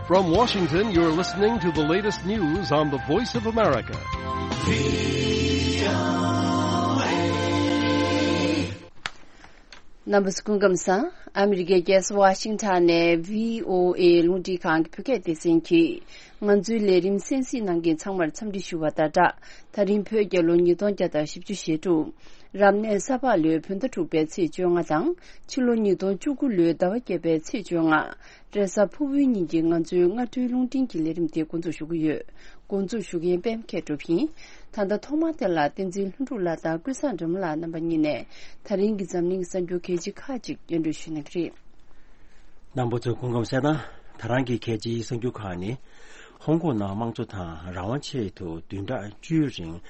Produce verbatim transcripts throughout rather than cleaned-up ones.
From Washington, you're listening to the latest news on the Voice of America. རྣམ་པ་ཚོ་སྐུ་ཁམས་བཟང་། ཨ་མི་རི་ཀའི་རྒྱལ་ས་ཝ་ཤིང་ཊོན་ནས་བྷི་ཨོ་ཨེ་རླུང་འཕྲིན་ཁང་གི་བོད་སྐད་སྡེ་ཚན་གྱིས་ང་ཚོའི་ལས་རིམ་གསན་གཟིགས་གནང་མཁན་ཚང་མར་འཚམས་འདྲི་ཞུ་བ་དང་སྦྲགས། ད་རིང་བོད་རྒྱལ་ལོ་ཉིས་སྟོང་བརྒྱ་དང་བཞི་བཅུ་ཞེ་དྲུག་རབ་གནས་ས་ཕག་ལོའི་བོད་ཟླ་དྲུག་པའི་ཚེས་བཅོ་ལྔ་དང་ཕྱི་ལོ་ཉིས་སྟོང་བཅུ་དགུ་ལོའི་ཟླ་བ་བརྒྱད་པའི་ཚེས་བཅོ་ལྔ། རེས་གཟའ་ཕུར་བུའི་ཉིན་གྱི་ང་ཚོའི་སྔ་དྲོའི་རླུང་འཕྲིན་གྱི་ལས་རིམ་དེ་འགོ་འཛུགས་ཞུ་གི་ཡོད། འགོ་འཛུགས་ཞུ་མཁན་པད་མ་མཁས་གྲུབ་ཡིན། ད་ལྟ་ཐོག་མར་དེ་ལ་བསྟན་འཛིན་ལྷུན་གྲུབ་ལགས་དང་ཀུན་བཟང་སྒྲོལ་མ་ལགས་རྣམ་པ་གཉིས་ནས་ད་རིང་གི་འཛམ་གླིང་གསར་འགྱུར་གལ་ཆེ་ཁག་ཅིག་སྙན་སྒྲོན་ཞུ་གནང་གི་རེད། རྣམ་པ་ཚོ་སྐུ་ཁམས་བཟང་། ད་རང་གི་གལ་ཆེའི་གསར་འགྱུར་ཁག་ནི། ཧོང་ཀོང་ནང་དམངས་གཙོ་དང་རང་དབང་ཆེད་དུ་བདུན་ཕྲག་བཅུའི་རིང་།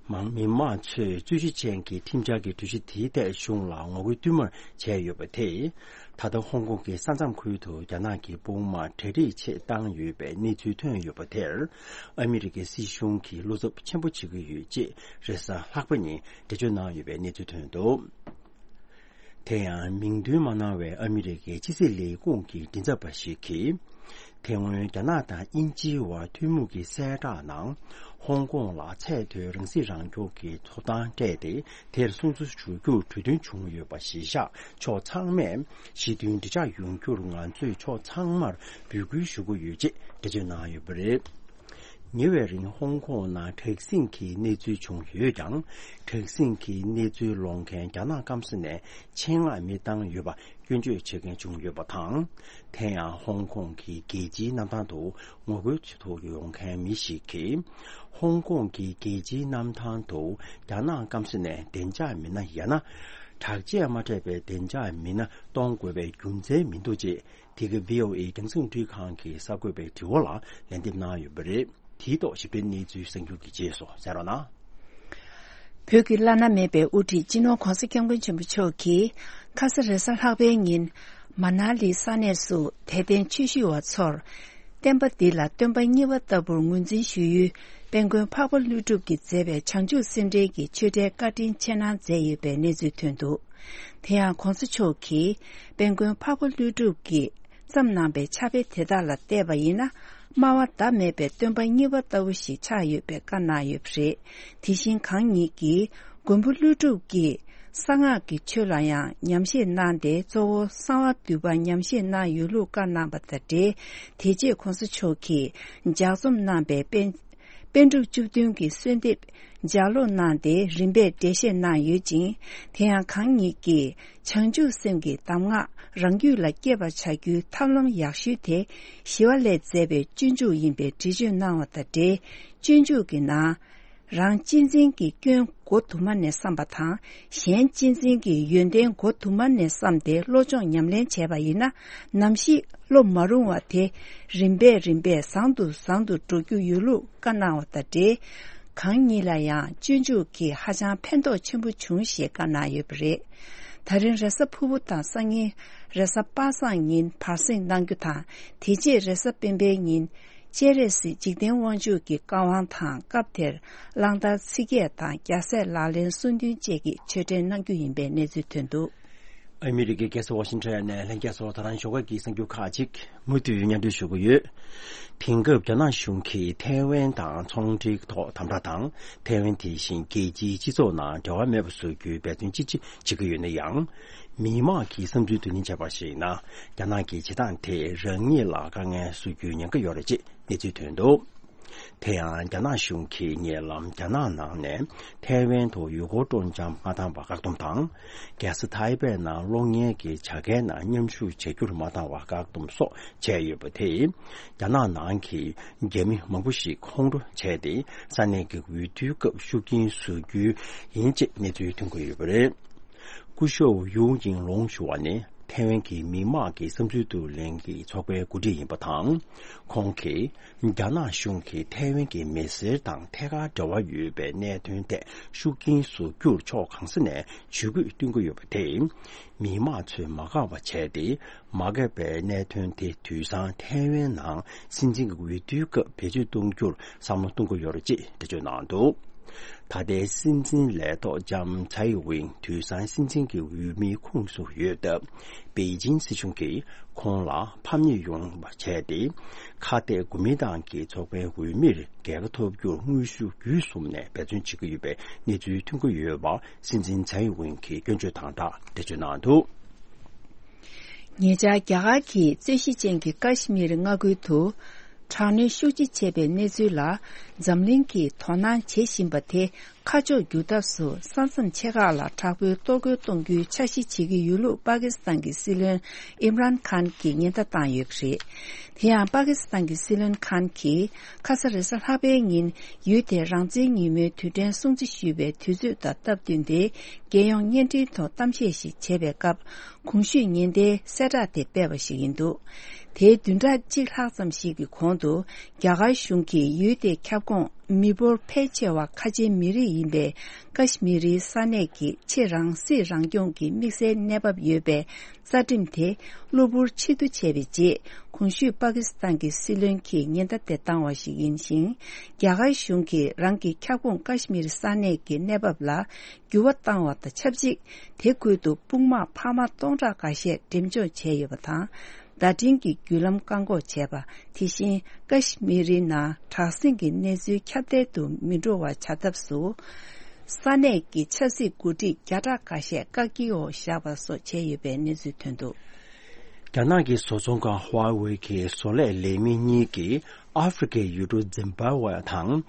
མང་མི་མང་ཚོས་རྩོད་གཞི་ཅན་གྱི་ཁྲིམས་འཆར་གྱི་གྲོས་གཞི་དེའི་ཐད་གཞུང་ལ་ངོ་རྒོལ་བསྟུད་མར་བྱས་ཡོད་པ་དེས། ད་ལྟ་ཧོང་ཀོང་གི་ས་མཚམས་ཁུལ་དུ་རྒྱ་ནག་གི་དཔུང་དམག་གྲ་སྒྲིག་ཆེད་བཏང་ཡོད་པའི་གནས་ཚུལ་ཐོན་ཡོད་པ་དེར། ཨ་མི་རི་ཀའི་སྲིད་གཞུང་གིས་བློ་འཚབ་ཆེན་པོ་བྱེད་ཀྱི་ཡོད་ཅེས་རེས་གཟའ་ལྷག་པ་ཉིན་འགྲེལ་བརྗོད་གནང་ཡོད་པའི་གནས་ཚུལ་ཐོན་འདུག་དེ་ཡང་མིང་འདོན་མ་གནང་བའི་ཨ་མི་རི་ཀའི་ཕྱི་སྲིད་ལས་ཁུངས་ཀྱི་མགྲིན་ཚབ་པ་ཞིག་གིས། དེ་སྔོན་རྒྱ་ནག་དང་དབྱིན་ཇིའི་བར་ཐུན་མོང་གི་གསལ་བསྒྲགས་ནང་། ཧོང་ཀོང་ལ་ཚད་མཐོའི་རང་སྲིད་རང་སྐྱོང་གི་ཐོབ་ཐང་སྤྲད་དེ། དེར་སྲུང་བརྩི་ཞུ་རྒྱུར་གྲོས་མཐུན་བྱུང་ཡོད་པ་གཞིར་བཞག་ཕྱོགས་ཚང་མས་ཞི་མཐུན་འགྲིག་འཇགས་ཡོང་རྒྱུར་ང་ཚོས་ཕྱོགས་ཚང་མར་འབོད་སྐུལ་ཞུ་གི་ཡོད་ཅེས་འགྲེལ་བརྗོད་གནང་ཡོད་པ་རེད། ཉེ་བའི་རིང་ཧོང་ཀོང་ནང་དྲག་ཟིང་གི་གནས་ཚུལ་བྱུང་ཡོད་ཀྱང་། དྲག་ཟིང་གི་གནས་ཚུལ་སློང་མཁན་རྒྱ་ནག་སྐམ་ས་ནས་ཆེད་མངགས་མི་བཏང་ཡོད་པ་སྐྱོན་བརྗོད་བྱེད་མཁན་བྱུང་ཡོད་པ་དང་། དེ་ཡང་ཧོང་ཀོང་གི་རྒྱལ་སྤྱིའི་གནམ་ཐང་དུ་ངོ་རྒོལ་ཆེད་དུ་ཡོང་མཁན་མི་ཞིག་གིས། ཧོང་ཀོང་གི་རྒྱལ་སྤྱིའི་གནམ་ཐང་དུ་རྒྱ་ནག་སྐམ་ས་ནས་བདེ་འཇགས་མི་སྣ་ཡང་ན། དྲག་ཆས་མ་སྤྲས་པའི་བདེ་འཇགས་མི་སྣ་གཏོང་དགོས་པའི་རྒྱུ་མཚན་མི་འདུག་ཅེས། དེ་ག་བྷི་ཨོ་ཨེ་རྒྱང་སྲིང་འཕྲིན་ཁང་གི་གསར་འགོད་པའི་དྲི་བ་ལ་ལན་འདེབས་གནང་ཡོད་པ་རེད། དེའི་ཐོག་ཞིབ་ཕྲའི་གནས་ཚུལ་གསར་འགྱུར་གྱི་རྗེས་སུ་གསན་རོགས་གནང་། བོད་ཀྱི་བླ་ན་མེད་པའི་དབུ་ཁྲིད་སྤྱི་ནོར་༧གོང་ས་༧སྐྱབས་མགོན་ཆེན་པོ་མཆོག་གིས་ཁ་ས་རེས་གཟའ་ལྷག་པའི་ཉིན་མ་ན་ལི་ས་གནས་སུ་དད་ལྡན་ཆོས་ཞུ་བ་ཚོར། བསྟན་པ་འདི་ལ་སྟོན་པ་གཉིས་པ་ལྟ་བུར་ངོས་འཛིན་ཞུ་ཡུལ་དཔལ་མགོན་འཕགས་པ་ཀླུ་སྒྲུབ་ཀྱིས་མཛད་པའི་བྱང་ཆུབ་སེམས་འགྲེལ་གྱི་ཆོས་འབྲེལ་བཀའ་དྲིན་ཆེ་གནང་མཛད་ཡོད་པའི་གནས་ཚུལ་ཐོན་འདུག་དེ་ཡང་༧གོང་ས་མཆོག་གིས་དཔལ་མགོན་འཕགས་པ་ཀླུ་སྒྲུབ་ཀྱིས་བརྩམས་གནང་པའི་ཕྱག་དཔེ་དེ་དག་ལ་བལྟས་པ་ཡིན་ན། སྨྲ་བ་ཟླ་མེད་པའི་སྟོན་པ་གཉིས་པ་ལྟ་བུ་ཞིག་ཆགས་ཡོད་པའི་བཀའ་གནང་ཡོད་པ་རེད། དེ་བཞིན་གང་ཉིད་ཀྱིས་མགོན་པོ་ཀླུ་སྒྲུབ་ཀྱིས་གསང་སྔགས་ཀྱི་ཆོས་ལ་ཡང་ཉམས་བཞེས་གནང་སྟེ། གཙོ་བོ་གསང་བ་འདུས་པ་ཉམས་བཞེས་གནང་ཡོད་ལུགས་བཀའ་གནང་བ་དང་འབྲེལ། དེ་རྗེས་༧གོང་ས་མཆོག་གིས་ལྗགས་རྩོམ་གནང་པའི་པཎ་པཎ་གྲུབ་བཅུ་བདུན་གྱི་གསོལ་འདེབས་ལྗགས་ཀློག་གནང་སྟེ་རིམ་པས་འགྲེལ་བཤད་གནང་ཡོད་ཅིང་། དེ་ཡང་གང་ཉིད་ཀྱིས་བྱང་ཆུབ་སེམས་ཀྱི་གདམས་ངག་རང་རྒྱུད་ལ་སྐྱེས་པར་བྱ་རྒྱུའི་ཐབས་ལམ་ཡག་ཤོས་དེ་ཞི་བ་ལྷས་མཛད་པའི་སྤྱོད་འཇུག་ཡིན་པའི་འགྲེལ་བརྗོད་གནང་བ་དང་འབྲེལ། སྤྱོད་འཇུག་གི་ནང་། རང་གཅེས་འཛིན་གྱི་སྐྱོན་མགོ་དུ་མ་ནས་བསམ་པ་དང་། གཞན་གཅེས་འཛིན་གྱི་ཡོན་ཏན་མགོ་དུ་མ་ནས་བསམ་སྟེ་བློ་སྦྱོང་ཉམས་ལེན་བྱས་པ་ཡིན་ན། ནམ་ཞིག་བློ་མ་རུང་བ་དེ་རིམ་པས་རིམ་པས་བཟང་དུ་བཟང་དུ་འགྲོ་རྒྱུ་ཡོད་ལུགས་བཀའ་གནང་བ་དང་འབྲེལ། གང་ཉིད་ལ་ཡང་སྤྱོད་འཇུག་གིས་ཧ་ཅང་ཕན་ཐོགས་ཆེན་པོ་བྱུང་ཞེས་བཀའ་གནང་ཡོད་པ་རེད། ད་རིང་རེས་གཟའ་ཕུར་བུ་དང་སང་ཉིན་རེས་གཟའ་པ་སངས་ཉིན་བར་གསེང་གནང་རྒྱུ་དང་། དེ་རྗེས་རེས་གཟའ་སྤེན་པའི་ཉིན་སྤྱན་རས་གཟིགས་འཇིག་རྟེན་དབང་ཕྱུག་གི་བཀའ་དབང་དང་། སྐབས་དེར་གླང་དར་ཚིག་བརྒྱད་དང་རྒྱལ་སྲས་ལག་ལེན་གསུང་འདུན་བཅས་ཀྱི་ཆོས་འབྲེལ་གནང་རྒྱུ་ཡིན་པའི་གནས་ཚུལ་ཐོན་འདུག་ཨ་མི་རི་ཀའི་རྒྱལ་ས་ཝ་ཤིང་ཊོན་ནས་ལྷན་རྒྱས་ཚོ་ད་རང་ཞོགས་ཀ་གི་གསར་འགྱུར་ཁག་ཅིག་མུ་མཐུད་སྙན་སྒྲོན་ཞུ་གི་ཡོད། དེང་སྐབས་རྒྱ་ནག་གཞུང་གིས་ཐའེ་ཝན་དང་ཚོང་འབྲེལ་ཐོག་དམ་དྲག་དང་། ཐའེ་ཝན་དེ་བཞིན་རྒྱལ་སྤྱིའི་སྤྱི་ཚོགས་ནང་འབྲེལ་བ་མེད་པ་བཟོ་རྒྱུའི་འབད་བརྩོན་ཅི་ཆེ་བྱེད་ཀྱི་ཡོད་ན་ཡང་། མི་མང་གི་བསམ་ཚུལ་བསྡུ་ལེན་བྱས་པར་གཞིགས་ན། རྒྱ་ནག་གི་བྱེད་སྟངས་དེས་རང་ཉིད་ལ་དཀའ་ངལ་བཟོ་རྒྱུའི་ཉེན་ཁ་ཡོད་རེད་ཅེས་གནས་ཚུལ་ཐོན་འདུག་དེ་ཡང་རྒྱ་ནག་གཞུང་གིས་ཉེ་ལམ་རྒྱ་ནག་ནང་ནས་ཐའེ་ཝན་དུ་ཡུལ་སྐོར་སྤྲོ་འཆམ་མ་བཏང་བར་བཀག་སྡོམ་དང་། རྒྱལ་ས་ཐའེ་པེ་ནང་གློག་བརྙན་གྱི་བྱ་དགའི་ནང་མཉམ་ཞུགས་བྱ་རྒྱུར་མ་བཏང་བར་བཀག་སྡོམ་སོགས་བྱས་ཡོད་པ་དེས། རྒྱ་ནག་ནང་གི་རྒྱ་མི་མང་པོ་ཞིག་ཁོང་ཁྲོ་བྱས་ཏེ། ས་གནས་ཀྱི་འོས་བསྡུའི་སྐབས་ཤུགས་རྐྱེན་བཟོ་རྒྱུ་ཡིན་ཅེས་གནས་ཚུལ་ཐོན་གྱི་ཡོད་པ་རེད། སྐུ་ཞབས་ཡུའུ་ཡིང་ལུང་ཞུ་བ་ནི་ཐའེ་ཝན་གྱི་མི་དམངས་ཀྱི་བསམ་ཚུལ་བསྡུ་ལེན་གྱི་ཚོགས་པའི་འགོ་ཁྲིད་ཡིན་པ་དང་། ཁོང་གིས་རྒྱ་ནག་གཞུང་གིས་ཐའེ་ཝན་གྱི་མི་སེར་དང་ཐད་ཀར་འབྲེལ་བ་ཡོད་པའི་གནད་དོན་ཐད་ཤུགས་རྐྱེན་བཟོ་རྒྱུར་ཕྱོགས་གང་ས་ནས་ཇུས་འགོད་བཏོན་གྱི་ཡོད་པ་དེས། མི་དམངས་ཚོས་མ་དགའ་བ་བྱས་ཏེ། མ་དགའ་བའི་གནད་དོན་དེ་དུས་སང་ཐའེ་ཝན་ནང་སྲིད་འཛིན་གྱི་འོས་བསྡུའི་སྐབས་བེད་སྤྱོད་གཏོང་རྒྱུར་བསམ་བློ་གཏོང་གི་ཡོད་རེད་ཅེས་འགྲེལ་བརྗོད་གནང་འདུག་ད་ལྟའི་སྲིད་འཛིན་ལས་ཐོག་ལྕམ་ཚའེ་ཝིན་དུས་སང་སྲིད་འཛིན་གྱི་འོས་མིའི་ཁོངས་སུ་ཡོད་སྟབས། པེ་ཅིན་སྲིད་གཞུང་གིས་ཁོང་ལ་ཕམ་ཉེས་ཡོང་བ་བྱས་ཏེ། ཁ་གཏད་གོ་མིན་ཏང་གི་ཚོགས་པའི་འོས་མིར་རྒྱལ་ཁ་ཐོབ་རྒྱུར་དངོས་ཤུགས་བརྒྱུད་གསུམ་ནས་འབད་བརྩོན་བྱེད་ཀྱི་ཡོད་པའི་གནས་ཚུལ་ཐོན་གྱི་ཡོད་པ། སྲིད་འཛིན་ཚའེ་ཝིན་གྱིས་སྐྱོན་བརྗོད་དང་སྦྲགས་འགྲེལ་བརྗོད་གནང་འདུག། ཉེ་ཆར་རྒྱ་གར་གྱི་རྩོད་གཞི་ཅན་གྱི་ཀ་ཤི་མིར་མངའ་ཁུལ་དུ། དྲག་གནོན་ཤུགས་ཆེ་བྱས་པའི་གནས་ཚུལ་ལ། འཛམ་གླིང་གིས་དོ་སྣང་བྱེད་བཞིན་པ་དེ་ཁ་ཕྱོགས་བསྒྱུར་ཐབས་སུ། ས་མཚམས་ཆེ་ཁག་ལ་དྲག་པོའི་གཏོར་རྒོལ་གཏོང་རྒྱུའི་འཆར་གཞི་བྱེད་ཀྱི་ཡོད་ལུགས་པ་ཀི་སི་ཐན་གྱི་སྲིད་བློན་ཨིམ་རཱན་ཁཱན་གྱིས་ཉེན་བརྡ་བཏང་ཡོད་པ་རེད། དེ་ཡང་། པ་ཀི་སི་ཐན་གྱི་སྲིད་བློན་ཁཱན་གྱིས་ཁ་ས་རེས་གཟའ་ལྷག་པའི་ཉིན། ཡུལ་དེར་རང་བཙན་ཉིན་མོའི་དུས་དྲན་སྲུང་བརྩི་ཞུས་པའི་དུས་ཚོད་དང་སྟབས་བསྟུན་ཏེ། རྒྱལ་ཡོངས་བརྙན་འཕྲིན་ཐོག་གཏམ་བཤད་ཞིག་བྱས་པའི་སྐབས། གོང་ཞུས་ཉེན་བརྡའི་གསལ་བསྒྲགས་དེ་སྤེལ་བ་ཞིག་ཡིན་འདུག། དེའི་བདུན་ཕྲག་གཅིག་ལྷག་ཙམ་ཞིག་གི་གོང་དུ། རྒྱ་གར་གཞུང་གིས་ཡུལ་དེའི་ཁྱབ་ཁོངས་མི་འབོར་ཕལ་ཆེ་བ་ཁ་ཆེའི་མི་རིགས་ཡིན་པའི་ཀ་ཤི་མི་རིའི་ས་གནས་ཀྱི་ཆེས་རང་སྲིད་རང་སྐྱོང་གི་དམིགས་བསལ་གནས་བབ་ཡོད་པའི་རྩ་ཁྲིམས་དེ་གློ་བུར་ཕྱིར་བསྡུ་བྱས་པའི་རྗེས། གོང་ཞུས་པ་ཀི་སི་ཐན་གྱི་སྲིད་བློན་གྱིས་ཉེན་བརྡ་དེ་བཏང་བ་ཞིག་ཡིན་ཞིང་། རྒྱ་གར་གཞུང་གིས་རང་གི་ཁྱབ་ཁོངས་ཀ་ཤི་མིར་ས་གནས་ཀྱི་གནས་བབ་ལ་འགྱུར་བ་བཏང་བ་དང་ཆབས་ཅིག། དེ་ཁུལ་དུ་དཔུང་དམག་འཕར་མ་སྟོང་ཕྲག་འགའ་ཤས་འགྲེམས་འཇོག་བྱས་ཡོད་པ་དང་། བརྡ་འཕྲིན་གྱི་བརྒྱུད་ལམ་བཀག་འགོག་བྱས་པ། དེ་བཞིན་ཀ་ཤི་མི་རི་ནང་དྲག་ཟིང་གི་གནས་ཚུལ་ཁྱབ་གདལ་དུ་མི་འགྲོ་བར་བྱ་ཐབས་སུ། ས་གནས་ཀྱི་ཆབ་སྲིད་འགོ་ཁྲིད་བརྒྱ་ཕྲག་འགའ་ཤས་བཀག་སྐྱིལ་འོག་བཞག་པ་སོགས་བྱས་ཡོད་པའི་གནས་ཚུལ་ཐོན་འདུག། རྒྱ་ནག་གི་བཟོ་ཚོང་ཁང་ཧྭ་ཝེ་གི་བཟོ་ལས་ལས་མི་གཉིས་ཀྱིས་ཨ་ཧྥེ་རི་ཁའི་ཡུལ་གྲུ་ཛིམ་བྷ་ཝེ་དང་།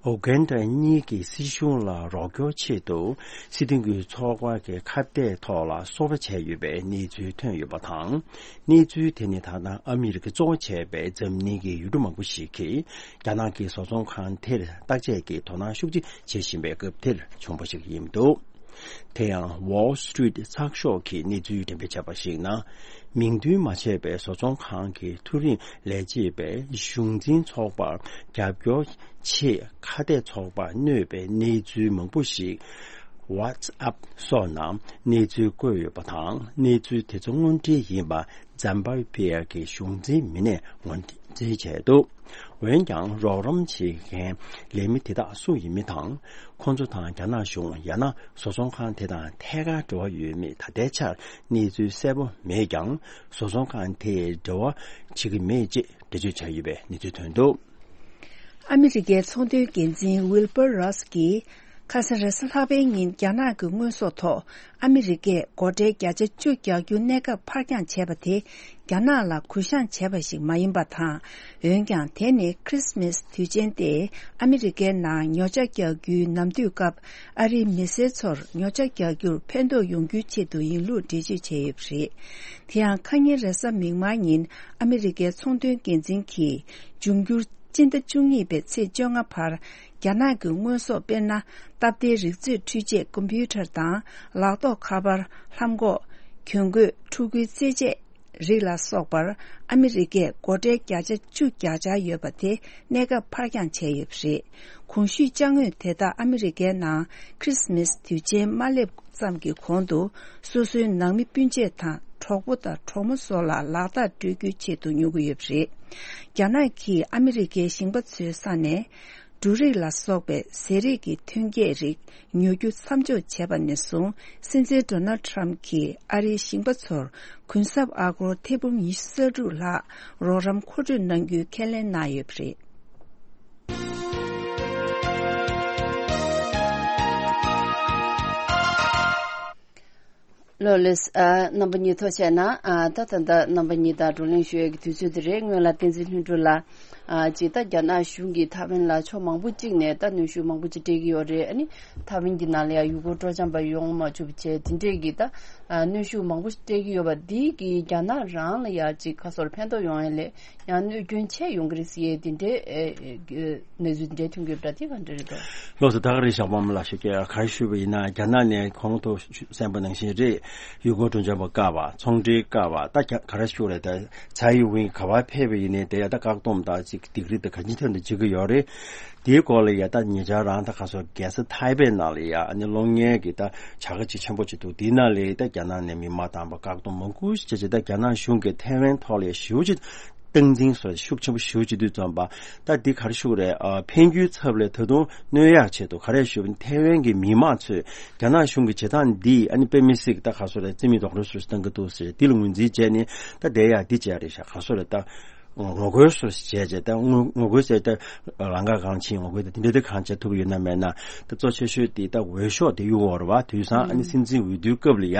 ཨུ་གན་ཌ་གཉིས་ཀྱི་སྲིད་གཞུང་ལ་རོགས་སྐྱོར་ཆེད་དུ། སྲིད་དོན་གྱི་ཚོགས་པ་གི་ཁ་གཏད་ཐོག་ལ་སོ་པ་བྱས་ཡོད་པའི་གནས་ཚུལ་ཐོན་ཡོད་པ་དང་། གནས་ཚུལ་དེ་ནི་ད་ལྟ་ཨ་མི་རི་ཀ་གཙོ་བོ་བྱས་པའི་འཛམ་གླིང་གི་ཡུལ་གྲུ་མང་པོ་ཞིག་གིས། རྒྱ་ནག་གི་བཟོ་ཚོང་ཁང་དེར་བརྟག་དཔྱད་ཀྱིས་དོ་སྣང་ཤུགས་ཆེ་བྱེད་བཞིན་པའི་སྐབས་དེར་བྱུང་བ་ཞིག་ཡིན་འདུག། དེ་ཡང་Wall Street་ཚགས་ཤོག་གིས་གནས་ཚུལ་འགྲེམས་སྤེལ་བྱས་པར་གཞིགས་ན། མིང་འདོན་མ་བྱས་པའི་བཟོ་ཚོང་ཁང་གི་མཐོ་རིམ་ལས་བྱེད་པས་གཞུང་འཛིན་ཚོགས་པར་རྒྱབ་སྐྱོར་ཆེད་ཁ་གཏད་ཚོགས་པར་གནོད་པའི་གནས་ཚུལ་མང་པོ་ཞིག་WhatsApp་སོགས་ནང་གནས་ཚུལ་བཀོད་ཡོད་པ་དང་། གནས་ཚུལ་དེ་ཚོ་དངོས་འབྲེལ་ཡིན་པ་ཛམ་བྷ་བྷེ་གི་གཞུང་འཛིན་མི་སྣས་ངོས་འཛིན་བྱས་འདུག། འོན་ཀྱང་། རོགས་རམ་བྱེད་མཁན་ལས་མི་དེ་དག་སུ་ཡིན་མིན་དང་། ཁོང་ཚོ་དང་རྒྱ་ནག་གཞུང་ཡང་ན་བཟོ་ཚོང་ཁང་དེ་དང་ཐད་ཀར་འབྲེལ་བ་ཡོད་མེད་ད་ལྟའི་ཆར་གནས་ཚུལ་གསལ་པོ་མེད་ཀྱང་། བཟོ་ཚོང་ཁང་དེས་འབྲེལ་བ་བྱེད་ཀྱི་མེད་ཅེས་འགྲེལ་བརྗོད་བྱས་ཡོད་པའི་གནས་ཚུལ་ཐོན་འདུག། ཨ་མི་རི་ཀའི་ཚོང་དོན་འགན་འཛིན་ཝིལ་པར་རོས་ཀྱིས། ཁ་སང་རེས་གཟའ་ལྷག་པའི་ཉིན་རྒྱ་ནག་གི་དངོས་ཟོག་ཐོག་ཨ་མི་རི་ཀས་སྒོ་ཁྲལ་བརྒྱ་ཆ་བཅུ་རྒྱག་རྒྱུ་གནས་སྐབས་ཕར་འགྱངས་བྱས་པ་དེ། རྒྱ་ནག་ལ་གུ་བཤངས་བྱས་པ་ཞིག་མ་ཡིན་པ་དང་། འོན་ཀྱང་། དེ་ནི་ཁྲིས་མིས་དུས་ཆེན་ཏེ་ཨ་མི་རི་ཀའི་ནང་ཉོ་ཆ་རྒྱག་རྒྱུའི་ནམ་དུས་སྐབས། ཨ་རིའི་མི་སེར་ཚོར་ཉོ་ཆ་རྒྱག་རྒྱུར་ཕན་ཐོགས་ཡོང་རྒྱུའི་ཆེད་དུ་ཡིན་ལུགས་འགྲེལ་བརྗོད་བྱས་ཡོད་པ་རེད། དེ་ཡང་། ཁ་ཉིན་རེས་གཟའ་མིག་དམར་ཉིན་ཨ་མི་རི་ཀའི་ཚོང་དོན་འགན་འཛིན་གྱིས། འབྱུང་འགྱུར་སྤྱི་ཟླ་བཅུ་གཉིས་པའི་ཚེས་བཅོ་ལྔ་བར། རྒྱ་ནག་གི་དངོས་ཟོག་དཔེར་ན། སྟབས་བདེའི་རིག་མཛོད་འཕྲུལ་ཆས་ཀམ་པུ་ཊར་དང་། ལག་ཐོགས་ཁ་པར། ལྷམ་གོག་གྱོན་གོས། ཕྲུ་གུའི་རྩེད་ཆས་རིགས་ལ་སོགས་པར། ཨ་མི་རི་ཀས་སྒོ་ཁྲལ་བརྒྱ་ཆ་བཅུ་རྒྱག་འཆར་ཡོད་པ་དེ། གནས་སྐབས་ཕར་འགྱངས་བྱས་ཡོད་པ་རེད། གོང་ཞུས་ཅ་དངོས་དེ་དག་ཨ་མི་རི་ཀའི་ནང་ཁྲིས་མིས་དུས་ཆེན་མ་སླེབས་ཙམ་གྱི་གོང་དུ། སོ་སོའི་ནང་མི་སྤུན་མཆེད་དང་། གྲོགས་པོ་དང་གྲོགས་མོ་སོགས་ལ་ལག་རྟགས་སྤྲོད་རྒྱུའི་ཆེད་དུ་ཉོ་གི་ཡོད་པ་རེད། རྒྱ་ནག་གིས་ཨ་མི་རི་ཀའི་ཞིང་པ་ཚོའི་ས་ནས། འབྲུ་རིགས་ལ་སོགས་པའི་ཟས་རིགས་ཀྱི་ཐོན་སྐྱེད་རིགས་ཉོ་རྒྱུ་མཚམས་འཇོག་བྱས་པ་ནས་བཟུང་། སྲིད་འཛིན་ཌོ་ནལ་ཌི་ཊརམ་གྱིས་ཨ་རིའི་ཞིང་པ་ཚོར་གུན་གསབ་ཨ་སྒོར་ཐེར་འབུམ་ཉི་ཤུ་རྩ་དྲུག་ལྷག་རོགས་རམ་མཁོ་སྤྲོད་གནང་རྒྱུའི་ཁས་ལེན་གནང་ཡོད་པ་རེད། ལོ་ལེགས། ཨ། རྣམ་པ་གཉིས་ཐུགས་རྗེ་གནང་། ཨ། ད་ད་ལྟ་རྣམ་པ་གཉིས་དང་བགྲོ་གླེང་ཞུ་ཡས་ཀྱི་དུས་ཚོད་དེ་རེད། སྔོན་ལ་བསྟན་འཛིན་ལྷུན་གྲུབ་ལགས། ཨ། ཅིག་ད་རྒྱ་ནག་གཞུང་གིས་ཐའེ་ཝན་ལ་ཕྱོགས་མང་པོ་གཅིག་ནས་ད་གནོན་ཤུགས་མང་པོ་ཅིག་སྤྲད་ཀྱི་ཡོད་རེད། ཨ་ནི་ཐའེ་ཝན་གྱི་ནང་ལ་ཡང་ཡུ་གུར་སྤྲོ་འཆམ་པ་ཡོང་མ་ཆོག་པ་བྱས། དེ་འདྲས་ཀྱི་ད། ཨ། གནོན་ཤུགས་མང་པོ་ཞིག་སྤྲད་ཀྱི་ཡོད་པ་འདི་གིས་རྒྱ་ནག་རང་ལ་ཡང་ཅིག་ཁ་སོར་ཕན་ཐོགས་ཡོང་ཡས་ལས། ཡང་གནོད་སྐྱོན་ཆེ་ཡོང་གི་རེད་ཟེར་ཡས་དེ་འདྲའི་ཨེ་ཨེ་གནས་ཚུལ་དེ་འདྲའི་ཐོན་གྱི་ཡོད་པ་འདྲ། དེ་ག་འདྲ་རེད་འདུག། ལགས་སོ། ད་ག་རེ་ཞག་པ་མ་ལ་ཞུ་གི་ག་རེ་ཞུས་པ་ཡིན་ན། རྒྱ་ནག་ནས་གོང་དུ་གསན་པ་ནང་བཞིན་རེད། ཡུ་གུར་སྤྲོ་འཆམ་པ་བཀག་པ། ཚོང་འབྲེལ་བཀག་པ། ད་ག་རེ་ཞུ་རེད། ད་ཚའེ་ཝིན་ག་པར་ཕེབས་པ་ཡིན་ནའི་དེ་ཡ་ད་བཀག་སྡོམ་དང་ཅིག་སྡིགས་ར་དེ་ག་ཅི་ཐད་ནས་བྱེད་ཀྱི་ཡོད་རེད། དེའི་སྐོར་ལ་ཡ་ད་ཉེ་ཆར་རང་ད་ག་སོ་རྒྱལ་ས་ཐའེ་པེ་ནང་ལ་ཡ་ཨ་ནི་གློག་བརྙན་གྱི་ད་བྱ་དགའ་ཅིག་ཆེན་པོ་ཅིག་འདུག། དེའི་ནང་ལ་ད་རྒྱ་ནག་ནས་མི་མང་བཏང་པ། བཀག་སྡོམ་མང་པོ་ཞིག་བྱས་བྱས། ད་རྒྱ་ནག་གཞུང་གིས་ཐའེ་ཝན་ཐོག་ལ་ཡ་ཞེ་པོ་ཅིག་ སྟངས་འཛིན་སོགས་ཤུགས་ཆེན་པོ་ཞེ་པོ་ཅིག་འདུག་བརྩམས་པ། ད་འདི་ག་རེ་ཞུ་དགོས་རེད། ཨ། འཕེན་རྒྱུའི་ཚབ་ལ་ད་དུང་གནོད་ཡག་ཆེད་དུ་ག་རེ་ཞུ་བ་ཡིན། ཐའེ་ཝན་གྱི་མི་མང་ཚོས་རྒྱ་ནག་གཞུང་གི་བྱེད་སྟངས་འདིས། ཨ་ནི་དཔེ་མི་སྲིད་ཀྱི་ད་ག་སོ་རེད། རྩིས་མེད་རྡོག་རོལ་སོགས་བཏང་གི་འདུག་ཟེར། འདི་ལ་ངོས་འཛིན་བྱས་ནས་ད་བསྡད་ཡག་འདི་བྱས་རེད་ཤག་ག་སོ་རེད། ད་ངོ་རྒོལ་སོགས་བྱས་བྱས། ད་ངོ་ངོ་རྒོལ་ཟེར་ད་ལམ་ཁ་གང་ཕྱིན། ངོ་རྒོལ་ད་འདི་འདྲ་ད་གང་བྱེད་ཐུབ་ཡོད་ན་མེད་ན། ད་གཙོ་ཆེ་ཤོས་དེ་ད་འོས་ཤོག་དེ་གཡུག་དགོས་རེད་པ། དུས་སང་ཨ་ནི་སྲིད་འཛིན་འོས་བསྡུའི་སྐབས་ལ་ཡ།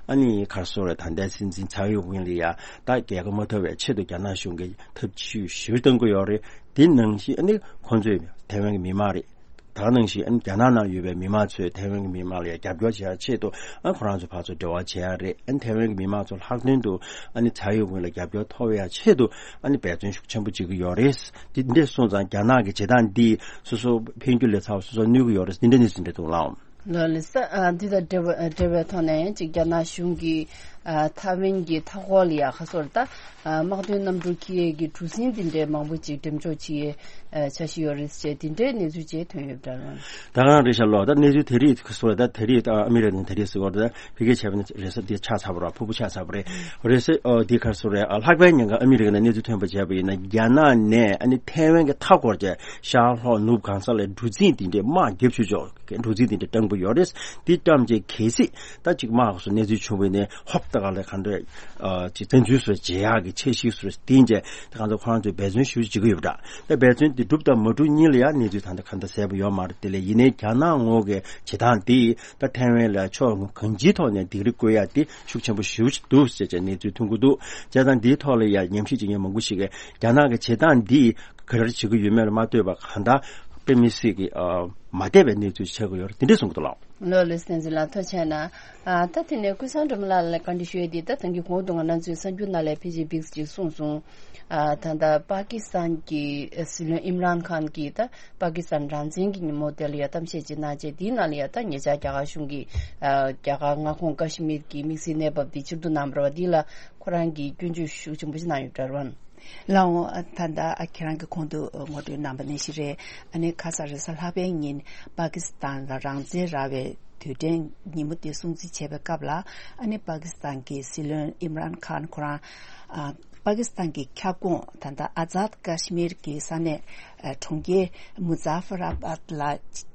ཨ་ནི་ག་སོ་རེད། ད་ལྟའི་སྲིད་འཛིན་ཚའེ་ཡོ་ཝེན་ལ་ཡ་ད་རྒྱལ་ཁ་མ་ཐོབ་པའི་ཆེད་དུ་རྒྱ་ནག་གཞུང་གིས་ཐབས་ཇུས་ཞིབ་བཏང་གི་ཡོད་རེད། དེ་ནང་བཞིན་ཨ་ནི་ཁོང་ཚོས་ཐའེ་ཝན་གྱི་མི་མང་རེད། ད་ག་ནང་བཞིན་ཨ་ནི་རྒྱ་ནག་ནང་ཡོད་པའི་མི་མང་ཚོས་ཐའེ་ཝན་གྱི་མི་མང་ལ་ཡ་རྒྱབ་སྐྱོར་བྱེད་ཡ་ཆེད་དུ། ཨ། ཁོ་རང་ཚོ་ཕར་ཚུར་འབྲེལ་བ་བྱེད་ཡ་རེད། ཨ་ནི་ཐའེ་ཝན་གྱི་མི་མང་ཚོ་ལྷག་དོན་དུ་ཨ་ནི་ཚའེ་ཡོ་ཝེན་ལ་རྒྱབ་སྐྱོར་ཐོབ་ཡ་ཆེད་དུ་ཨ་ནི་འབད་བརྩོན་ཤུགས་ཆེན་པོ་བྱེད་ཀྱི་ཡོད་རེད། དེ་འདྲ་སོང་ཙང་རྒྱ་ནག་གི་བྱེད་སྟངས་འདིས་སོ་སོ་འཕེན་རྒྱུ་ལས་ཚ་བ། སོ་སོ་གནོད་ཀྱི་ཡོད་རེད། འདི་འདྲ་གནས་ཚུལ་འདྲ་འདུག་ལགས། ལགས་ལགས་སོ། ཨ། འདི་དང་འབྲེལ་བ་འབྲེལ་བའི་ཐོག་ནས་ཡང་ཅིག་རྒྱ་ནག་གཞུང་གིས། ཨ། ཐའེ་ཝན་གྱི་མཐའ་འཁོར་ལ་ཡ་ག་སོ་རེད། ད། ཨ། དམག་དོན་གནམ་གྲུ་འཁྱེར་ཡས་ཀྱི་གྲུ་གཟིངས་འདི་འདྲའི་མང་པོ་ཅིག་འགྲེམས་འཇོག་བྱེད་ཡས། ཨ། འཆར་གཞི་ཡོད་རེད་ཅེས་འདི་འདྲའི་གནས་ཚུལ་ཅིག་ཐོན་ཡོད་པ་འདྲ་བ། ད་ག་རང་རེད་ཤག་ལགས། ད་གནས་ཚུལ་དེ་རིགས་ག་སོ་རེད། ད་དེ་རིང་ཨ་མི་རི་ཀ་ནས་དེ་རིང་ཟེར་བ་རེད། ད་ཕ་གིར་བྱས་པ་ན་རེས་གཟའ་འདི་ཆགས་ཚར་བ་རེད། ཕུར་བུ་ཆགས་ཚར་བ་རེད། རེས་གཟའ། ཨོ། འདི་ག་སོ་རེད། ཨ། ལྷག་པའི་ཉིན་ག་ཨ་མི་རི་ཀ་ནས་གནས་ཚུལ་ཐོན་པ་བྱས་པ་ཡིན་ན། རྒྱ་ནག་ནས་ཨ་ནི་ཐའེ་ཝན་གྱི་མཐའ་འཁོར་གྱི་ཤར་ལྷོ་ནུབ་གང་ས་ལ་གྲུ་གཟིངས་དེ་འདྲའི་དམག་རྒྱབ་ཆུ་ཆོག་གྲུ་གཟིངས་དེ་འདྲ་བཀྲམ་གྱི་ཡོད་རེད། དེ་བཀྲམ་རྗེས་གལ་སྲིད་ད་ཅིག་དམག་སོགས་གནས་ཚུལ་བྱུང་བ་ཡིན་ན། ཧོབ་ཏེ་ག་ལ་ག་འདྲ། ཨ། ཅིག་བཙན་འཛུལ་སོགས་བྱེད་ཡག་གི་འཆར་གཞི་སོགས་བཏིང་རྗེས། ད་གང་ལྟར་ཁོ་རང་ཚོས་འབད་བརྩོན་ཞེ་པོ་ཅིག་བྱེད་ཀྱི་ཡོད་པ་འདྲ། ད་འབད་བརྩོན་དེ་གྲུབ་དང་མ་གྲུབ་གཉིས་ལ་ཡང་གནས་ཚུལ་ད་ལྟ་གང་ལྟར་གསལ་པོ་ཡོད་མ་རེད། དེ་ལས་ཡིན་ནའི་རྒྱ་ནག་ངོས་ཀྱི་བྱེད་སྟངས་དེས་ད་ཐའེ་ཝན་ལ་ཕྱོགས་གང་ཅིའི་ཐོག་ནས་སྡིགས་ར་བསྐུལ་ཡ་དེ་ཤུགས་ཆེན་པོ་ཞེ་པོ་ཅིག་འདུག་ཟེར་བྱས་གནས་ཚུལ་ཐོན་གྱི་འདུག། བྱས་ཙང་འདིའི་ཐོག་ལ་ཡང་ཉམས་ཞིབ་བྱེད་མཁན་མང་པོ་ཞིག་གིས་རྒྱ་ནག་གི་བྱེད་སྟངས་འདིས་ག་རེ་བྱེད་ཀྱི་ཡོད་མེད་ལ་མ་ལྟོས་པར། གང་ལྟར་དཔེ་མི་སྲིད་ཀྱི། ཨ། མ་བདེ་བའི་གནས་ཚུལ་ཆགས་ཀྱི་ཡོད་རེད། དེ་འདྲས་གསུང་གི་འདུག་ལགས། ལགས་ལགས་སོ། བསྟན་འཛིན་ལགས་ཐུགས་རྗེ་གནང་། ཨ། ད་དེ་ནས་ཀུན་བཟང་སྒྲོལ་མ་ལགས་ལ་བཀའ་འདྲི་ཞུ་ཡས་དེ། ད་ད་གིན་གོང་དུ་ང་རང་ཚོའི་གསར་འགྱུར་ནང་ལ་ཕལ་ཆེར་འདི་ཅིག་གསུངས་སོང་། ཨ། ད་ལྟ་པ་ཀི་སི་ཐན་གྱི་སྲིད་བློན་ཨིམ་རཱན་ཁཱན་གྱིས་ད་པ་ཀི་སི་ཐན་རང་བཙན་གྱི་ཉིན་མོ་དེ་ལ་ཡ་གཏམ་བཤད་ཅིག་གནང་རྗེས། དེའི་ནང་ལ་ཡ་ད་ཉེ་ཆར་རྒྱ་གར་གཞུང་གིས། ཨ། རྒྱ་གར་མངའ་ཁོངས་ཀ་ཤི་མིར་གྱི་དམིགས་བསལ་གནས་བབ་འདི་ཕྱིར་བསྡུ་གནང་བ་རེད་པ། འདི་ལ་ཁོ་རང་གིས་སྐྱོན་བརྗོད་ཤུགས་ཆེན་པོ་ཞིག་གནང་ཡོད་པ་འདྲ་བ། ལགས་འོང་། ད་ལྟ་ཁྱེད་རང་གིས་གོང་དུ་ངོ་སྤྲོད་གནང་བ་ནང་བཞིན་རེད། ཨ་ནི་ཁ་ས་རེས་གཟའ་ལྷག་པའི་ཉིན་པ་ཀི་སི་ཐན་ལ་རང་བཙན་རག་པའི་དུས་དྲན་ཉིན་མོ་དེ་སྲུང་བརྩི་བྱས་པའི་སྐབས་ལ། ཨ་ནི་པ་ཀི་སི་ཐན་གྱི་སྲིད་བློན་ཨིམ་རཱན་ཁཱན་ཁོ་རང་། ཨ། པ་ཀི་སི་ཐན་གྱི་ཁྱབ་ཁོངས་ད་ལྟ་ཨ་ཛཱད་ཀ་ཤི་མིར་གྱི་ས་གནས། ཨ། གྲོང་ཁྱེར་མུ་ཛ་ཧྥར་ཨ་བཱད་ལ་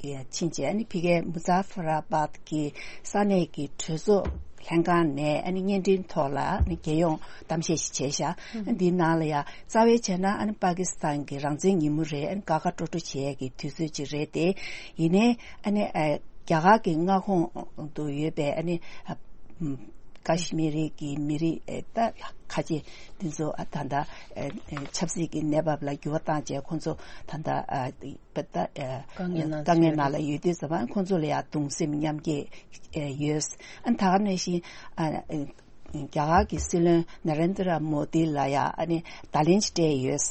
ཕྱིན་རྗེས། ཨ་ནི་ཕ་གིའི་མུ་ཛ་ཧྥར་ཨ་བཱད་ཀྱི་ས་གནས་ཀྱི་གྲོས་ཚོགས་ལྷན་ཁང་ནས་ཨ་ནི་བརྙན་འཕྲིན་ཐོག་ལ་ཨ་ནི་རྒྱལ་ཡོངས་གཏམ་བཤད་ཞིག་བྱས་ཤག། ཨ། འདིའི་ནང་ལ་ཡ་རྩ་བའི་བྱས་ན་ཨ་ནི་པ་ཀི་སི་ཐན་གྱི་རང་བཙན་ཉིན་མོ་རེད། ཨ་ནི་དགའ་དགའ་སྤྲོ་སྤྲོ་བྱེད་ཡས་ཀྱི་དུས་ཚོད་ཅིག་རེད་དེ། ཡིན་ནའི་ཨ་ནི། ཨ། རྒྱ་གར་གྱི་མངའ་ཁོངས་དུ་ཡོད་པའི་ཨ་ནི། ཨ། ཀ་ཤི་མིར་གྱི་མི་རིགས། ཨ། ད་ཁ་ཆེ་འདི་ཚོ། ཨ། ད་ལྟ། ཨ། ཆབ་སྲིད་ཀྱི་གནས་བབ་ལ་འགྱུར་བ་བཏང་བྱས་ཁོང་ཚོ་ད་ལྟ། ཨ། པ་ད། ཨ། དཀའ་ངལ་ནང་དཀའ་ངལ་ནང་ལ་ཡོད་དུས་ཙམ་པ་ཁོང་ཚོ་ལ་ཡང་གདུང་སེམས་མཉམ་སྐྱེད་ཡོད། ཨ། ད་ག་ནང་བཞིན། ཨ། རྒྱ་གར་གྱི་སྲིད་བློན་ན་རེན་དྲ་མོ་དི་ལ་ཡང་ཨ་ནི་བརྡ་ལན་ཅིག་སྤྲད་ཡོད།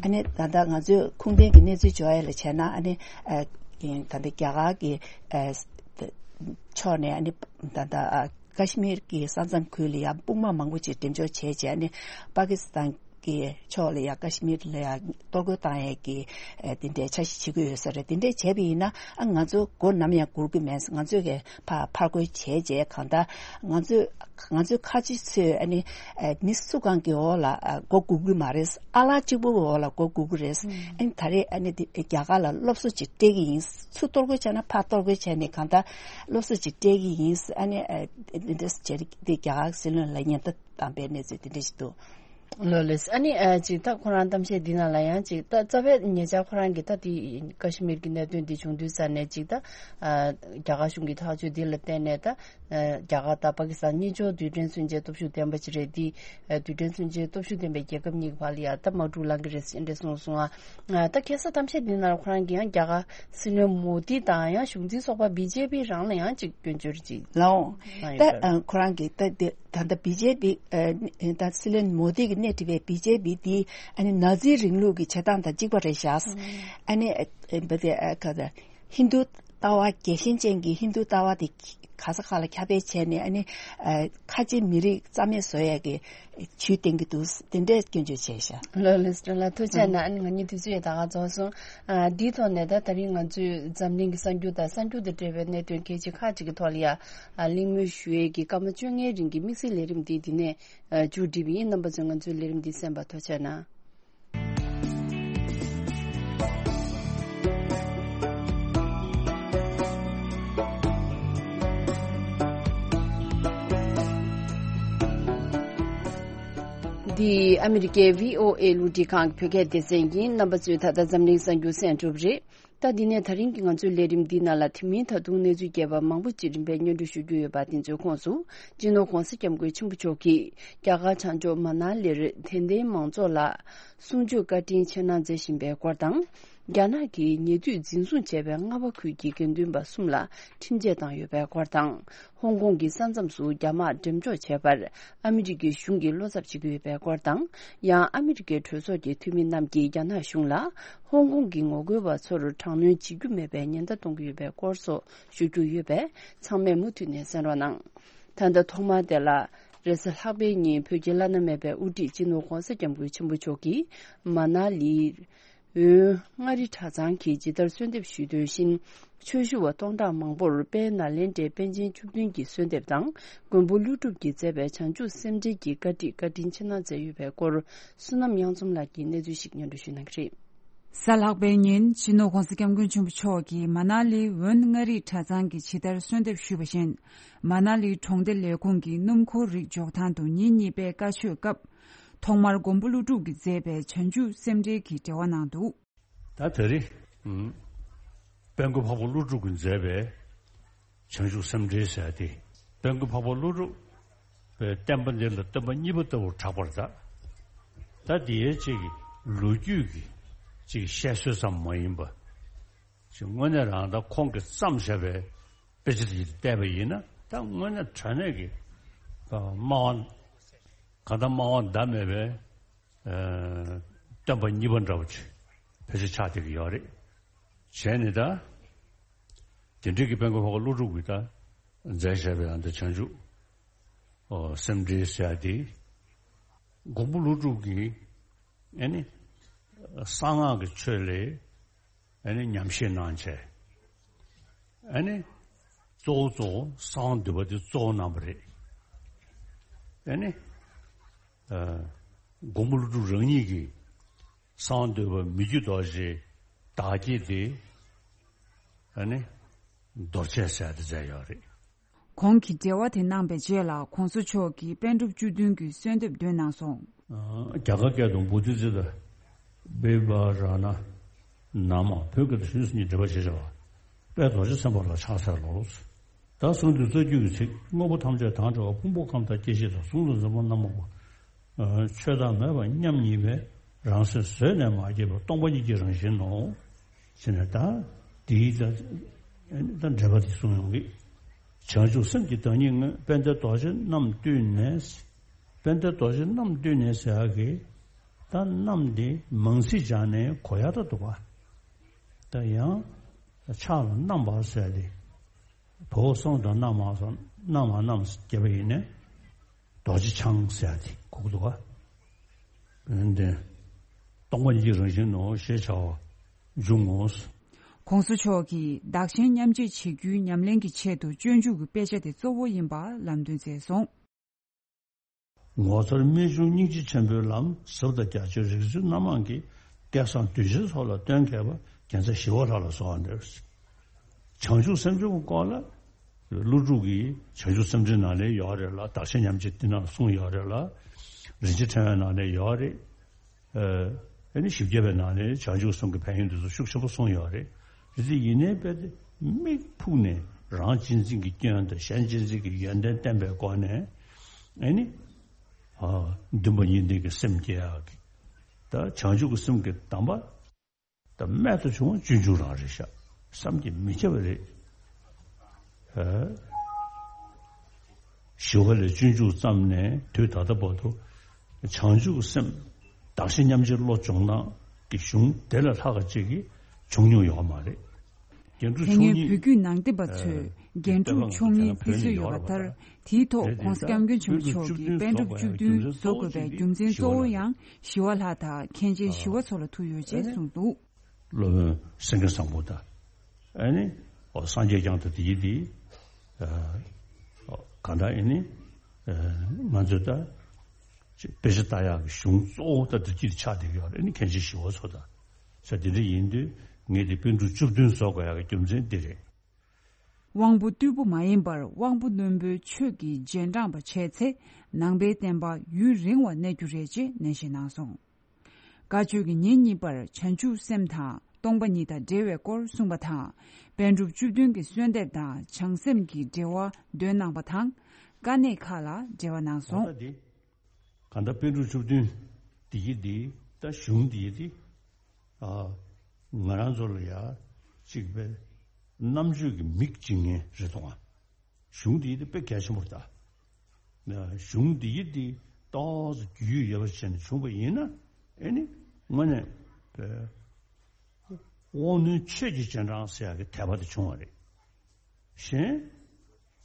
ཨ་ནི་ད་ལྟ་ང་ཚོས་ཁུངས་ལྡན་གྱི་གནས་ཚུལ་འབྱོར་ཡ་ལ་བྱས་ན། ཨ་ནི། ཨ། ད་ལྟ་རྒྱ་གར་གྱི། ཨ། ཕྱོགས་ནས། ཨ་ནི་ད་ལྟ། ཨ། ཀ་ཤི་མིར་གྱི་ས་མཚམས་ཁུལ་ལ་ཡང་དཔུང་དམག་མང་པོ་ཅིག་འགྲེམས་འཇོག་བྱས་རྗེས། ཨ་ནི་པ་ཀི་སི་ཐན་གྱི་ཕྱོགས་ལ་ཡང་ཀ་ཤི་མིར་ལ་ཡང་གཏོར་རྒོལ་བཏང་ཡས་ཀྱི། ཨ། དེ་འདྲའི་འཆར་གཞི་བྱེད་ཀྱི་ཡོད་ས་རེད། དེ་འདྲས་བྱས་པ་ཡིན་ན། ཨ། ང་ཚོ་མགོ་ནམ་ཡང་སྒུར་གྱི་མེད། ང་ཚོས་ཀྱི་ཕར་ཕར་རྒོལ་བྱས་རྗེས་གང་ལྟར་ང་ཚོས་ང་ཚོའི་ཁ་ཆེ་ཚོས། ཨ་ནི། ཨ། མི་སུ་གང་གི་འོག་ལ། ཨ། མགོ་སྒུར་གྱི་མ་རེད། ཨ་ལགས་གཅིག་པུ་གི་འོག་ལ་མགོ་སྒུར་གྱི་རེད། ཨ་ནི་ད་རེས་ཨ་ནི་འདི་རྒྱ་གར་ལ་སློབ་གསོ་ཅིག་སྤྲད་ཀྱི་ཡིན། ཚུར་གཏོར་རྒོལ་བྱས་ན་ཕར་གཏོར་རྒོལ་བྱས་ནས་གང་ལྟར་སློབ་གསོ་ཅིག་སྤྲད་ཀྱི་ཡིན། ཨ་ནི། ཨ། འདི་འདྲ་བྱས་ཏེ་རྒྱ་གར་སྲིད་བློན་ལ་ཉེན་བརྡ་བཏང་པའི་གནས་ཚུལ་དེ་འདྲ་ཞིག་འདུག། ལགས་ལགས། ཨ་ནི། ཨ། ཅིག་ད་ཁོ་རང་གཏམ་བཤད་འདི་ནང་ལ་ཡང་ཅིག་ད་རྩ་བའི་ཉེ་ཆར་ཁོ་རང་གིས་ད་དེ་ཀ་ཤི་མིར་གྱི་གནད་དོན་འདི་བྱུང་དུས་ཙ་ནས་ཅིག་ད། ཨ། རྒྱ་གར་གཞུང་གི་ཐག་གཅོད་འདི་ལ་བརྟེན་ནས་ད། ཨ། རྒྱ་གར་དང་པ་ཀི་སི་ཐན་གཉིས་ཆར་རྡུལ་ཕྲན་མཚོན་ཆའི་སྟོབས་ཤུགས་ལྡན་པ་ཅིག་རེད། འདི། ཨ། རྡུལ་ཕྲན་མཚོན་ཆའི་སྟོབས་ཤུགས་ལྡན་པའི་རྒྱལ་ཁབ་གཉིས་ཀྱི་བར་ལ་ཡ་ད་དམག་འཁྲུག་ལངས་ཀྱི་རེད་ཟེར་འདྲ་གསུངས་སོང་ཨ། ཨ། ད་ཁ་སང་གཏམ་བཤད་འདི་ནང་ལ་ཁོ་རང་གིས་ཡང་རྒྱ་གར་སྲིད་བློན་མོ་དི་དང་ཡང་གཞུང་འཛིན་ཚོགས་པ་བི་ཇེ་པི་རང་ལ་ཡང་ཅིག་སྐྱོན་བརྗོད་ཅིག་ལགས་འོང་། གནང་ད། ཡོད་པ་རེད། ཨ། ཁོ་རང་གིས་ད་འདི། ད་ལྟ་བི་ཇེ་པི། ཨ། ད་སྲིད་བློན་མོ་དི་གིས་སྣེ་ཁྲིད་པའི་བི་ཇེ་པི་འདི་ཨ་ནི་ན་ཛི་རིང་ལུགས་ཀྱི་བྱེད་སྟངས་དང་གཅིག་པ་རེད་ཤག། ཨ་ནི། ཨ། བ་དེ། ཨ། ག་ད། ཧིན་རྡུ་ལྟ་བ། རྒྱལ་ཞེན་ཅན་གྱི་ཧིན་རྡུ་ལྟ་བ་དེ་ག་ས་ག་ལ་ཁྱབ་སྤེལ་བྱས་ནས། ཨ་ནི། ཨ། ཁ་ཆེ་མི་རིགས་རྩ་མེད་བཟོ་ཡས་ཀྱི་ཇུས་བསྟན་གྱི་འདུག། དེ་འདྲའི་སྐྱོན་བརྗོད་བྱས་ཤག། ལགས་ལགས་སོ། ལགས་ཐུགས་རྗེ་གནང་། ཨ་ནི་ང་གཉིས་དུས་ཚོད་ཡང་ད་ག་རྫོགས་སོང་། ཨ། འདིའི་ཐོག་ནས་ད་ད་རིང་ང་ཚོས་འཛམ་གླིང་གི་གསར་འགྱུར་དང་གསར་འགྱུར་དང་འབྲེལ་བའི་གནད་དོན་གལ་ཆེ་ཁག་ཅིག་གི་ཐོག་ལ་ཡ། ཨ། གླེང་མོལ་ཞུ་ཡས་ཀྱི་སྐར་མ་བཅོ་ལྔའི་རིང་གི་དམིགས་བསལ་ལས་རིམ་འདི་འདི་ནས། ཨ། མཇུག་སྒྲིལ་བ་ཡིན། རྣམ་པ་ཚོས་ང་ཚོའི་ལས་རིམ་འདི་གསན་པར་ཐུགས་རྗེ་གནང་། འདི་ཨ་མི་རི་ཀའི་བྷི་ཨོ་ཨེ་རླུང་འཕྲིན་ཁང་གི་བོད་སྐད་སྡེ་ཚན་ཡིན། རྣམ་པ་ཚོས་ད་ལྟ་འཛམ་གླིང་གསར་འགྱུར་གསན་གྲུབ་རེད། ད་འདི་ནས་ད་རིང་གི་ང་ཚོའི་ལས་རིམ་འདི་ནང་ལ་དེ་མིན་ད་དུང་གནས་ཚུལ་རྒྱས་པ་མང་པོ་ཅིག་རིམ་པས་སྙན་སྒྲོན་ཞུ་རྒྱུ་ཡོད་པ་དེ་ཚོའི་ཁོངས་སུ། སྤྱི་ནོར་༧གོང་ས་༧སྐྱབས་མགོན་ཆེན་པོ་མཆོག་གིས་རྒྱ་གར་བྱང་ཕྱོགས་མ་ན་ལིར་དད་ལྡན་མང་ཚོགས་ལ་གསུང་ཆོས་བཀའ་དྲིན་ཆེ་གནང་མཛད་བཞིན་པའི་སྐོར་དང་། རྒྱ་ནག་གིས་ཉེ་དུས་འཛིན་བཟུང་བྱས་པའི་རྔ་བ་ཁུལ་གྱི་དགེ་འདུན་པ་གསུམ་ལ་ཁྲིམས་ཆད་བཏང་ཡོད་པའི་སྐོར་དང་། ཧོང་ཀོང་གི་ས་མཚམས་སུ་རྒྱ་དམག་འགྲེམས་འཇོག་བྱས་པར་ཨ་མི་རི་ཀའི་གཞུང་གིས་བློ་འཚབ་བྱེད་ཀྱི་ཡོད་པའི་སྐོར་དང་། ཡང་ཨ་མི་རི་ཀའི་གྲོས་ཚོགས་ཀྱི་འཐུས་མི་རྣམས་ཀྱིས་རྒྱ་ནག་གཞུང་ལ་ཧོང་ཀོང་གི་ངོ་རྒོལ་བ་ཚོར་དྲག་གནོན་བྱེད་རྒྱུ་མེད་པའི་ཉེན་བརྡ་གཏོང་གི་ཡོད་པའི་སྐོར་སོགས་ཞུ་རྒྱུ་ཡོད་པས། ཚང་མས་མུ་མཐུད་ནས་གསན་རོགས་གནང་། ད་ལྟ་ཐོག་མར་དེ་ལ། རེས་གཟའ་ལྷག་པའི་ཉིན་བོད་ཀྱི་བླ་ན་མེད་པའི་དབུ་ཁྲིད་སྤྱི་ནོར་༧གོང་ས་༧སྐྱབས་མགོན་ཆེན་པོ་མཆོག་གིས་མ་ན་ལི། འོན་མངའ་རིས་གྲྭ་ཚང་གིས་ཇི་ལྟར་གསོལ་འདེབས་ཞུས་དོན་བཞིན། ཆོས་ཞུ་བ་སྟོང་ཕྲག་མང་པོར་དཔལ་ནཱ་ལེནྡྲའི་པཎ་ཆེན་བཅུ་བདུན་གྱི་གསོལ་འདེབས་དང་། མགོན་པོ་ཀླུ་སྒྲུབ་ཀྱིས་མཛད་པའི་བྱང་ཆུབ་སེམས་འགྲེལ་གྱི་བཀའ་ཁྲིད་བཀའ་དྲིན་ཆེ་གནང་མཛད་ཡོད་པའི་སྐོར། བསོད་ནམས་དབྱངས་འཛོམས་ལགས་ཀྱིས་གནས་ཚུལ་ཞིག་སྙན་སྒྲོན་ཞུ་གནང་གི་རེད། གཟའ་ལྷག་པའི་ཉིན་སྤྱི་ནོར་༧གོང་ས་༧སྐྱབས་མགོན་ཆེན་པོ་མཆོག་གིས་མ་ན་ལི་འོན་མངའ་རིས་གྲྭ་ཚང་གིས་ཇི་ལྟར་གསོལ་འདེབས་ཞུས་པ་བཞིན། མ་ན་ལི་གྲོང་སྡེ་ལས་ཁུངས་ཀྱི་སྣུམ་འཁོར་རིགས་འཇོག་ཐང་དུ་ཉིན་གཉིས་པའི་བཀའ་ཆོས་སྐབས། ཐོག་མར་མགོན་པོ་ཀླུ་སྒྲུབ་ཀྱིས་མཛད་པའི་བྱང་ཆུབ་སེམས་འགྲེལ་གྱི་འགྲེལ་བ་གནང་འདུག་ད་དེ་རིང་། ཨུམ། དཔལ་མགོན་འཕགས་པ་ཀླུ་སྒྲུབ་ཀྱིས་མཛད་པའི་བྱང་ཆུབ་སེམས་འགྲེལ་ཟེར་ཏེ། དཔལ་མགོན་འཕགས་པ་ཀླུ་སྒྲུབ་པའི་བསྟན་པ་འདི་ལ་སྟོན་པ་གཉིས་པ་ལྟ་བུར་གྲགས་པར་གདའ། ད་འདིའི་གཅིག་གི་ལོ་རྒྱུས་ཀྱི་གཅིག་བཤད་སྲོལ་ཙམ་མ་ཡིན་པ། ཅིག་དངོས་གནས་རང་ད་ཁོང་གིས་བརྩམས་བཞག་པའི་དཔེ་ཆ་དེ་བལྟས་པ་ཡིན་ན། ད་དངོས་གནས་དྲང་གནས་ཀྱི་སྨྲ་བ། གང་ལྟར་སྨྲ་བ་ཟླ་མེད་པའི་ཨ། སྟོན་པ་གཉིས་པ་འདྲ་བོ་ཅིག་ཕལ་ཆེར་ཆགས་བསྡད་ཀྱི་ཡོད་རེད། བྱས་ནས་ད། དེ་འདྲའི་གི་དཔལ་མགོན་འཕགས་པ་ཀླུ་སྒྲུབ་ཀྱིས་ད་མཛད་བཞག་པའི་ཨ་ནི་བྱང་ཆུབ། ཨོ། སེམས་འགྲེལ་ཟེར་ཡ་དེ། མགོན་པོ་ཀླུ་སྒྲུབ་ཀྱིས་ཨ་ནི་གསང་སྔགས་ཀྱི་ཆོས་ལ་ཨ་ནི་ཉམས་བཞེས་གནང་བྱས། ཨ་ནི་གཙོ་བོ་གཙོ་བོ་གསང་བ་འདུས་པ་དེ་གཙོ་བོ་གནང་བ་རེད། ཨ་ནི། ཨ། མགོན་པོ་ཀླུ་སྒྲུབ་རང་ཉིད་ཀྱིས་གསང་བ་འདུས་པ་མི་བསྐྱོད་རྡོ་རྗེའི་བདག་བསྐྱེད་དེ། ཨ་ནི། རྡོ་རྗེ་ཟེར་དེ་མཛད་ཡོད་རེད། གོང་གི་འགྲེལ་བ་དེ་གནང་པའི་རྗེས་ལ་༧གོང་ས་མཆོག་གིས་པཎ་གྲུབ་བཅུ་བདུན་གྱི་གསོལ་འདེབས་འདོན་གནང་སོང་། ཨ། རྒྱ་གར་སྐད་དུ་བོ་དྷི་ཙིཏྟ་བི་བྷ་ར་ཎ་ན་མ། བོད་སྐད་དུ་ཞུས་སུ་ཉིད་འགྲེལ་པ་ཞེས་བྱ་བ། དཔལ་རྡོ་རྗེ་སེམས་དཔའ་ལ་ཕྱག་འཚལ་ལོ། ད་གསུང་དུས་རྩ་རྒྱུད་ཀྱི་ཚིག་དངོས་པོ་ཐམས་ཅད་དང་བྲལ་བ་ཕུང་པོ་ཁམས་དང་སྐྱེ་མཆེད་དང་གཟུང་དང་འཛིན་པ་རྣམ་པ་པོ། ཆོས་བདག་མེད་པ་མཉམ་ཉིད་པའི་རང་སེམས་བཟོད་ནས་མ་སྐྱེས་པའི་སྟོང་པ་ཉིད་ཀྱི་རང་བཞིན་ནོ། ཞེས་ནས་ད་དེའི་ད་ད་འགྲེལ་པ་དེ་གསུང་ཡོང་གི། བྱང་ཆུབ་སེམས་ཀྱི་བདག་ཉིད་དངོས། དཔལ་ལྡན་རྡོ་རྗེ་རྣམས་བཏུད་ནས། དཔལ་ལྡན་རྡོ་རྗེ་རྣམས་བཏུད་ནས་ཟེར་ཡག་གི། ད་རྣམས་དེ་མང་ཚིག་སྦྱར་ནས་གོ་ཡག་ད་འདུག་པ། ད་ཡང་ཕྱག་ལ་རྣམ་པར་ཟེར་ཏེ། བའོ་གསང་དང་རྣམ་མང་གསང་། རྣམ་མང་རྣམས་རྒྱས་པ་ཡིན་ནས། རྡོ་རྗེ་འཆང་ཟེར་ཡག་དེ་གོ་གི་འདུག་ག། འོན་ཏེ། སྟོང་པ་ཉིད་ཀྱི་རང་བཞིན་ནོ་ཞེས་བྱ་བ་འབྱུང་ངོ་། ༸གོང་ས་མཆོག་གིས་བདག་གཞན་མཉམ་བརྗེ་བྱེད་རྒྱུའི་ཉམས་ལེན་གྱི་ཆེད་དུ་སྤྱོད་འཇུག་གི་དཔེ་ཆ་དེ་གཙོ་བོ་ཡིན་པ་ལམ་སྟོན་མཛད་སོང་། ངོ་མཚར་རྨད་བྱུང་སྙིང་རྗེ་ཆེན་པོའི་ལམ་ཟབ་དང་རྒྱ་ཆེའི་རིག་འཛིན་རྣམ་མང་གིས་སྐལ་བཟང་གདུལ་བྱའི་ཚོགས་ལ་སྟོན་མཁས་པ་རྒྱལ་མཚན་ཞི་བ་ལྷ་ལ་གསོལ་བ་འདེབས། བྱང་ཆུབ་སེམས་མཆོག་གི་སྐོར་ལ་ཀླུ་སྒྲུབ་ཀྱིས་བྱང་ཆུབ་སེམས་འགྲེལ་ནང་ལ་ཡོད་རེད་ལ། བདག་གཞན་མཉམ་བརྗེ་འདི་ནང་གསུངས་ཡོད་རེད་ལ། རིན་ཆེན་ཕྲེང་བའི་ནང་ལ་ཡོད་རེད། ཨ་ནི་བཞི་བརྒྱ་པའི་ནང་ནས་བྱང་ཆུབ་གསུམ་གྱི་ཕན་ཡོན་དེ་ཚོ་ཤུགས་ཆེན་པོ་གསུངས་ཡོད་རེད། དེ་ཚོ་ཡིན་ནའི་དཔེ་དེ་མིག་ཕུག་ནས་རང་གཅེས་འཛིན་གྱི་སྐྱོན་དང་གཞན་གཅེས་འཛིན་གྱི་ཡོན་ཏན་བསྟན་པའི་སྒོ་ནས། ཨ་ནི། ཨ། འདུན་པ་གཉིས་ལྡན་གྱི་སེམས་སྐྱེ་ཡག་གི། ད་བྱང་ཆུབ་ཀྱི་སེམས་ཀྱི་གདམས་པ། ད་རྨད་དུ་བྱུང་བ་སྤྱོད་འཇུག་རང་རེད་ཤག། བསམ་གྱིས་མི་ཁྱབ་པ་རེད། ཨ། ཞི་བ་ལྷས་སྤྱོད་འཇུག་བརྩམས་ནས་དུས་ད་ལྟ་བར་དུ་བྱང་ཆུབ་སེམས་བདག་གཞན་མཉམ་བརྗེའི་བློ་སྦྱོང་སྟངས་ཀྱི་གཞུང་དེ་ལས་ལྷག་པ་ཅིག་གི་བྱུང་མྱོང་ཡོད་མ་རེད། རྒྱན་དྲུག་དེ་སྔོན་མཆོག་བོད་བརྒྱུད་ནང་བསྟན་པ་ཚོས་རྒྱན་དྲུག་མཆོག་གཉིས་ཕུལ་སྲོལ་ཡོད་པ་ལྟར། དེའི་ཐོག་༸གོང་ས་༸སྐྱབས་མགོན་ཆེན་པོ་མཆོག་གིས་པཎ་གྲུབ་བཅུ་བདུན་བཟོ་དགོས་པའི་རྒྱུ་མཚན་གཙོ་བོ་ཡང་ཞི་བ་ལྷ་དང་མཁན་ཆེན་ཞི་བ་འཚོ་ལ་ཐུག་ཡོད་ཅེས་གསུངས་འདུག། སློབ་དཔོན་སེང་གེ་བཟང་པོ་དང་། ཨ་ནི། ཨོ། སངས་རྒྱས་བསྐྱངས་དང་དེ་ཡི་དེ། ཨ། གང་ལྟར་ཨ་ནི། ཨ། ང་ཚོས་ད་དཔེ་ཆ་ལྟ་ཡག་གི་གཞུང་གཙོ་བོ་ད་འདི་གཅིག་ཆགས་བསྡད་ཀྱི་ཡོད་རེད། ཨ་ནི་མཁན་ཆེན་ཞི་བ་འཚོ་དང་། ས་དེ་འདྲ་ཡིན་དུས་ངས་དེ་པཎ་གྲུབ་བཅུ་བདུན་བཟོ་དགོས་ཡག་གི་རྒྱུ་མཚན་འདི་རེད། དབང་པོ་རྟུལ་པོ་མ་ཡིན་པར་དབང་པོ་རྣོན་པོའི་ཆོས་ཀྱི་རྗེས་འབྲངས་པ་བྱས་ཚེ་ནང་པའི་བསྟན་པ་ཡུན་རིང་བ་གནས་རྒྱུ་རེད་ཅེས་ནན་བཤད་གནང་སོང་། བཀའ་ཆོས་ཀྱི་ཉིན་གཉིས་པར་བྱང་ཆུབ་སེམས་དང་སྟོང་པ་ཉིད་དང་འབྲེལ་བའི་སྐོར་གསུངས་པ་དང་། པཎ་གྲུབ་བཅུ་བདུན་གྱི་གསོལ་འདེབས་དང་བྱང་སེམས་ཀྱི་འགྲེལ་བ་འདོན་གནང་བ་དང་། དཀའ་གནད་ཁག་ལ་འགྲེལ་བ་གནང་སོང་། ད་འདི། གང་ལྟར་པཎ་གྲུབ་བཅུ་བདུན་འདི་ཡི་འདི་ད་གཞུང་འདི་ཡི་འདི། ཨ། ང་རང་ཚོ་ལ་ཡ་གཅིག་པའི་རྣམ་དཔྱོད་ཀྱི་མིག་འབྱིན་མཁན་རེད་དོ། གཞུང་འདི་ཡི་འདི་དཔེ་གལ་ཆེན་པོ་རེད་ད། གཞུང་འདི་ཡི་འདི་ཏོག་ཙམ་རྒྱུས་ཡོད་པ་བྱས་ནས་བྱུང་བ་ཡིན་ན། ཨེ་ནི་དངོས་གནས་པའི་དབང་རྣོན་ཆོས་ཀྱི་རྗེས་འབྲང་ཟེར་ཡག་གི་དད་པ་དེ་བྱུང་བ་རེད། གཞན་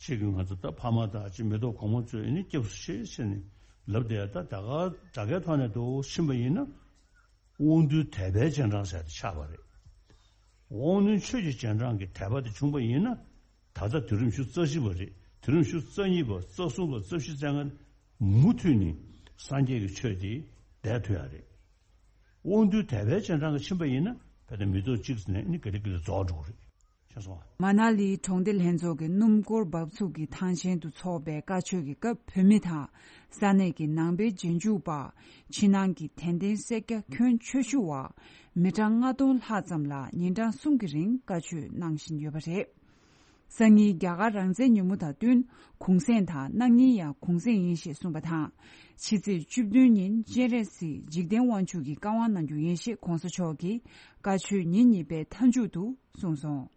གཅིག་གིས་ང་ཚོ་ད་ཕ་མ་དང་གཅིག་མེ་ཏོག་གོང་མ་ཚོས་ཨེ་ནི་སྐྱབས་སུ་མཆི་ཟེར་ནས་ལབ་བསྡད་ཡ། ད་ད་ག་སྒྲ་སྐད་ཐོག་ནས་འདུག་ཕྱིན་པ་ཡིན་ན། དབང་རྟུལ་དད་པའི་རྗེས་འབྲང་ཟེར་དེ་ཆགས་པ་རེད། དབང་རྣོན་ཆོས་ཀྱི་རྗེས་འབྲང་གི་དད་པ་དེ་བྱུང་བ་ཡིན་ན། ད་ལྟ་དུས་རིམ་བཅུ་རྩ་བཞི་པ་རེད། དུས་རིམ་བཅུ་རྩ་གཉིས་པ། རྩ་གསུམ་པ། རྩ་བཞི་རྩ་ལྔ་མུ་མཐུད་ནས་སངས་རྒྱས་ཀྱི་ཆོས་དེ་བསྡད་ཐུབ་ཡ་རེད། དབང་རྟུལ་དད་པའི་རྗེས་འབྲང་གི་ཕྱིན་པ་ཡིན་ན། ད་ལྟ་མེ་ཏོག་གཅིག་ནས་ནི་ག་ལེ་ག་ལེ་རྫོགས་འགྲོ་གི་རེད། ཤེས་སོང་ང་། མ་ན་ལིའི་གྲོང་སྡེ་ལྷན་ཚོགས་ཀྱི་སྣུམ་འཁོར་འབབ་ཚུགས་ཀྱི་ཐང་ཆེན་དུ་འཚོགས་པའི་བཀའ་ཆོས་ཀྱི་སྐབས། བོད་མི་དང་ས་གནས་ཀྱི་ནང་པའི་རྗེས་འཇུག་པ། ཕྱི་ནང་གི་དད་ལྡན་སེར་སྐྱ་ཁྱོན་ཆེ་ཤོས་མི་གྲངས་ལྔ་སྟོང་ལྷག་ཙམ་ལ་ཉིན་གྲངས་གསུམ་གྱི་རིང་བཀའ་ཆོས་གནང་བཞིན་ཡོད་པ་རེད། སང་ཉིན་རྒྱ་གར་རང་བཙན་ཉིན་མོ་དང་བསྟུན་གུང་གསེང་དང་གནངས་ཉིན་ཡང་གུང་གསེང་ཡིན་ཞེས་གསུངས་པ་དང་། ཕྱི་ཚེས་བཅུ་བདུན་ཉིན་སྤྱན་རས་གཟིགས་འཇིག་རྟེན་དབང་ཕྱུག་གི་བཀའ་དབང་གནང་རྒྱུ་ཡིན་ཞེས་གོང་ས་མཆོག་གིས་བཀའ་ཆོས་ཉིན་གཉིས་པའི་མཐའ་མཇུག་ཏུ་གསུངས་སོང་།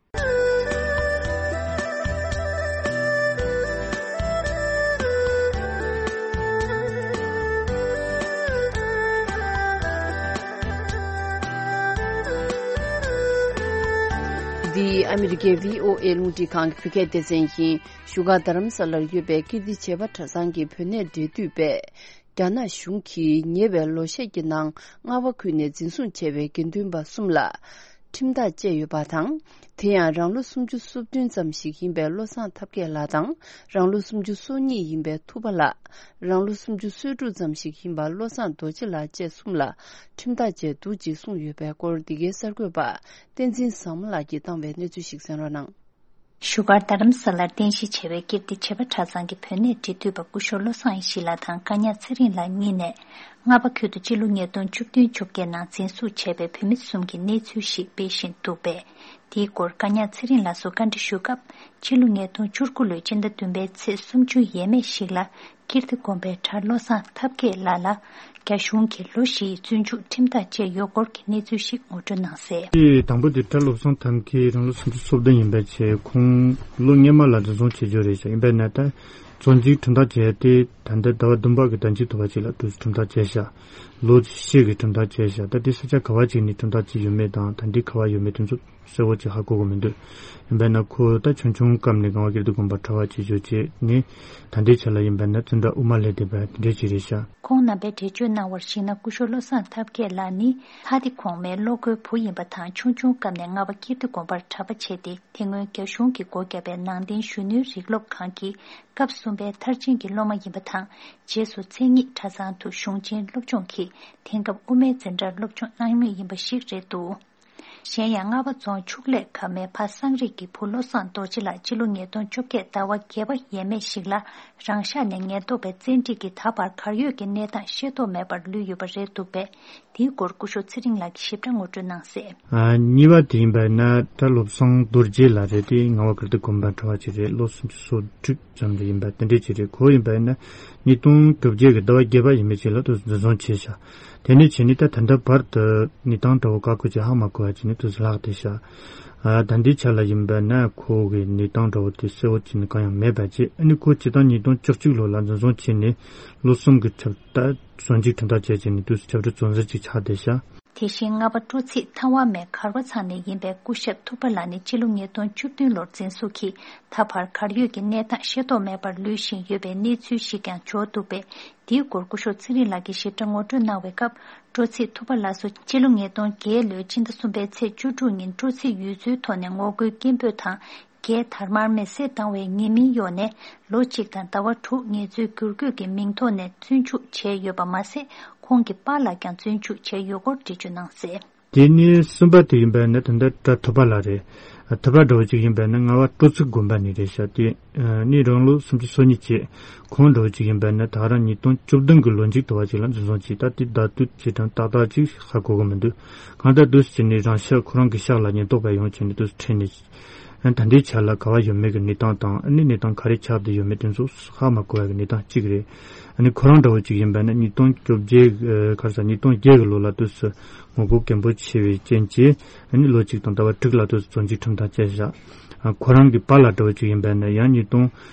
འདི་ཨ་མི་རི་ཀའི་བྷི་ཨོ་ཨེ་རླུང་འཕྲིན་ཁང་གི་བོད་སྐད་སྡེ་ཚན་ཡིན། བཞུགས་སྒར་རྡ་རམ་ས་ལར་ཡོད་པའི་ཀིརྟི་བྱེས་པ་གྲྭ་ཚང་གི་བོད་གནས་འབྲེལ་མཐུད་པས། རྒྱ་ནག་གཞུང་གིས་ཉེ་བའི་ལོ་ཤས་ཀྱི་ནང་རྔ་བ་ཁུལ་ནས་འཛིན་བཟུང་བྱས་པའི་དགེ་འདུན་པ་གསུམ་ལ་ཁྲིམས་ཐག་བཅད་ཡོད་པ་དང་། དེ་ཡང་རང་ལོ་སུམ་ཅུ་སོ་བདུན་ཙམ་ཞིག་ཡིན་པའི་བློ་བཟང་ཐབས་མཁས་ལགས་དང་། རང་ལོ་སུམ་ཅུ་སོ་གཉིས་ཡིན་པའི་ཐུབ་པ་ལགས། རང་ལོ་སུམ་ཅུ་སོ་དྲུག་ཙམ་ཞིག་ཡིན་པ་བློ་བཟང་རྡོ་རྗེ་ལགས་བཅས་གསུམ་ལ་ཁྲིམས་ཐག་བཅད་འདུག་ཅེས་གསུངས་ཡོད་པའི་སྐོར། འདི་གའི་གསར་འགོད་པ་བསྟན་འཛིན་བཟང་མོ་ལགས་ཀྱིས་བཏང་བའི་གནས་ཚུལ་ཞིག་གསན་རོགས་གནང་། བཞུགས་སྒར་རྡ་རམ་ས་ལར་རྟེན་གཞི་བྱས་པའི་ཀིརྟི་བྱེས་པ་གྲྭ་ཚང་གི་བོད་གནས་འབྲེལ་མཐུད་པ་སྐུ་ཞབས་བློ་བཟང་ཡེ་ཤེས་ལགས་དང་བཀའ་ཉག་ཚེ་རིང་ལགས་གཉིས་ནས། རྔ་བ་ཁུལ་དུ་སྤྱི་ལོ་ཉིས་སྟོང་བཅུ་བདུན་བཅོ་བརྒྱད་ནང་འཛིན་བཟུང་བྱས་པའི་བོད་མི་གསུམ་གྱི་གནས་ཚུལ་ཞིག་སྤེལ་བཞིན་འདུག་པས། དེའི་སྐོར་བཀའ་ཉག་ཚེ་རིང་ལགས་སུ་བཀའ་འདྲི་ཞུ་སྐབས། ཕྱི་ལོ་ཉིས་སྟོང་བཅུ་དགུ་ལོའི་སྤྱི་ཟླ་བདུན་པའི་ཚེས་སུམ་ཅུ་ཡས་མས་ཤིག་ལ། ཀིརྟི་དགོན་པའི་གྲྭ་བློ་བཟང་ཐབས་མཁས་ལགས་ལ། རྒྱ་གཞུང་གིས་ལོ་བཞིའི་བཙོན་འཇུག་ཁྲིམས་ཐག་བཅད་ཡོད་སྐོར་གྱི་གནས་ཚུལ་ཞིག་ངོ་སྤྲོད་གནང་གསལ། དེ་དང་པོ་དེ་གྲྭ་བློ་བཟང་ཐབས་མཁས་རང་ལོ་སུམ་ཅུ་སོ་བདུན་ཡིན་པའི་ཆེད། ཁོང་ལོ་སྔོན་མ་ལ་འཛིན་བཟུང་བྱེད་རྒྱུ་རེད་ཤག་ཡིན་པས་ན་ད་བཙོན་འཇུག་ཁྲིམས་ཐག་བཅད་དེ་ད་ལྟ་ཟླ་བ་བདུན་པ་གི་ཟླ་མཇུག་ཐོ་བ་ཅིག་ལ་ཁྲིམས་ཐག་བཅད་ཤག་ལོ་བཞི་གི་ཁྲིམས་ཐག་བཅད་ཤག་ད་དེ་ས་ཆ་ག་བ་ཅིག་ནས་ཁྲིམས་ཐག་བཅད་ཡོད་མེད་དང་ད་འདི་ག་བ་ཡོད་མེད་དེ་ཚོ་གསལ་བོ་ཅིག་ཧ་གོ་གི་མི་འདུག་ཡིན་པས་ན་ཁོ་ད་ཆུང་ཆུང་སྐབས་ནས་རྔ་བ་ཀིརྟི་དགོན་པར་གྲྭ་པ་བྱེད་རྒྱུ་བྱས་ནས་ད་ལྟའི་ཆ་ལ་ཡིན་པས་ན་བཙོན་རར་དབུ་མ་ལྷན་བསྡད་པ་དེ་འདྲས་ཅིག་རེད་ཤག་ཁོང་རྣམ་པས་འགྲེལ་བརྗོད་གནང་བར་གཞིགས་ན། སྐུ་ཞབས་བློ་བཟང་ཐབས་མཁས་ལགས་ནི་ལྷ་སྡེ་གོང་མའི་བློ་དགའི་བུ་ཡིན་པ་དང་། ཆུང་ཆུང་སྐབས་ནས་རྔ་བ་ཀིརྟི་དགོན་པར་གྲྭ་པ་བྱས་ཏེ། དེ་སྔོན་རྒྱ་གཞུང་གིས་སྒོ་བརྒྱབ་པའི་ནང་བསྟན་གཞོན་ནུའི་རིགས་སློབ་ཁང་གི་སྐབས་གསུམ་པའི་མཐར་ཕྱིན་གྱི་སློབ་མ་ཡིན་པ་དང་། རྗེས་སུ་མཚན་ཉིད་གྲྭ་ཚང་དུ་གཞུང་ཆེན་སློབ་སྦྱོང་གིས། དེང་སྐབས་དབུ་མའི་འཛིན་གྲྭར་སློབ་སྦྱོང་གནང་མུས་ཡིན་པ་ཞིག་རེད་འདུག་གཞན་ཡང་རྔ་བ་རྫོང་ཕྱུགས་ལས་ཁབ་མའི་ཕ་སངས་རིས་ཀྱི་བུ་བློ་བཟང་རྡོ་རྗེ་ལགས་སྤྱི་ལོ་ཉིས་སྟོང་བཅོ་བརྒྱད་ཟླ་བ་བརྒྱད་པ་ཡས་མས་ཤིག་ལ་རང་ཤག་ནས་ཉེན་རྟོག་པའི་བཙན་ཁྲིད་ཀྱིས་ད་བར་གར་ཡོད་ཀྱི་གནས་སྟངས་ཤེས་རྟོགས་མེད་པར་ལུས་ཡོད་པ་རེད་འདུག་པས། དེའི་སྐོར་སྐུ་ཞབས་ཚེ་རིང་ལགས་ཀྱིས་ཞིབ་ཕྲ་ངོ་སྤྲོད་གནང་གསལ། ཨ། གཉིས་པ་དེ་ཡིན་པ་ཡིན་ན་གྲྭ་བློ་བཟང་རྡོ་རྗེ་ལགས་རེད། དེ་རྔ་བ་ཀིརྟི་དགོན་པའི་གྲྭ་པ་ཅིག་རེད། ལོ་སུམ་ཅུ་སོ་དྲུག་ཙམ་རེ་ཡིན་པ་དེ་འདྲས་ཅིག་རེད། ཁོ་ཡིན་པ་ཡིན་ན་ཉིས་སྟོང་བཅོ་བརྒྱད་ཀྱི་ཟླ་བ་བརྒྱད་པ་ཡས་མས་ཅིག་ལ་དུ་འཛིན་བཟུང་བྱས་ཤག་དེ་ནས་བྱས་ནས་ད་ད་ལྟ་བར་དུ་གནས་སྟངས་འདྲ་བོ་ག་གོ་ཅིག་ཧ་མ་གོ་བ་བྱས་ནས་དུ་ལྷག་བསྡད་ཤག་ཨ། ད་ལྟའི་ཆ་ལ་ཡིན་པ་ན་ཁོ་གི་གནས་སྟངས་འདྲ་བོ་དེ་གསལ་བོ་བྱས་ནས་གང་ཡང་མེད་པ་བྱས། ཨ་ནི་ཁོ་སྤྱིར་བཏང་ཉིས་སྟོང་བཅུ་གཅིག་ལོ་ལ་འཛིན་བཟུང་བྱས་ནས་ལོ་གསུམ་གྱི་ཆབ་ད་བཙོན་འཇུག་ཁྲིམས་ཐག་བཅད་བྱས་ནས་དུས་སུ་ཆབ་སྲིད་བཙོན་ཟུར་ཅིག་ཆགས་བསྡད་ཤག་དེ་བཞིན་རྔ་བ་སྤྲོ་ཚིགས་ཐང་བ་མའི་གར་བ་ཚང་ནས་ཡིན་པའི་སྐུ་ཞབས་ཐུབ་པ་ལགས་ནི་སྤྱི་ལོ་ཉིས་སྟོང་བཅུ་བདུན་ལོར་འཛིན་བཟུང་གིས་ད་བར་གར་ཡོད་ཀྱི་གནས་སྟངས་ཤེས་རྟོགས་མེད་པར་ལུས་བཞིན་ཡོད་པའི་གནས་ཚུལ་ཞིག་ཀྱང་འབྱོར་འདུག་པས། དེའི་སྐོར་སྐུ་ཞབས་ཚེ་རིང་ལགས་ཀྱིས་ཞིབ་ཕྲ་ངོ་སྤྲོད་གནང་བའི་སྐབས། སྤྲོ་ཚིགས་ཐུབ་པ་ལགས་སུ་སྤྱི་ལོ་ཉིས་སྟོང་བརྒྱད་ལོའི་སྤྱི་ཟླ་གསུམ་པའི་ཚེས་བཅུ་དྲུག་ཉིན་སྤྲོ་ཚིགས་ཡུལ་ཚོའི་ཐོག་ནས་ངོ་རྒོལ་སྐད་འབོད་དང་། རྒྱའི་དར་དམར་མེ་བསྲེགས་བཏང་བའི་ཉེས་མིང་གཡོགས་ནས་ལོ་གཅིག་དང་ཟླ་བ་དྲུག་ངལ་རྩོལ་བསྒྱུར་བཀོད་ཀྱི་མིང་ཐོག་ནས་བཙོན་འཇུག་བྱས་ཡོད་པ་མ་ཟད། ཁོང་གི་པཱ་ལགས་ཀྱང་བཙོན་འཇུག་བྱས་ཡོད་སྐོར་འགྲེལ་བརྗོད་གནང་གསལ། དེ་ནས་གསུམ་པ་དེ་ཡིན་པ་ནི་ད་ལྟ་གྲྭ་ཐུབ་པ་ལགས་རེད། ཐུབ་པ་འདྲ་བོ་ཅིག་ཡིན་པ་ནི་རྔ་བ་སྤྲོ་ཚིགས་དགོན་པ་ནས་རེད་ཤག་དེ་ནས་རང་ལོ་སུམ་ཅུ་སོ་གཉིས་བྱས། ཁོང་འདྲ་བོ་ཅིག་ཡིན་པ་ནི་ད་རང་ཉིས་སྟོང་བཅུ་བདུན་གྱི་ལོ་མཇུག་ཏུ་བ་ཅིག་ལ་འཛིན་བཟུང་བྱས། ད་དེ་ཟླ་དུས་ཅིག་དང་ཏག་ཏག་ཅིག་ཧ་གོ་གི་མི་འདུག་གང་ལྟར་དུས་སུ་བྱས་ནས་རང་ཤག་ཁོ་རང་གི་ཤག་ལ་ཉེན་རྟོག་པས་ཡོང་བྱས་ནས་དུས་སུ་ཁྲིད་ནས། ད་ལྟའི་ཆ་ལ་ག་བ་ཡོད་མེད་ཀྱི་གནས་སྟངས་དང་། ཨ་ནི་གནས་སྟངས་ག་རེ་ཆགས་བསྡད་ཡོད་མེད་དེ་ཚོ་ཧ་མ་གོ་བའི་གནས་སྟངས་གཅིག་རེད། ཨ་ནི་ཁོ་རང་འདྲ་བོ་གཅིག་ཡིན་པ་ནི་ཉིས་སྟོང་བཅོ་བརྒྱད་ག་རེ་ཟ་ཉིས་སྟོང་བརྒྱད་ཀྱི་ལོ་ལ་དུས་སུ་ངོ་རྒོལ་གན་པོ་ཆེ་བའི་རྐྱེན་གྱིས། ཨ་ནི་ལོ་གཅིག་དང་ཟླ་བ་དྲུག་ལ་དུས་སུ་བཙོན་འཇུག་ཁྲིམས་ཐག་བཅད་བཞག་ཁོ་རང་གི་པཱ་ལགས་འདྲ་བོ་གཅིག་ཡིན་པ་ནི་ཡང་ཉིས་སྟོང་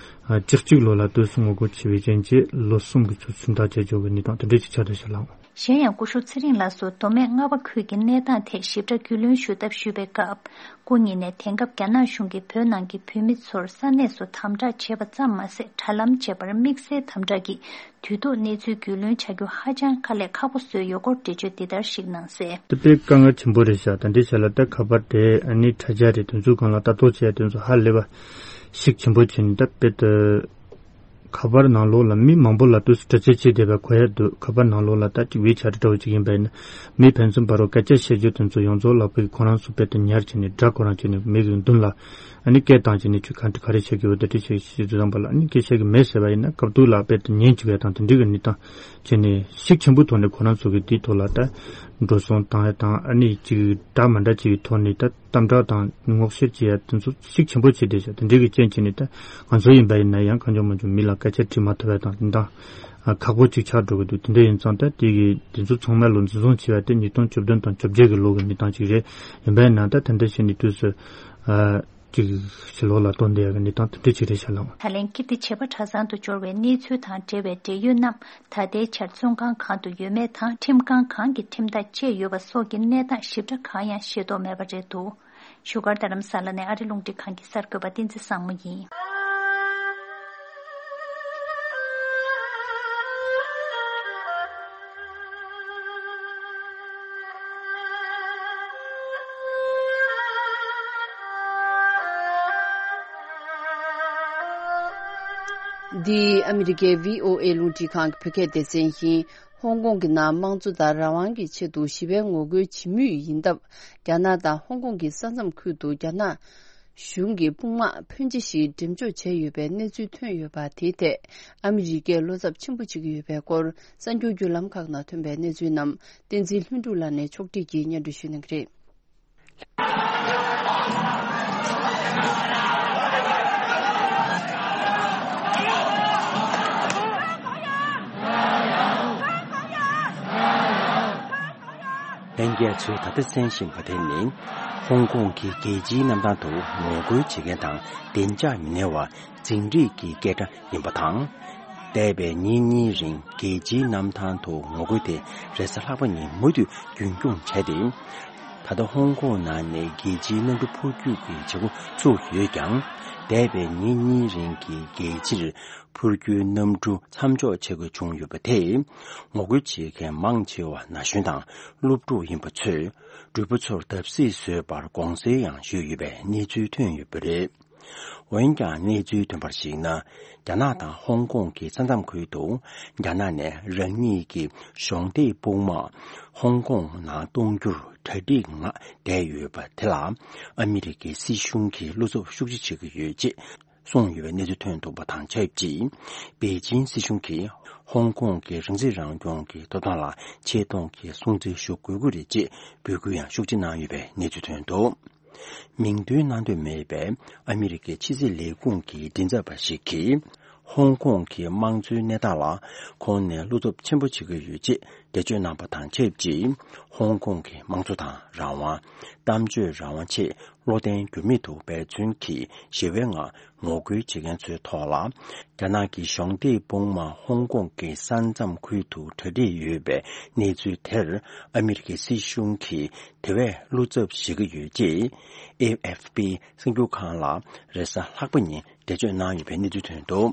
བཅུ་གཅིག་ལོ་ལ་དུས་སུ་ངོ་རྒོལ་ཆེ་བའི་རྐྱེན་གྱིས་ལོ་གསུམ་གྱི་ཚུལ་ཁྲིམས་ཐག་བཅད་ཆོག་གི་གནས་སྟངས་དེ་འདྲ་ཅིག་ཆགས་བསྡད་ཤག་ལགས། གཞན་ཡང་སྐུ་ཞབས་ཚེ་རིང་ལགས་སུ་མདོ་སྨད་རྔ་བ་ཁུལ་གྱི་གནས་སྟངས་ཐད་ཞིབ་ཕྲ་རྒྱུས་ལོན་ཞུ་ཐབས་ཞུས་པའི་སྐབས། སྐུ་ཉིད་ནས་དེང་སྐབས་རྒྱ་ནག་གཞུང་གིས་བོད་ནང་གི་བོད་མི་ཚོར་ས་གནས་སུ་དམ་དྲག་བྱས་པ་ཙམ་མ་ཟད། དྲ་ལམ་བཅས་པར་དམིགས་བསལ་དམ་དྲག་གིས་དུས་ཐོག་གནས་ཚུལ་རྒྱུས་ལོན་བྱ་རྒྱུ་ཧ་ཅང་དཀའ་ལས་ཁག་པོ་བཟོས་ཡོད་སྐོར་འགྲེལ་བརྗོད་འདི་ལྟར་ཞིག་གནང་གསལ། དེ་དཔེ་དཀའ་ངལ་ཆེན་པོ་རེད་ཤག་ད་འདྲའི་ཆ་ལ་ད་ཁ་པར་དེ་ཨ་ནི་དྲ་རྒྱ་རེད། དེ་ཚོའི་སྒང་ལ་ལྟ་རྟོག་བྱས་དེ་ཚོ་ཧ་ལས་པ་ཞིག་ཆེན་པོ་བྱས་ནས་ད་དཔེ་ད། ཁ་པར་ནང་ལོགས་ལ་མི་མང་པོ་ལ་དུས་སུ་དྲི་རྩད་བྱེད་བསྡད་པ་གོ་ཡ་འདུག་ཁ་པར་ནང་ལོགས་ལ་ད་ཅིག་ཝེ་ཆེ་ཊི་འདྲ་བོ་ཅིག་ཡིན་པ་ཡིན་ན། མི་ཕན་ཚུན་བར་རུ་སྐད་ཆ་བཤད་རྒྱུ་དེ་ཚོ་ཡོངས་རྫོགས་ལ་བོད་ཀྱི་ཁོ་རང་ཚོ་དཔེ་དེ་ཉར་བྱས་ནས་སྒྲ་ཁོ་རང་བྱས་ནས་མི་གི་མདུན་ལ་ཨ་ནི་སྐད་བཏང་བྱས་ནས་ཁྱོད་གང་དུ་ག་རེ་བྱེད་ཀྱི་ཡོད། དེ་འདྲ་བྱེད་ཀྱི་ཡོད་དུས་ཙམ་པ་ལ་ཨ་ནི་སྐད་ཆ་གི་མེད་ཟེར་བ་ཡིན་ན་སྐབས་དུས་ལ་དཔེ་དེ་ཉན་བཅུག་ཡ་དང་དེ་འདྲའི་གི་གནས་སྟངས་བྱས་ནས་ཤུགས་ཆེན་པོའི་ཐོག་ནས་ཁོ་རང་ཚོ་གི་དེའི་ཐོག་ལ་ད་འགྲོ་སོང་བཏང་ཡ་དང་ཨ་ནི་ཅིག་འདྲ་མི་འདྲ་བྱས་པའི་ཐོག་ནས་ད། དམ་དྲག་དང་ངོ་ཤེས་བྱེད་ཡ་དེ་ཚོ་ཤུགས་ཆེན་པོ་བྱས་བསྡད་ཤག་དེ་འདྲའི་གི་རྐྱེན་བྱས་ནས་ད་ང་ཚོ་ཡིན་པ་ཡིན་ན་ཡང་གང་བྱུང་མང་བྱུང་མི་ལ་སྐད་ཆ་དྲིས་མ་ཐུབ་པ་དང་དེ་འདྲ་ཁག་པོ་ཅིག་ཆགས་འགྲོ་གི་འདུག་དེ་འདྲ་ཡིན་ཙང་ད་དེ་གི་དེ་ཚོ་ཚང་མ་ལོ་འཛིན་བཟུང་བྱས་པ་དེ་ཉིས་སྟོང་བཅུ་བདུན་དང་བཅོ་བརྒྱད་གི་ལོ་གི་གནས་སྟངས་ཅིག་རེད། ཡིན་པ་ཡིན་ན་ད་དེ་འདྲ་བྱས་ནས་དུས་སུ་ཅིག་ཕྱི་ལོགས་ལ་གཏོང་བསྡད་ཡ་གི་གནས་སྟངས་དེ་འདྲ་ཅིག་རེད་ཤག་ལགས། ད་ལན་ཀིརྟི་བྱེས་པ་གྲྭ་ཚང་དུ་འབྱོར་བའི་གནས་ཚུལ་དང་འབྲེལ་བའི་འབྲེལ་ཡོད་རྣམས་ད་ལྟའི་ཆར་བཙོན་ཁང་གང་དུ་ཡོད་མེད་དང་ཁྲིམས་ཁང་གང་གི་ཁྲིམས་ཐག་བཅད་ཡོད་པ་སོགས་ཀྱི་གནས་སྟངས་ཞིབ་ཕྲ་གང་ཡང་ཤེས་རྟོགས་མེད་པ་རེད་འདུག་བཞུགས་སྒར་རྡ་རམ་ས་ལ་ནས་ཨ་རི་རླུང་འཕྲིན་ཁང་གི་གསར་འགོད་པ་བསྟན་འཛིན་བཟང་མོ་ཡིན། འདི་ཨ་མི་རི་ཀའི་བྷི་ཨོ་ཨེ་རླུང་འཕྲིན་ཁང་གི་བོད་སྐད་སྡེ་ཚན་ཡིན། ཧོང་ཀོང་གི་ནང་དམངས་གཙོ་དང་རང་དབང་གི་ཆེད་དུ་ཞི་བའི་ངོ་རྒོལ་བྱེད་མུས་ཡིན་སྟབས། རྒྱ་ནག་དང་ཧོང་ཀོང་གི་ས་མཚམས་ཁུལ་དུ་རྒྱ་ནག་གཞུང་གི་དཔུང་དམག་ཕོན་ཆེ་ཞིག་འགྲེམས་འཇོག་བྱས་ཡོད་པའི་གནས་ཚུལ་ཐོན་ཡོད་པ། དེའི་ཐད་ཨ་མི་རི་ཀས་བློ་འཚབ་ཆེན་པོ་བྱེད་ཀྱི་ཡོད་པའི་སྐོར་གསར་འགྱུར་བརྒྱུད་ལམ་ཁག་ནང་ཐོན་པའི་གནས་ཚུལ་རྣམས་བསྟན་འཛིན་ལྷུན་གྲུབ་ལགས་ནས་ཕྱོགས་སྒྲིག་གིས་སྙན་སྒྲོན་ཞུ་གནང་གི་རེད། ལྷན་རྒྱས་ཚོས་ད་ལྟ་གསན་བཞིན་པ་དེ་ནི། ཧོང་ཀོང་གི་རྒྱལ་སྤྱིའི་གནམ་ཐང་དུ་ངོ་རྒོལ་བྱེད་མཁན་དང་བདེ་འཇགས་མི་སྣང་བ་འཛིང་རེས་ཀྱི་སྐད་སྒྲ་ཡིན་པ་དང་། འདས་པའི་ཉིན་གཉིས་རིང་རྒྱལ་སྤྱིའི་གནམ་ཐང་དུ་ངོ་རྒོལ་དེ་རེས་གཟའ་ལྷག་པ་ཉིན་མུ་མཐུད་རྒྱུན་འཁྱོངས་བྱས་ཏེ། ད་ལྟ་ཧོང་ཀོང་ནང་ནས་རྒྱལ་སྤྱིའི་གནམ་གྲུ་འཕུར་སྐྱོད་ཀྱི་བྱེད་སྒོ་ཚུགས་ཡོད་ཀྱང་། འདས་པའི་ཉིན་གཉིས་རིང་གི་རྒྱལ་སྤྱིར་འཕུར་སྐྱོད་གནམ་གྲུ་མཚམས་འཇོག་བྱེད་དགོས་བྱུང་ཡོད་པ་དེས། ངོ་རྒོལ་བྱེད་མཁན་མང་ཆེ་བ་ན་གཞོན་དང་སློབ་ཕྲུག་ཡིན་པ་ཚོས་འགྲུལ་པ་ཚོར་བརྡབ་གསིག་བཟོས་པར་དགོངས་སེལ་ཡང་ཞུས་ཡོད་པའི་གནས་ཚུལ་ཐོན་ཡོད་པ་རེད། འོན་ཀྱང་གནས་ཚུལ་ཐོན་པར་གཞིགས་ན། རྒྱ་ནག་དང་ཧོང་ཀོང་གི་ས་མཚམས་ཁུལ་དུ་རྒྱ་ནག་ནས་རང་ཉིད་ཀྱི་གཞོགས་འདེགས་དཔུང་དམག་ཧོང་ཀོང་ནང་གཏོང་རྒྱུར་གྲ་སྒྲིག་ངང་བསྡད་ཡོད་པ་དེ་ལ་ཨ་མི་རི་ཀའི་སྲིད་གཞུང་གིས་བློ་འཚབ་ཤུགས་ཆེ་བྱེད་ཀྱི་ཡོད་ཅེས་གསུངས་ཡོད་པའི་གནས་ཚུལ་ཐོན་འདུག་པ་དང་ཆབས་ཅིག་པེ་ཅིན་སྲིད་གཞུང་གིས་ཧོང་ཀོང་གི་རང་སྲིད་རང་སྐྱོང་གི་ཐོབ་ཐང་ལ་ཆེ་མཐོང་གི་སྲུང་བརྩི་ཞུ་དགོས་ཀྱི་རེད་ཅེས་འབོད་སྐུལ་ཡང་ཤུགས་ཆེ་གནང་ཡོད་པའི་གནས་ཚུལ་ཐོན་འདུག་མིང་འདོན་གནང་འདོད་མེད་པའི་ཨ་མི་རི་ཀའི་ཕྱི་སྲིད་ལས་ཁུངས་ཀྱི་མགྲིན་ཚབ་པ་ཞིག་གིས། ཧོང་ཀོང་གི་དམངས་གཙོའི་གནས་སྟངས་ལ་ཁོང་ནས་བློ་འཚབ་ཆེན་པོ་བྱེད་ཀྱི་ཡོད་ཅེས་འགྲེལ་བརྗོད་གནང་པ་དང་ཆབས་ཅིག་ཧོང་ཀོང་གི་དམངས་གཙོ་དང་རང་དབང་། གཏམ་བརྗོད་རང་དབང་ཆེད་བློ་བརྟན་འགྱུར་མེད་དུ་འབད་བརྩོན་གྱིས་ཞི་བའི་ངང་ངོ་རྒོལ་བྱེད་མཁན་ཚོའི་ཐོག་ལ། རྒྱ་ནག་གི་གཞོགས་འདེགས་དཔུང་དམག་ཧོང་ཀོང་གི་ས་མཚམས་ཁུལ་དུ་གྲ་སྒྲིག་ཡོད་པའི་གནས་ཚུལ་དེར་ཨ་མི་རི་ཀའི་སྲིད་གཞུང་གིས་དེ་བས་བློ་འཚབ་བྱེད་ཀྱི་ཡོད་ཅེས་ཨེ་ཨེཕ་པི་གསར་འགྱུར་ཁང་ལ་རེས་གཟའ་ལྷག་པ་ཉིན་འགྲེལ་བརྗོད་གནང་ཡོད་པའི་གནས་ཚུལ་ཐོན་འདུག་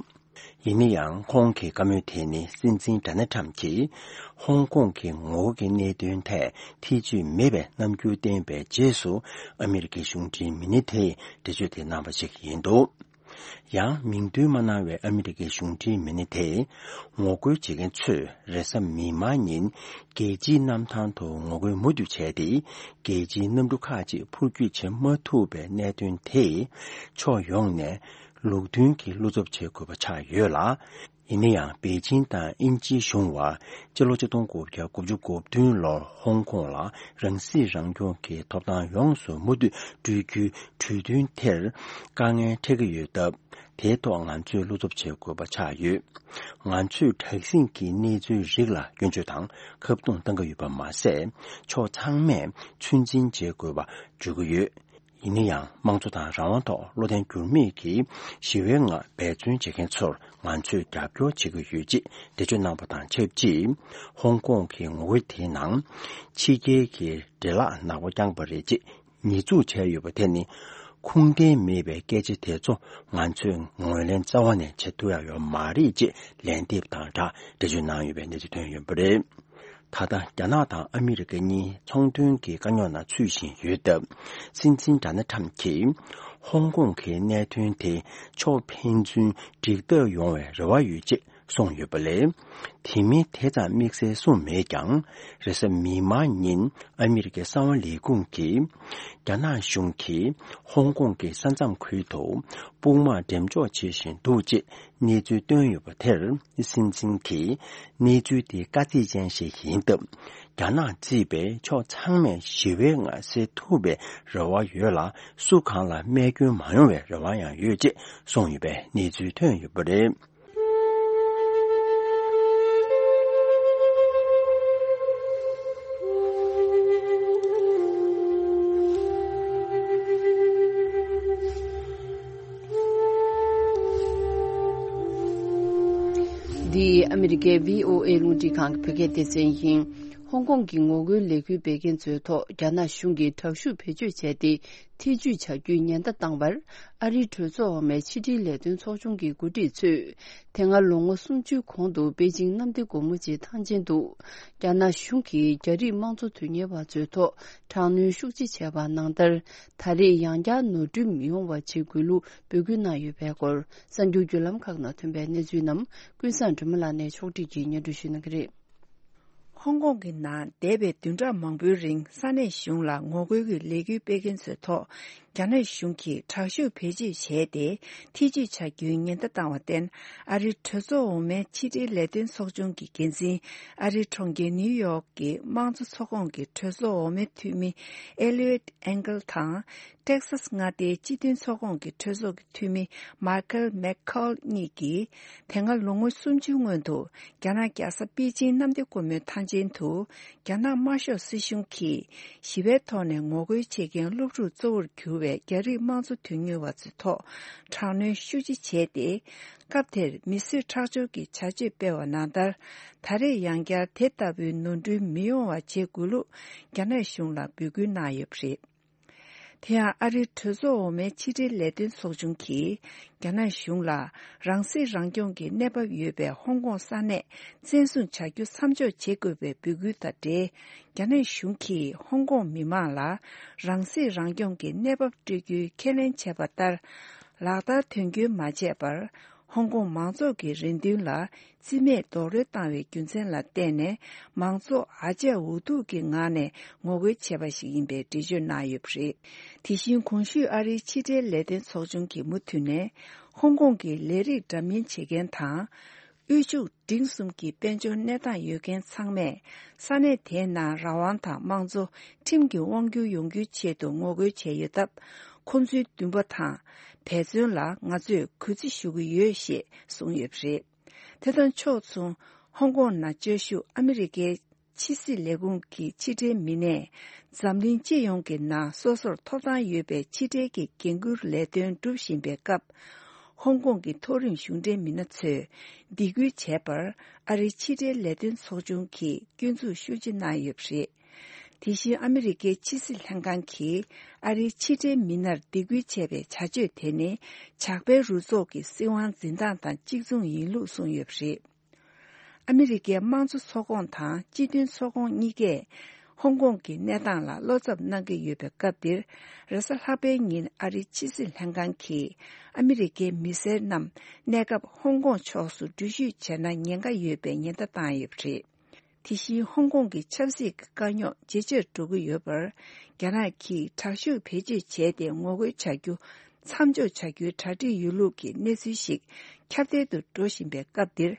ཡིན་ན་ཡང་ཁོང་གི་བཀའ་མོལ་དེ་ནི་སྲིད་འཛིན་ཌོ་ནལ་ཁྲམ་གྱིས་ཧོང་ཀོང་གི་ངོ་རྒོལ་གྱི་གནད་དོན་ཐད་ཐེ་བྱུས་མེད་པའི་རྣམ་འགྱུར་བསྟན་པའི་རྗེས་སུ་ཨ་མི་རི་ཀའི་གཞུང་འབྲེལ་མི་སྣ་དེས་འགྲེལ་བརྗོད་དེ་གནང་བ་ཞིག་ཡིན་འདུག་ཡང་མིང་འདོན་མ་གནང་བའི་ཨ་མི་རི་ཀའི་གཞུང་འབྲེལ་མི་སྣ་དེས། ངོ་རྒོལ་བྱེད་མཁན་ཚོས་རེས་གཟའ་མིག་དམར་ཉིན་རྒྱལ་སྤྱིའི་གནམ་ཐང་དུ་ངོ་རྒོལ་མུ་མཐུད་བྱས་ཏེ། རྒྱལ་སྤྱིའི་གནམ་གྲུ་ཁག་ཅིག་འཕུར་སྐྱོད་བྱེད་མ་ཐུབ་པའི་གནད་དོན་དེས། ཕྱོགས་ཡོངས་ནས་ལུགས་མཐུན་གྱི་བློ་འཚབ་བྱེད་དགོས་པ་ཆགས་ཡོད་ལ། ཡིན་ན་ཡང་པེ་ཅིང་དང་དབྱིན་ཇིའི་གཞུང་བར་སྤྱི་ལོ་ཆིག་སྟོང་དགུ་བརྒྱ་དགུ་བཅུ་གོ་བདུན་ལོར་ཧོང་ཀོང་ལ་རང་སྲིད་རང་སྐྱོང་གི་ཐོབ་ཐང་ཡོངས་སུ་མུ་མཐུད་སྤྲོད་རྒྱུའི་གྲོས་མཐུན་དེར་དཀའ་ངལ་འཕྲད་ཀྱི་ཡོད་སྟབས། དེའི་ཐོག་ང་ཚོས་བློ་འཚབ་བྱེད་དགོས་པ་ཆགས་ཡོད། ང་ཚོས་དྲག་ཟིང་གི་གནས་ཚུལ་རིགས་ལ་སྐྱོན་བརྗོད་དང་ཁ་རྡུང་གཏང་གི་ཡོད་པ་མ་ཟད། ཕྱོགས་ཚང་མས་ཚོད་འཛིན་བྱེད་དགོས་པ་བརྗོད་ཀྱི་ཡོད། ཡིན་ན་ཡང་། དམངས་གཙོ་དང་རང་དབང་ཐོག་བློ་བརྟན་འགྱུར་མེད་ཀྱིས་ཞི་བའི་ངང་འབད་བརྩོན་བྱེད་མཁན་ཚོར་ང་ཚོས་རྒྱབ་སྐྱོར་བྱེད་ཀྱི་ཡོད་ཅེས་འགྲེལ་བརྗོད་གནང་བ་དང་ཆབས་ཅིག་ཧོང་ཀོང་གི་ངོ་རྒོལ་དེའི་ནང་ཕྱི་རྒྱལ་གྱི་འདྲེ་ལག་ནག་པོ་བརྐྱངས་པ་རེད་ཅེས་ཉེས་འཛུགས་བྱས་ཡོད་པ་དེ་ནི། ཁུངས་ལྡན་མེད་པའི་སྐད་ཆ་དེ་ཚོ་ང་ཚོས་ངོས་ལེན་རྩ་བ་ནས་བྱེད་ཐུབ་ཡག་ཡོད་མ་རེད་ཅེས་ལན་འདེབས་དང་སྦྲགས་འགྲེལ་བརྗོད་གནང་ཡོད་པའི་གནས་ཚུལ་ཐོན་ཡོད་པ་རེད། ད་ལྟ་རྒྱ་ནག་དང་ཨ་མི་རི་ཀ་གཉིས་ཚོང་དོན་གྱི་དཀའ་རྙོག་ནང་ཚུད་བཞིན་ཡོད་སྟབས། སྲིད་འཛིན་ཌོ་ནལ་ཁྲམ་གྱིས་ཧོང་ཀོང་གི་གནད་དོན་དེ་ཕྱོགས་ཕན་ཚུན་འགྲིག་ཐག་ཡོང་བའི་རེ་བ་ཡོད་ཅེས་གསུངས་ཡོད་པ་ལས། དེ་མིན་དེ་ཙམ་དམིགས་བསལ་གསུངས་མེད་ཀྱང་། རེས་གཟའ་མིག་དམར་ཉིན་ཨ་མི་རི་ཀའི་གསང་བ་ལས་ཁུངས་ཀྱིས། རྒྱ་ནག་གཞུང་གིས་ཧོང་ཀོང་གི་ས་མཚམས་ཁུལ་དུ་དཔུང་དམག་འགྲེམས་འཇོག་བྱེད་བཞིན་འདུག་ཅེས། གནས་ཚུལ་བཏོན་ཡོད་པ་དེར། སྲིད་འཛིན་གྱིས་གནས་ཚུལ་དེ་དཀའ་ཚེགས་ཅན་ཞིག་ཡིན་སྟབས། རྒྱ་ནག་གཙོས་པའི་ཕྱོགས་ཚང་མས་ཞི་བའི་ངང་སེལ་ཐུབ་པའི་རེ་བ་ཡོད་ལ། སུ་གང་ལ་རྨས་སྐྱོན་མ་ཡོང་བའི་རེ་བ་ཡང་ཡོད་ཅེས་གསུངས་ཡོད་པའི་གནས་ཚུལ་ཐོན་ཡོད་པ་རེད། འདི་ཨ་མི་རི་ཀའི་བྷི་ཨོ་ཨེ་རླུང་འཕྲིན་ཁང་གི་བོད་སྐད་སྡེ་ཚན་ཡིན། ཧོང་ཀོང་གི་ངོ་རྒོལ་ལས་འགུལ་སྤེལ་མཁན་ཚོའི་ཐོག་རྒྱ་ནག་གཞུང་གིས་དྲག་ཤུགས་བེད་སྤྱོད་བྱས་ཏེ། ཐེ་ཇུས་བྱ་རྒྱུའི་ཉེན་བརྡ་བཏང་བར། ཨ་རིའི་གྲོས་ཚོགས་འོག་མའི་ཕྱི་འབྲེལ་ལས་དོན་ཚོགས་ཆུང་གི་འགོ་ཁྲིད་ཚོས། དེ་སྔ་ལོ་ངོ་སུམ་ཅུའི་གོང་དུ་པེ་ཅིང་གནམ་བདེ་སྒོ་མོ་ཆེའི་ཐང་ཆེན་དུ། རྒྱ་ནག་གཞུང་གིས་རྒྱ་རིགས་དམངས་གཙོ་དོན་གཉེར་བ་ཚོའི་ཐོག་དྲག་གནོན་ཤུགས་ཆེ་བྱས་པ་ནང་ལྟར། ད་རེས་ཡང་བསྐྱར་ནོར་འཁྲུལ་མི་ཡོང་བ་བྱེད་དགོས་ལུགས་འབོད་སྐུལ་གནང་ཡོད་པའི་སྐོར། གསར་འགྱུར་བརྒྱུད་ལམ་ཁག་ནང་ཐོན་པའི་གནས་ཚུལ་རྣམས་ཀུན་བཟང་སྒྲོལ་མ་ལགས་ནས་ཕྱོགས་སྒྲིག་གིས་སྙན་སྒྲོན་ཞུ་གནང་གི་རེད། ཧོང་ཀོང་གི་ནང་འདས་པའི་བདུན་ཕྲག་མང་པོའི་རིང་ས་གནས་གཞུང་ལ་ངོ་རྒོལ་གྱི་ལས་འགུལ་སྤེལ་མཁན་ཚོའི་ཐོག་རྒྱ་ནག་གཞུང་གིས་དྲག་ཤུགས་བེད་སྤྱོད་བྱས་ཏེ་ཐེ་ཇུས་བྱ་རྒྱུའི་ཉེན་བརྡ་བཏང་བར་བརྟེན། ཨ་རིའི་གྲོས་ཚོགས་འོག་མའི་ཕྱི་འབྲེལ་ལས་དོན་ཚོགས་ཆུང་གི་འགན་འཛིན། ཨ་རིའི་གྲོང་ཁྱེར་ནིའུ་ཡོག་གི་དམངས་གཙོ་ཚོགས་ཁོངས་ཀྱི་གྲོས་ཚོགས་འོག་མའི་འཐུས་མི་ཨེ་ལི་ཡོད་ཨེང་གལ་དང་། ཏེག་སཱས་མངའ་སྡེའི་སྤྱི་མཐུན་ཚོགས་ཁོངས་ཀྱི་གྲོས་ཚོགས་ཀྱི་འཐུས་མི་མཱ་ཁལ་མེག་ཁོལ་གཉིས་ཀྱིས། དེ་སྔ་ལོ་ངོ་སུམ་ཅུའི་སྔོན་དུ། རྒྱ་ནག་རྒྱལ་ས་པེ་ཅིང་གནམ་བདེ་སྒོ་མོའི་ཐང་ཆེན་དུ། རྒྱ་ནག་དམར་ཤོག་སྲིད་གཞུང་གིས། ཞི་བའི་ཐོག་ནས་ངོ་རྒོལ་བྱེད་མཁན་སློབ་ཕྲུག་གཙོ་བོར་གྱུར་བའི་རྒྱ་རིགས་དམངས་གཙོ་དོན་གཉེར་བ་ཚོའི་ཐོག་དྲག་གནོན་ཤུགས་ཆེ་བྱས་ཏེ། སྐབས་དེར་མི་གསོད་ཁྲག་སྦྱོར་གྱི་བྱ་སྤྱོད་སྤེལ་བ་ནང་ལྟར། ད་རེས་ཡང་བསྐྱར་དེ་ལྟ་བུའི་ནོར་འཁྲུལ་མི་ཡོང་བ་བྱེད་དགོས་ལུགས། རྒྱ་ནག་གཞུང་ལ་འབོད་སྐུལ་གནང་ཡོད་པ་རེད། དེ་ཡང་ཨ་རིའི་གྲོས་ཚོགས་འོག་མའི་ཕྱི་འབྲེལ་ལས་དོན་ཚོགས་ཆུང་གིས། རྒྱ་ནག་གཞུང་ལ་རང་སྲིད་རང་སྐྱོང་གི་གནས་བབ་ཡོད་པའི་ཧོང་ཀོང་ས་གནས་བཙན་བཟུང་བྱ་རྒྱུ་མཚམས་འཇོག་བྱེད་དགོས་པའི་འབོད་སྐུལ་དང་འབྲེལ། རྒྱ་ནག་གཞུང་གིས་ཧོང་ཀོང་མི་མང་ལ་རང་སྲིད་རང་སྐྱོང་གི་གནས་བབ་སྤྲོད་རྒྱུའི་ཁས་ལེན་བྱས་པ་ལྟར། ལག་བསྟར་དོན་འཁྱོལ་མ་བྱས་པར། ཧོང་ཀོང་མང་ཚོགས་ཀྱི་རེ་འདུན་ལ་རྩིས་མེད་རྡོག་རོལ་བཏང་བའི་རྒྱུ་མཚན་ལ་བརྟེན་ནས། མང་ཚོགས་ཨ་ཅག་འུ་ཐུག་གི་ངང་ནས་ངོ་རྒོལ་བྱས་པ་ཞིག་ཡིན་པའི་འགྲེལ་བརྗོད་གནང་ཡོད་པ་རེད། དེ་བཞིན་གོང་ཞུས་ཨ་རིའི་ཕྱི་འབྲེལ་ལས་དོན་ཚོགས་ཆུང་གིས་མུ་མཐུད་ནས། ཧོང་ཀོང་གི་ལས་རིགས་འདྲ་མིན་བྱེད་མཁན་དང་། དབུལ་ཕྱུག་འབྲིང་གསུམ་གྱི་དཔལ་འབྱོར་གནས་སྟངས་ཡོད་མཁན་ཚང་མས། ས་གནས་དེའི་ནང་རང་དབང་དང་དམངས་གཙོ་ཁྲིམས་ཀྱི་དབང་སྒྱུར་ཡོང་རྒྱུའི་ཆེད་དུ་ངོ་རྒོལ་བྱས་ཡོད་སྟབས། ཁོང་ཚོའི་འདུན་པ་དང་འབད་བརྩོན་ལ་ང་ཚོས་གུས་བརྩི་ཞུ་གི་ཡོད་ཞེས་གསུངས་ཡོད་པ་རེད། དེ་དང་ཕྱོགས་མཚུངས། ཧོང་ཀོང་ནང་བཅའ་བཞུགས་ཨ་མི་རི་ཀའི་ཕྱི་སྲིད་ལས་ཁུངས་ཀྱི་ཕྱི་འབྲེལ་མི་སྣས། འཛམ་གླིང་སྤྱི་ཡོངས་ཀྱི་ནང་སོ་སོར་ཐོབ་ཐང་ཡོད་པའི་ཕྱི་འབྲེལ་གྱི་འགན་འཁུར་ལས་དོན་སྒྲུབ་བཞིན་པའི་སྐབས། ཧོང་ཀོང་གི་མཐོ་རིམ་གཞུང་འབྲེལ་མི་སྣ་ཚོས་སྡིགས་སྐུལ་བྱས་པར། ཨ་རིའི་ཕྱི་འབྲེལ་ལས་དོན་ཚོགས་ཆུང་གིས་སྐྱོན་འཛུགས་ཤུགས་ཆེ་གནང་ཡོད་པ་རེད། དེ་བཞིན་ཨ་མི་རི་ཀའི་ཕྱི་སྲིད་ལྷན་ཁང་གིས་ཨ་རིའི་ཕྱི་འབྲེལ་མི་སྣར་སྡིགས་སྐུལ་བྱས་པའི་བྱ་སྤྱོད་དེ་ནི། ཇག་པའི་རུ་ཚོགས་ཀྱི་སྲིད་དབང་འཛིན་སྟངས་དང་གཅིག་མཚུངས་ཡིན་ལུགས་གསུངས་ཡོད་པ་རེད། ཨ་མི་རི་ཀའི་དམངས་གཙོ་ཚོགས་ཁོངས་དང་སྤྱི་མཐུན་ཚོགས་ཁོངས་གཉིས་ཀས། ཧོང་ཀོང་གི་གནས་སྟངས་ལ་བློ་འཚབ་གནང་གི་ཡོད་པའི་སྐབས་འདིར། རེས་གཟའ་ལྷག་པའི་ཉིན་ཨ་རིའི་ཕྱི་སྲིད་ལྷན་ཁང་གིས་ཨ་མི་རི་ཀའི་མི་སེར་རྣམས་གནས་སྐབས་ཧོང་ཀོང་ཕྱོགས་སུ་འགྲུལ་བཞུད་བྱས་ན་ཉེན་ཁ་ཡོད་པའི་ཉེན་བརྡ་བཏང་ཡོད་པ་རེད། དེ་བཞིན་ཧོང་ཀོང་གི་ཆབ་སྲིད་ཀྱི་དཀའ་རྙོག་ཇེ་ཆེར་འགྲོ་གི་ཡོད་པར། རྒྱ་ནག་གིས་དྲག་ཤུགས་བེད་སྤྱོད་བྱས་ཏེ་ངོ་རྒོལ་བྱ་རྒྱུ་མཚམས་འཇོག་བྱ་རྒྱུའི་གྲ་སྒྲིག་ཡོད་ལུགས་ཀྱི་གནས་ཚུལ་ཞིག་ཁྱབ་གདལ་དུ་འགྲོ་བཞིན་པའི་སྐབས་འདིར།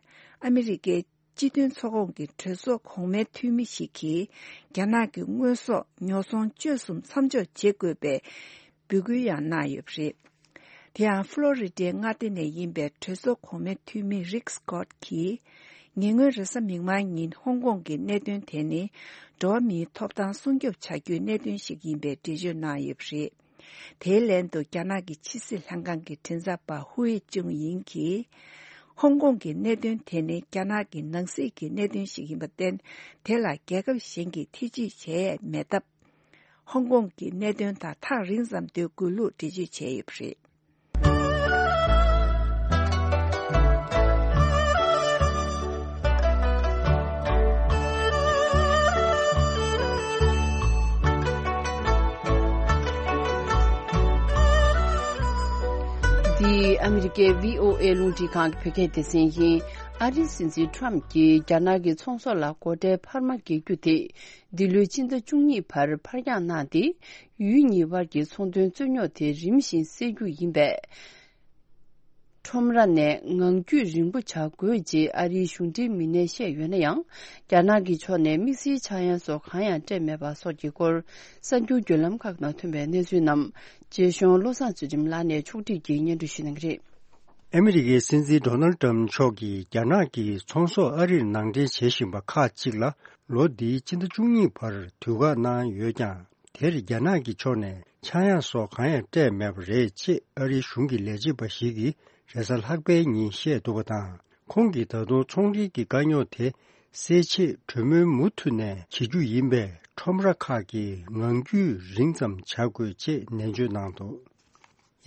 ཨ་མི་རི་ཀའི་སྤྱི་མཐུན་ཚོགས་ཁོངས་ཀྱི་གྲོས་ཚོགས་གོང་མའི་འཐུས་མི་ཞིག་གིས། རྒྱ་ནག་གི་དངོས་ཟོག་ཉོ་ཚོང་སྤྱོད་གསུམ་མཚམས་འཇོག་བྱེད་དགོས་པའི་འབོད་སྐུལ་ཡང་གནང་ཡོད་པ་རེད། དེ་ཡང་ཕློ་རི་ཌའི་མངའ་སྡེ་ནས་ཡིན་པའི་གྲོས་ཚོགས་གོང་མའི་འཐུས་མི་རིག་སི་ཀོཊ་གྱིས། ཉེ་སྔོན་རེས་གཟའ་མིག་དམར་ཉིན་ཧོང་ཀོང་གི་གནད་དོན་དེ་ནི། འགྲོ་བ་མིའི་ཐོབ་ཐང་སྲུང་སྐྱོབ་བྱ་རྒྱུའི་གནད་དོན་ཞིག་ཡིན་པའི་འགྲེལ་བརྗོད་གནང་ཡོད་པ་རེད། དེའི་ལན་དུ། རྒྱ་ནག་གི་ཕྱི་སྲིད་ལྷན་ཁང་གི་མགྲིན་ཚབ་པ་ཧུའེ་ཅུང་ཡིན་གྱིས། ཧོང་ཀོང་གི་གནད་དོན་དེ་ནི་རྒྱ་ནག་གི་ནང་སྲིད་ཀྱི་གནད་དོན་ཞིག་ཡིན་པར་བརྟེན། དེ་ལ་རྒྱལ་ཁབ་གཞན་གྱིས་ཐེ་ཇུས་བྱས་མེད་སྟབས། ཧོང་ཀོང་གི་གནད་དོན་དང་ཐག་རིང་ཙམ་སྡོད་དགོས་ལུགས་འགྲེལ་བརྗོད་བྱས་ཡོད་པ་རེད། འདི་ཨ་མི་རི་ཀའི་བྷི་ཨོ་ཨེ་རླུང་འཕྲིན་ཁང་གི་བོད་སྐད་སྡེ་ཚན་ཡིན། ཨ་རིའི་སྲིད་འཛིན་ཊམ་གྱིས་རྒྱ་ནག་གི་ཚོང་ཟོག་ལ་སྒོ་ཁྲལ་འཕར་མ་འགེལ་རྒྱུ་དེ། འདི་ལོའི་སྤྱི་ཟླ་བཅུ་གཉིས་བར་ཕར་འགྱངས་གནང་སྟེ། ཡུལ་གཉིས་དབར་གྱི་ཚོང་དོན་རྩོད་རྙོག་དེ་རིམ་བཞིན་སེལ་རྒྱུ་ཡིན་པས། ཁྲོམ་ར་ནས་ངང་རྒྱུད་རིང་པོ་བྱ་དགོས་ཅེས་ཨ་རིའི་གཞུང་འབྲེལ་མི་སྣས་བཤད་ཡོད་ན་ཡང་། རྒྱ་ནག་གི་ཕྱོགས་ནས་དམིགས་བསལ་ཆག་ཡང་སོགས་གང་ཡང་སྤྲད་མེད་པ་སོགས་ཀྱི་སྐོར། གསར་འགྱུར་བརྒྱུད་ལམ་ཁག་ནང་ཐོན་པའི་གནས་ཚུལ་རྣམས། རྒྱས་གཞུང་བློ་བཟང་ཚུལ་ཁྲིམས་ལགས་ནས་ཕྱོགས་སྒྲིག་གིས་སྙན་སྒྲོན་ཞུ་གནང་གི་རེད། ཨ་མི་རི་ཀའི་སྲིད་འཛིན་ཌོ་ནལ་ཊམ་མཆོག་གིས་རྒྱ་ནག་གིས་ཚོང་ཟོག་ཨ་རིར་ནང་འདྲེན་བྱེད་བཞིན་པ་ཁག་ཅིག་ལ། ལོ་འདིའི་སྤྱི་ཟླ་བཅུ་གཉིས་བར་དུས་བཀག་གནང་ཡོད་ཀྱང་། དེར་རྒྱ་ནག་གི་ཕྱོགས་ནས་ཆག་ཡང་སོགས་གང་ཡང་སྤྲད་མེད་པ་རེད་ཅེས་ཨ་རིའི་གཞུང་གི་ལས་བྱེད་པ་ཞིག་གིས་རེས་གཟའ་ལྷག་པའི་ཉིན་བཤད་འདུག་པ་དང་། ཁོང་གིས་ད་དུང་ཚོང་འབྲེལ་གྱི་དཀའ་རྙོག་དེ་སེལ་ཆེད་གྲོས་མོལ་མུ་མཐུད་ནས་བྱེད་རྒྱུ་ཡིན་པས། ཁྲོམ་ར་ཁག་གི་ངང་རྒྱུད་རིང་ཙམ་བྱ་དགོས་ཅེས་ནན་བརྗོད་གནང་འདུག།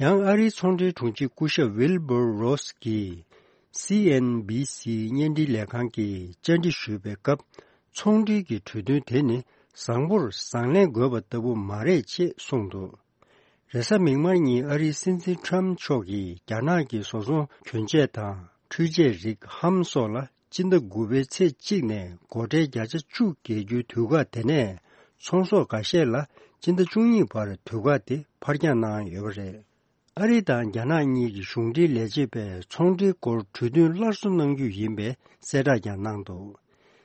ཡང་ཨ་རིའི་ཚོང་འབྲེལ་དྲུང་ཆེ་སྐུ་ཞབས་ཝིལ་བྷར་རོས་ཀྱིས་སི་ཨེན་བྷི་སི་བརྙན་འཕྲིན་ལས་ཁང་གི་བཅར་འདྲི་ཞུས་པའི་སྐབས། ཚོང་འབྲེལ་གྱི་གྲོས་མཐུན་དེ་ནི་བཟང་པོར་བཟང་ལན་དགོས་པ་ལྟ་བུ་མ་རེད་ཅེས་གསུངས་འདུག། རེས་གཟའ་མིག་དམར་ཉིན་ཨ་རིའི་སྲིད་འཛིན་ཊམ་མཆོག་གིས་རྒྱ་ནག་གི་བཟོ་ཚོང་གྱོན་ཆས་དང་འཕྲུལ་ཆས་རིགས་ཧམ་སོགས་ལ། སྤྱི་ཟླ་དགུ་པའི་ཚེས་གཅིག་ནས་སྒོ་ཁྲལ་བརྒྱ་ཆ་བཅུ་འགེལ་རྒྱུའི་དུས་བཀག་དེ་ནས། ཚོང་ཟོག་འགའ་ཤས་ལ་སྤྱི་ཟླ་བཅུ་གཉིས་བར་དུས་བཀག་དེ་ཕར་འགྱངས་གནང་ཡོད་པ་རེད། ཨ་རི་དང་རྒྱ་ནག་གཉིས་ཀྱི་གཞུང་འབྲེལ་ལས་བྱེད་པས་ཚོང་འབྲེལ་སྐོར་གྲོས་མཐུན་སླར་གསོ་གནང་རྒྱུ་ཡིན་པའི་གསལ་བསྒྲགས་ཀྱང་གནང་འདུག།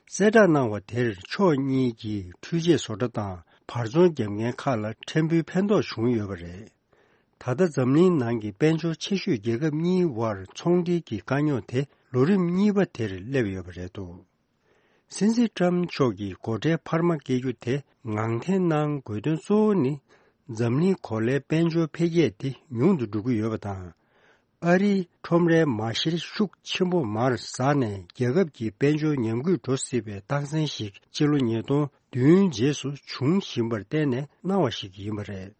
གསལ་བསྒྲགས་གནང་བ་དེར་ཕྱོགས་གཉིས་ཀྱི་འཕྲུལ་ཆས་བཟོ་གྲྭ་དང་བར་ཚོང་བརྒྱབ་མཁན་ཁག་ལ་ཕྲན་བུའི་ཕན་ཐོགས་བྱུང་ཡོད་པ་རེད། ད་ལྟ་འཛམ་གླིང་ནང་གི་དཔལ་འབྱོར་ཆེ་ཤོས་རྒྱལ་ཁབ་གཉིས་དབར་ཚོང་འབྲེལ་གྱི་དཀའ་རྙོག་དེ་ལོ་རིམ་གཉིས་པ་དེར་སླེབས་ཡོད་པ་རེད་འདུག། སྲིད་འཛིན་ཊམ་མཆོག་གིས་སྒོ་ཁྲལ་འཕར་མ་བཀལ་རྒྱུ་དེ་ངང་འཐེན་གནང་དགོས་དོན་གཙོ་བོ་ནི། འཛམ་གླིང་གོ་ལའི་དཔལ་འབྱོར་འཕེལ་རྒྱས་དེ་ཉུང་དུ་འགྲོ་གི་ཡོད་པ་དང་། ཨ་རིའི་ཁྲོམ་རའི་མ་ཤེར་ཤུགས་ཆེན་པོ་མར་ཟག་ནས་རྒྱལ་ཁབ་ཀྱི་དཔལ་འབྱོར་ཉམས་རྒུད་འགྲོ་སྲིད་པའི་རྟགས་མཚན་ཞིག་ཕྱི་ལོ་ཉིས་སྟོང་བདུན་རྗེས་སུ་འབྱུང་བཞིན་པར་བརྟེན་ནས་གནང་བ་ཞིག་ཡིན་པ་རེད།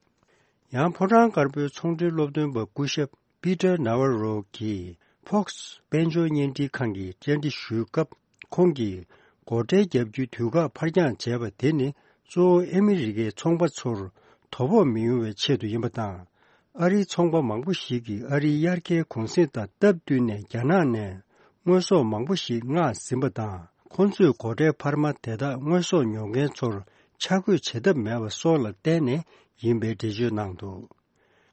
ཡང་ཕོ་བྲང་དཀར་པོའི་ཚོང་འབྲེལ་སློབ་སྟོན་པ་སྐུ་ཞབས་པི་ཏར་ནཱ་ཝ་རོ་གིས་ཕོགས་དཔལ་འབྱོར་བརྙན་འཕྲིན་ཁང་གི་བཅར་འདྲི་ཞུས་སྐབས། ཁོང་གིས་སྒོ་ཁྲལ་བརྒྱབ་རྒྱུའི་དུས་བཀག་ཕར་འགྱངས་བྱས་པ་དེ་ནི་གཙོ་བོ་ཨ་མི་རི་ཀའི་ཚོང་པ་ཚོར་དོ་ཕོག་མི་ཡོང་བའི་ཆེད་དུ་ཡིན་པ་དང་། ཨ་རིའི་ཚོང་པ་མང་པོ་ཞིག་གིས་ཨ་རིའི་དབྱར་ཁའི་གུང་གསེང་དང་སྟབས་བསྟུན་ནས་རྒྱ་ནག་ནས་དངོས་ཟོག་མང་པོ་ཞིག་མངགས་ཟིན་པ་དང་། ཁོང་ཚོས་སྒོ་ཁྲལ་འཕར་མ་དེ་དག་དངོས་ཟོག་ཉོ་མཁན་ཚོར་ཆ་བགོས་བྱེད་ཐབས་མེད་པ་སོགས་ལ་བརྟེན་ནས་ཡིན་པའི་འགྲེལ་བརྗོད་གནང་འདུག།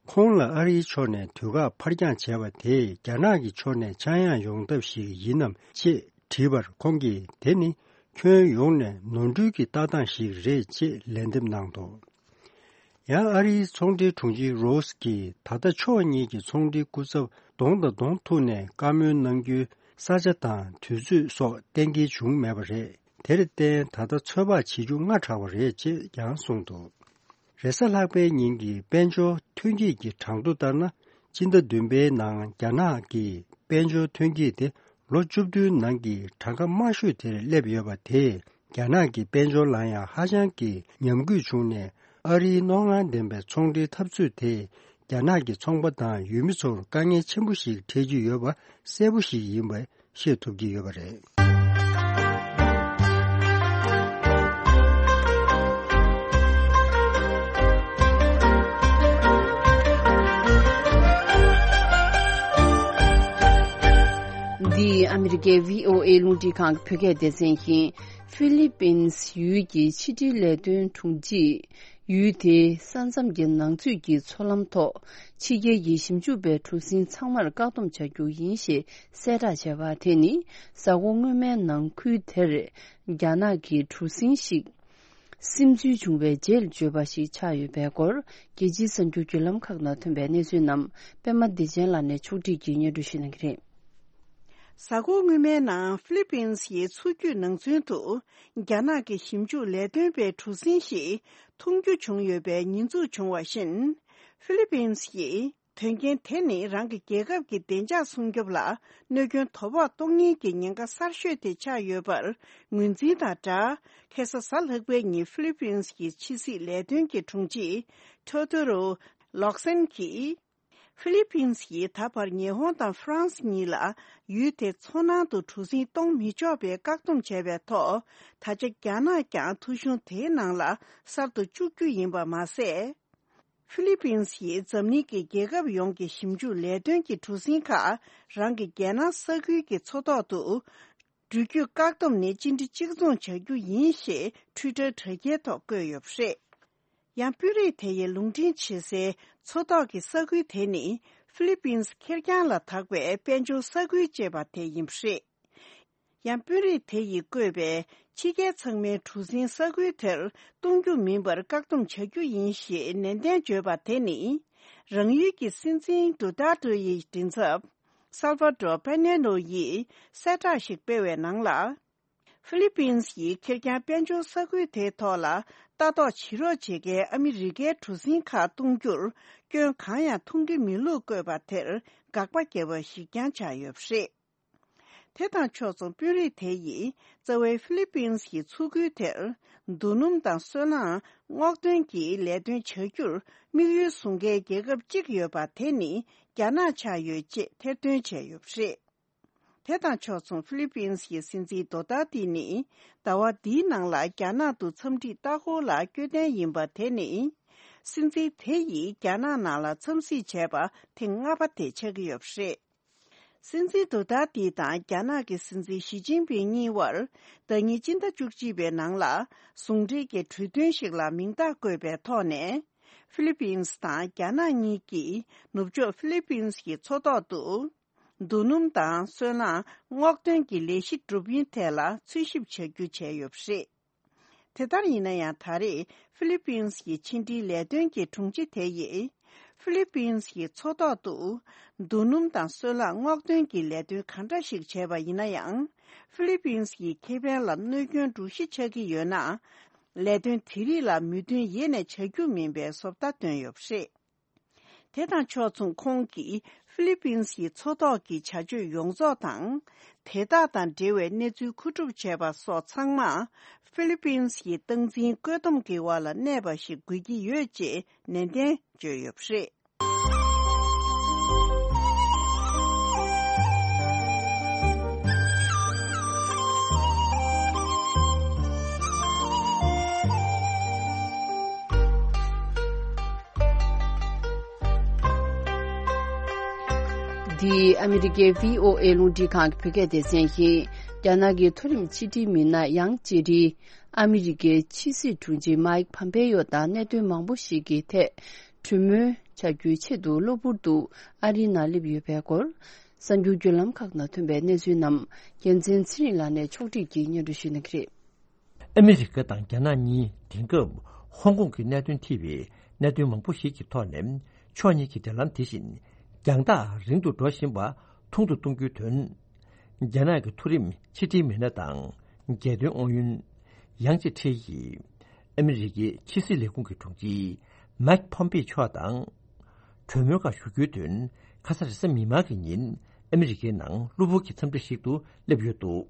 ཁོང་ལ་ཨ་རིའི་ཕྱོགས་ནས་དུས་བཀག་ཕར་འགྱངས་བྱས་པ་དེས་རྒྱ་ནག་གི་ཕྱོགས་ནས་ཆག་ཡང་ཡོང་ཐབས་ཤིག་ཡིན་ནམ་ཅེས་དྲིས་པར། ཁོང་གིས་དེ་ནི་ཁྱོན་ཡོངས་ནས་ནོར་འཁྲུལ་གྱི་ལྟ་སྟངས་ཤིག་རེད་ཅེས་ལན་འདེབས་གནང་འདུག། ཡང་ཨ་རིའི་ཚོང་འབྲེལ་དྲུང་ཆེ་རོས་ཀྱིས་ད་ལྟ་ཕྱོགས་གཉིས་ཀྱི་ཚོང་འབྲེལ་སྐུ་ཚབ་གདོང་དང་གདོང་ཐུག་ནས་བཀའ་མོལ་གནང་རྒྱུའི་ས་ཆ་དང་དུས་ཚོད་སོགས་གཏན་འཁེལ་བྱུང་མེད་པ་རེད། དེར་བརྟེན་ད་ལྟ་ཚོད་དཔག་བྱེད་རྒྱུ་སྔ་དྲགས་པ་རེད་ཅེས་ཀྱང་གསུངས་འདུག། རེས་གཟའ་ལྷག་པའི་ཉིན་གྱི་དཔལ་འབྱོར་ཐོན་སྐྱེད་ཀྱི་གྲངས་ཐོ་ལྟར་ན། སྤྱི་ཟླ་བདུན་པའི་ནང་རྒྱ་ནག་གི་དཔལ་འབྱོར་ཐོན་སྐྱེད་དེ་ལོ་བཅུ་བདུན་ནང་གི་གྲངས་ཀ་དམའ་ཤོས་དེར་སླེབས་ཡོད་པ་དེས། རྒྱ་ནག་གི་དཔལ་འབྱོར་ལ་ཡང་ཧ་ཅང་གི་ཉམས་རྒུད་བྱུང་ནས། ཨ་རིའི་རྣོ་ངར་ལྡན་པའི་ཚོང་འབྲེལ་འཐབ་རྩོད་དེས་རྒྱ་ནག་གི་ཚོང་པ་དང་ཡུལ་མི་ཚོར་དཀའ་ངལ་ཆེན་པོ་ཞིག་འཕྲད་ཀྱི་ཡོད་པ་གསལ་པོ་ཞིག་ཡིན་པ་ཤེས་ཐུབ་ཀྱི་ཡོད་པ་རེད། རྒྱལ་བྷི་ཨོ་ཨེ་རླུང་འཕྲིན་ཁང་གི་བོད་སྐད་སྡེ་ཚན་གྱིས་ཧྥི་ལི་པིན་ཡུལ་གྱི་ཕྱི་འབྲེལ་ལས་དོན་དྲུང་ཆེས་ཡུལ་དེའི་ས་མཚམས་ཀྱི་ནང་ཚུད་ཀྱི་མཚོ་ལམ་ཐོག་ཕྱི་རྒྱལ་གྱི་ཞིབ་འཇུག་པའི་གྲུ་གཟིངས་ཚང་མར་བཀག་སྡོམ་བྱ་རྒྱུ་ཡིན་ཞེས་གསལ་བསྒྲགས་བྱས་པ་དེ་ནི་གཟའ་འཁོར་སྔོན་མའི་ནང་ཁུལ་དེར་རྒྱ་ནག་གི་གྲུ་གཟིངས་ཤིག་སིམ་འཛུལ་བྱུང་བའི་རྗེས་བརྗོད་པ་ཞིག་ཆགས་ཡོད་པའི་སྐོར་རྒྱལ་སྤྱིའི་གསར་འགྱུར་བརྒྱུད་ལམ་ཁག་ནང་ཐོན་པའི་གནས་ཚུལ་རྣམས་པད་མ་བདེ་ཆེན་ལགས་ནས་ཕྱོགས་སྒྲིག་གིས་སྙན་སྒྲོན་ཞུ་གནང་གི་རེད། གཟའ་འཁོར་སྔོན་མའི་ནང་ཧྥི་ལི་པིན་ཡི་མཚོ་རྒྱུད་ནང་ཚུན་དུ་རྒྱ་ནག་གི་ཞིབ་འཇུག་ལས་དོན་པའི་གྲུ་གཟིངས་ཤིག་མཐོང་རྒྱུ་བྱུང་ཡོད་པའི་ཉེས་འཛུགས་བྱུང་བ་བཞིན། ཧྥི་ལི་པིན་ཡིས་དོན་རྐྱེན་དེ་ནི་རང་གི་རྒྱལ་ཁབ་ཀྱི་བདེ་འཇགས་སྲུང་སྐྱོབ་ལ་གནོད་སྐྱོན་དོ་ཕོག་གཏོང་ཉེན་གྱི་ཉེན་ཁ་གསར་ཤོས་དེ་ཆགས་ཡོད་པར་ངོས་འཛིན་དང་སྦྲགས། ཁ་སང་གཟའ་ལྷག་པའི་ཉིན་ཧྥི་ལི་པིན་གྱི་ཕྱི་སྲིད་ལས་དོན་གྱི་དྲུང་ཆེ་ཐོ་ཐོ་རོ་ལོག་སན་གྱིས། ཧྥི་ལི་པིན་ཡིས་ད་བར་ཉི་ཧོང་དང་ཧྥ་རན་སི་གཉིས་ལ་ཡུལ་དེ་མཚོ་ནང་དུ་གྲུ་གཟིངས་གཏོང་མི་ཆོག་པའི་བཀག་སྡོམ་བྱས་པའི་ཐོག་ད་ཆ་རྒྱ་ནག་ཀྱང་ཐོ་གཞུང་དེའི་ནང་ལ་གསར་དུ་བཅུག་རྒྱུ་ཡིན་པ་མ་ཟད། ཧྥི་ལི་པིན་ཡིས་འཛམ་གླིང་གི་རྒྱལ་ཁབ་ཡོངས་ཀྱི་ཞིབ་འཇུག་ལས་དོན་གྱི་གྲུ་གཟིངས་ཁག་རང་གི་རྒྱལ་ནང་ས་ཁུལ་གྱི་མཚོ་ཐོག་ཏུ་འགྲུལ་སྐྱོད་བཀག་སྡོམ་ནི་གཅིག་འདྲི་གཅིག་མཚུངས་བྱ་རྒྱུ་ཡིན་ཞེས་ཊུའི་ཊར་དྲ་རྒྱའི་ཐོག་བཀོད་ཡོད་པ་རེད། ཡང་དཔོན་རིགས་དེ་ཡིས་ལུང་འདྲེན་བྱེད་སའི་མཚོ་ཐོག་གི་ས་ཁུལ་དེ་ནི་ཧྥི་ལི་པིན་ཁེར་རྐྱང་ལ་དྭགས་པའི་དཔལ་འབྱོར་ས་ཁུལ་ཅེས་པ་དེ་ཡིན་པ་རེད། ཡང་དཔོན་རིགས་དེ་ཡིས་བཀོད་པའི་ཕྱི་རྒྱལ་ཚང་མའི་གྲུ་གཟིངས་ས་ཁུལ་དེར་གཏོང་རྒྱུ་མིན་པར་བཀག་སྡོམ་བྱ་རྒྱུ་ཡིན་ཞེས་ནན་ཏན་བརྗོད་པ་དེ་ནི། རང་ཡུལ་གྱི་སྲིད་འཛིན་ཌུ་ཏར་ཏྲེ་ཡི་མགྲིན་ཚབ་སལ་ཝ་ཏྲོ་པེ་ནེ་ལོ་ཡིས་གསལ་བསྒྲགས་ཤིག་སྤེལ་བའི་ནང་ལ། ཧྥི་ལི་པིན་ཡིས་ཁེར་རྐྱང་དཔལ་འབྱོར་ས་ཁུལ་དེའི་ཐོག་ལ་ལྟ་རྟོག་བྱེད་རོགས་བྱེད་མཁན་ཨ་མི་རི་ཀའི་གྲུ་གཟིངས་ཁག་གཏོང་རྒྱུར་སྐྱོན་གང་ཡང་མཐོང་གི་མེད་ལུགས་བཀོད་པ་དེར་དགག་པ་བརྒྱབ་པ་ཞིག་ཀྱང་ཆགས་ཡོད་པ་རེད། དེ་དང་ཕྱོགས་མཚུངས་དཔོན་རིགས་དེ་ཡིས་རྩ་བའི་ཧྥི་ལི་པིན་གྱི་མཚོ་ཁུལ་དེར་རྡོ་སྣུམ་དང་སོལ་རླངས་སྔོག་འདོན་གྱི་ལས་དོན་བྱ་རྒྱུར་དམིགས་ཡུལ་བཟུང་མཁན་རྒྱལ་ཁབ་གཅིག་ཡོད་པ་དེ་ནི་རྒྱ་ནག་ཆགས་ཡོད་ཅེས་ཐེར་འདོན་བྱས་ཡོད་པ་རེད། དེ་དང་ཕྱོགས་མཚུངས་ཧྥི་ལི་པིན་གྱི་སྲིད་འཛིན་རྡོ་ཏར་ཏི་ནི་ཟླ་བ་འདིའི་ནང་ལ་རྒྱ་ནག་ཏུ་འཚམས་འདྲིའི་ལྟ་སྐོར་ལ་བསྐྱོད་གཏན་ཡིན་པ་དེ་ནི། སྲིད་འཛིན་དེ་ཡིས་རྒྱ་ནག་ནང་ལ་འཚམས་གཟིགས་བྱས་པ་ཐེངས་ལྔ་པ་དེ་ཆགས་ཀྱི་ཡོད་པ་རེད། སྲིད་འཛིན་རྡོ་ཏར་ཏི་དང་རྒྱ་ནག་གི་སྲིད་འཛིན་ཞི་ཅིན་ཕིང་གཉིས་བར་ཟླ་ཉིན་སྤྱི་ཟླ་བཅུ་གཅིག་པའི་ནང་ལ་ཟུང་འབྲེལ་གྱི་གྲོས་མཐུན་ཞིག་ལ་མིང་རྟགས་བཀོད་པའི་ཐོག་ནས། ཧྥི་ལི་པིན་དང་རྒྱ་ནག་གཉིས་ཀྱིས་ནུབ་ཕྱོགས་ཧྥི་ལི་པིན་གྱི་མཚོ་ཐོག་ཏུ་རྡོ་སྣུམ་དང་སོལ་རླངས་སྔོག་འདོན་གྱི་ལས་གཞི་སྒྲུབ་ཡུན་ཐད་ལ་འཚོལ་ཞིབ་བྱ་རྒྱུ་བྱས་ཡོད་པ་རེད། དེ་ལྟར་ཡིན་ན་ཡང་ད་རེས་ཧྥི་ལི་པིན་གྱི་ཕྱི་འབྲེལ་ལས་དོན་གྱི་དྲུང་ཆེ་དེ་ཡིས་ཧྥི་ལི་པིན་གྱི་མཚོ་ཐོག་ཏུ་རྡོ་སྣུམ་དང་སོལ་རླངས་སྔོག་འདོན་གྱི་ལས་དོན་གང་འདྲ་ཞིག་བྱས་པ་ཡིན་ན་ཡང་ཧྥི་ལི་པིན་གྱི་ཁེ་ཕན་ལ་གནོད་སྐྱོན་འགྲོ་གཞི་ཆགས་ཀྱི་ཡོད་ན། ལས་དོན་དེ་རིགས་ལ་མོས་མཐུན་ཡེ་ནས་བྱ་རྒྱུ་མིན་པའི་བཟོ་ལྟ་བཏོན་ཡོད་པ་རེད། དེ་དང་ཕྱོགས་མཚུངས་ཁོང་གིས་ཧྥི་ལི་པིན་གྱི་མཚོ་ཐོག་གི་བྱ་སྤྱོད་ཡོངས་རྫོགས་དང་། དེ་དག་དང་འབྲེལ་བའི་གནས་ཚུལ་མཁོ་སྒྲུབ་བྱས་པ་སོགས་ཚང་མ་ཧྥི་ལི་པིན་གྱི་སྟངས་འཛིན་བཀོད་འདོམས་ཀྱི་འོག་ལ་གནས་པ་ཞིག་དགོས་ཀྱི་ཡོད་ཅེས་ནན་ཏན་བརྗོད་ཡོད་པ་རེད། འདི་ཨ་མི་རི་ཀའི་བྷི་ཨོ་ཨེ་རླུང་འཕྲིན་ཁང་གི་བོད་སྐད་སྡེ་ཚན་ཡིན། རྒྱ་ནག་གི་མཐོ་རིམ་ཕྱི་འབྲེལ་མི་སྣ་ཡང་ཅེ་ཧྲི་ཨ་མི་རི་ཀའི་ཕྱི་སྲིད་དྲུང་ཆེ་མཱིག་ཕམ་པེ་ཡོ་དང་གནད་དོན་མང་པོ་ཞིག་གི་ཐད་གྲོས་མོལ་བྱ་རྒྱུའི་ཆེད་དུ་གློ་བུར་དུ་ཨ་རིའི་ནང་སླེབས་ཡོད་པའི་སྐོར། གསར་འགྱུར་བརྒྱུད་ལམ་ཁག་ནང་ཐོན་པའི་གནས་ཚུལ་རྣམས་རྒྱལ་མཚན་ཚེ་རིང་ལགས་ནས་ཕྱོགས་སྒྲིག་གིས་སྙན་སྒྲོན་ཞུ་གནང་གི་རེད། ཨ་མི་རི་ཀ་དང་རྒྱ་ནག་གཉིས་དེང་སྐབས་ཧོང་ཀོང་གི་གནད་དོན་ཐེ་བའི་གནད་དོན་མང་པོ་ཞིག་གི་ཐོག་ནས་ཕྱོགས་གཉིས་ཀྱི་འབྲེལ་ལམ་དེ་བཞིན་རྒྱང་ཐག་རིང་དུ་འགྲོ་བཞིན་པ་ཐུང་དུ་གཏོང་རྒྱུའི་དོན། རྒྱ་ནག་གི་མཐོ་རིམ་ཕྱི་འབྲེལ་མི་སྣ་དང་རྒྱལ་དོན་ཨུ་ཡོན་ཡང་ཅེ་ཁྲི་ཡིས་ཨ་མི་རི་ཀའི་ཕྱི་སྲིད་ལས་ཁུངས་ཀྱི་དྲུང་ཆེ་མཱིག་ཕོམ་པེ་མཆོག་དང་གྲོས་མོལ་ཁག་ཞུ་རྒྱུའི་དོན་ཁ་ས་རེས་གཟའ་མིག་དམར་གྱི་ཉིན་ཨ་མི་རི་ཀའི་ནང་གློ་བུར་གྱི་འཚམས་འདྲི་ཞིག་ཏུ་སླེབས་ཡོད་འདུག་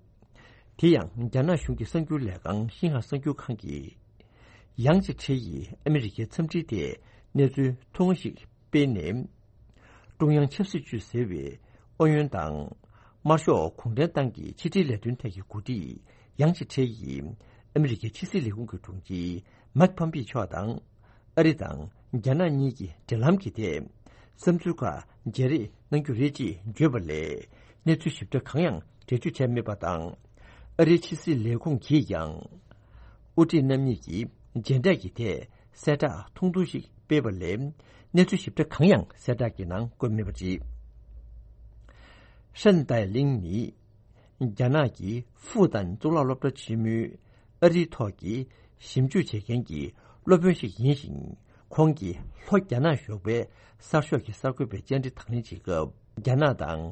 དེ་ཡང་རྒྱ་ནག་གཞུང་གི་གསར་འགྱུར་ལས་ཁང་ཤིན་ཧྭ་གསར་འགྱུར་ཁང་གིས། ཡང་ཅེ་ཁྲི་ཡིས་ཨ་མི་རི་ཀའི་འཚམས་འདྲིའི་ཐད་གནས་ཚུལ་ཐུང་ངུ་ཞིག་སྤེལ་ནས། ཀྲུང་དབྱང་ཆབ་སྲིད་ཅུས་ཟེར་བའི་ཨུ་ཡོན་དང་། དམར་ཤོག་གུང་ཁྲན་ཏང་གི་ཕྱི་འབྲེལ་ལས་དོན་ཐད་ཀྱི་འགོ་ཁྲིད་ཡང་ཅེ་ཁྲི་ཡིས་ཨ་མི་རི་ཀའི་ཕྱི་སྲིད་ལས་ཁུངས་ཀྱི་དྲུང་ཆེ་མཱིག་ཕོམ་པེ་མཆོག་དང་། ཨ་རི་དང་རྒྱ་ནག་གཉིས་ཀྱི་འབྲེལ་ལམ་གྱི་ཐད་བསམ་ཚུལ་ཁག་བརྗེ་རེས་གནང་རྒྱུ་རེད་ཅེས་བརྗོད་པ་ལས་གནས་ཚུལ་ཞིབ་ཕྲ་གང་ཡང་ འགྲེལ་བརྗོད་བྱས་མེད་པ་དང་། ཨ་རིའི་ཕྱི་སྲིད་ལས་ཁུངས་ཀྱིས་ཀྱང་། དབུ་ཁྲིད་རྣམ་གཉིས་ཀྱིས་མཇལ་འཕྲད་ཀྱི་ཐད་གསལ་བསྒྲགས་ཐུང་ཐུང་ཞིག་སྤེལ་བ་ལས། གནས་ཚུལ་ཞིབ་ཕྲ་གང་ཡང་གསལ་བསྒྲགས་ཀྱི་ནང་བཀོད་མེད་པ་རེད། ཧྲན་ཏའེ་ལིང་ནི། རྒྱ་ནག་གི་ཧྥུ་ཏན་གཙུག་ལག་སློབ་གྲྭ་ཆེན་མོའི་ཨ་རིའི་ཐོག་གི་ཞིབ་འཇུག་བྱེད་མཁན་གྱི་སློབ་དཔོན་ཞིག་ཡིན་ཞིང་། ཁོང་གིས་ལྷོ་རྒྱ་ནག་གཞུང་པའི་གསར་ཤོག་གི་གསར་འགོད་པའི་བཅར་འདྲི་དང་ལེན་བྱེད་སྐབས། རྒྱ་ནག་དང་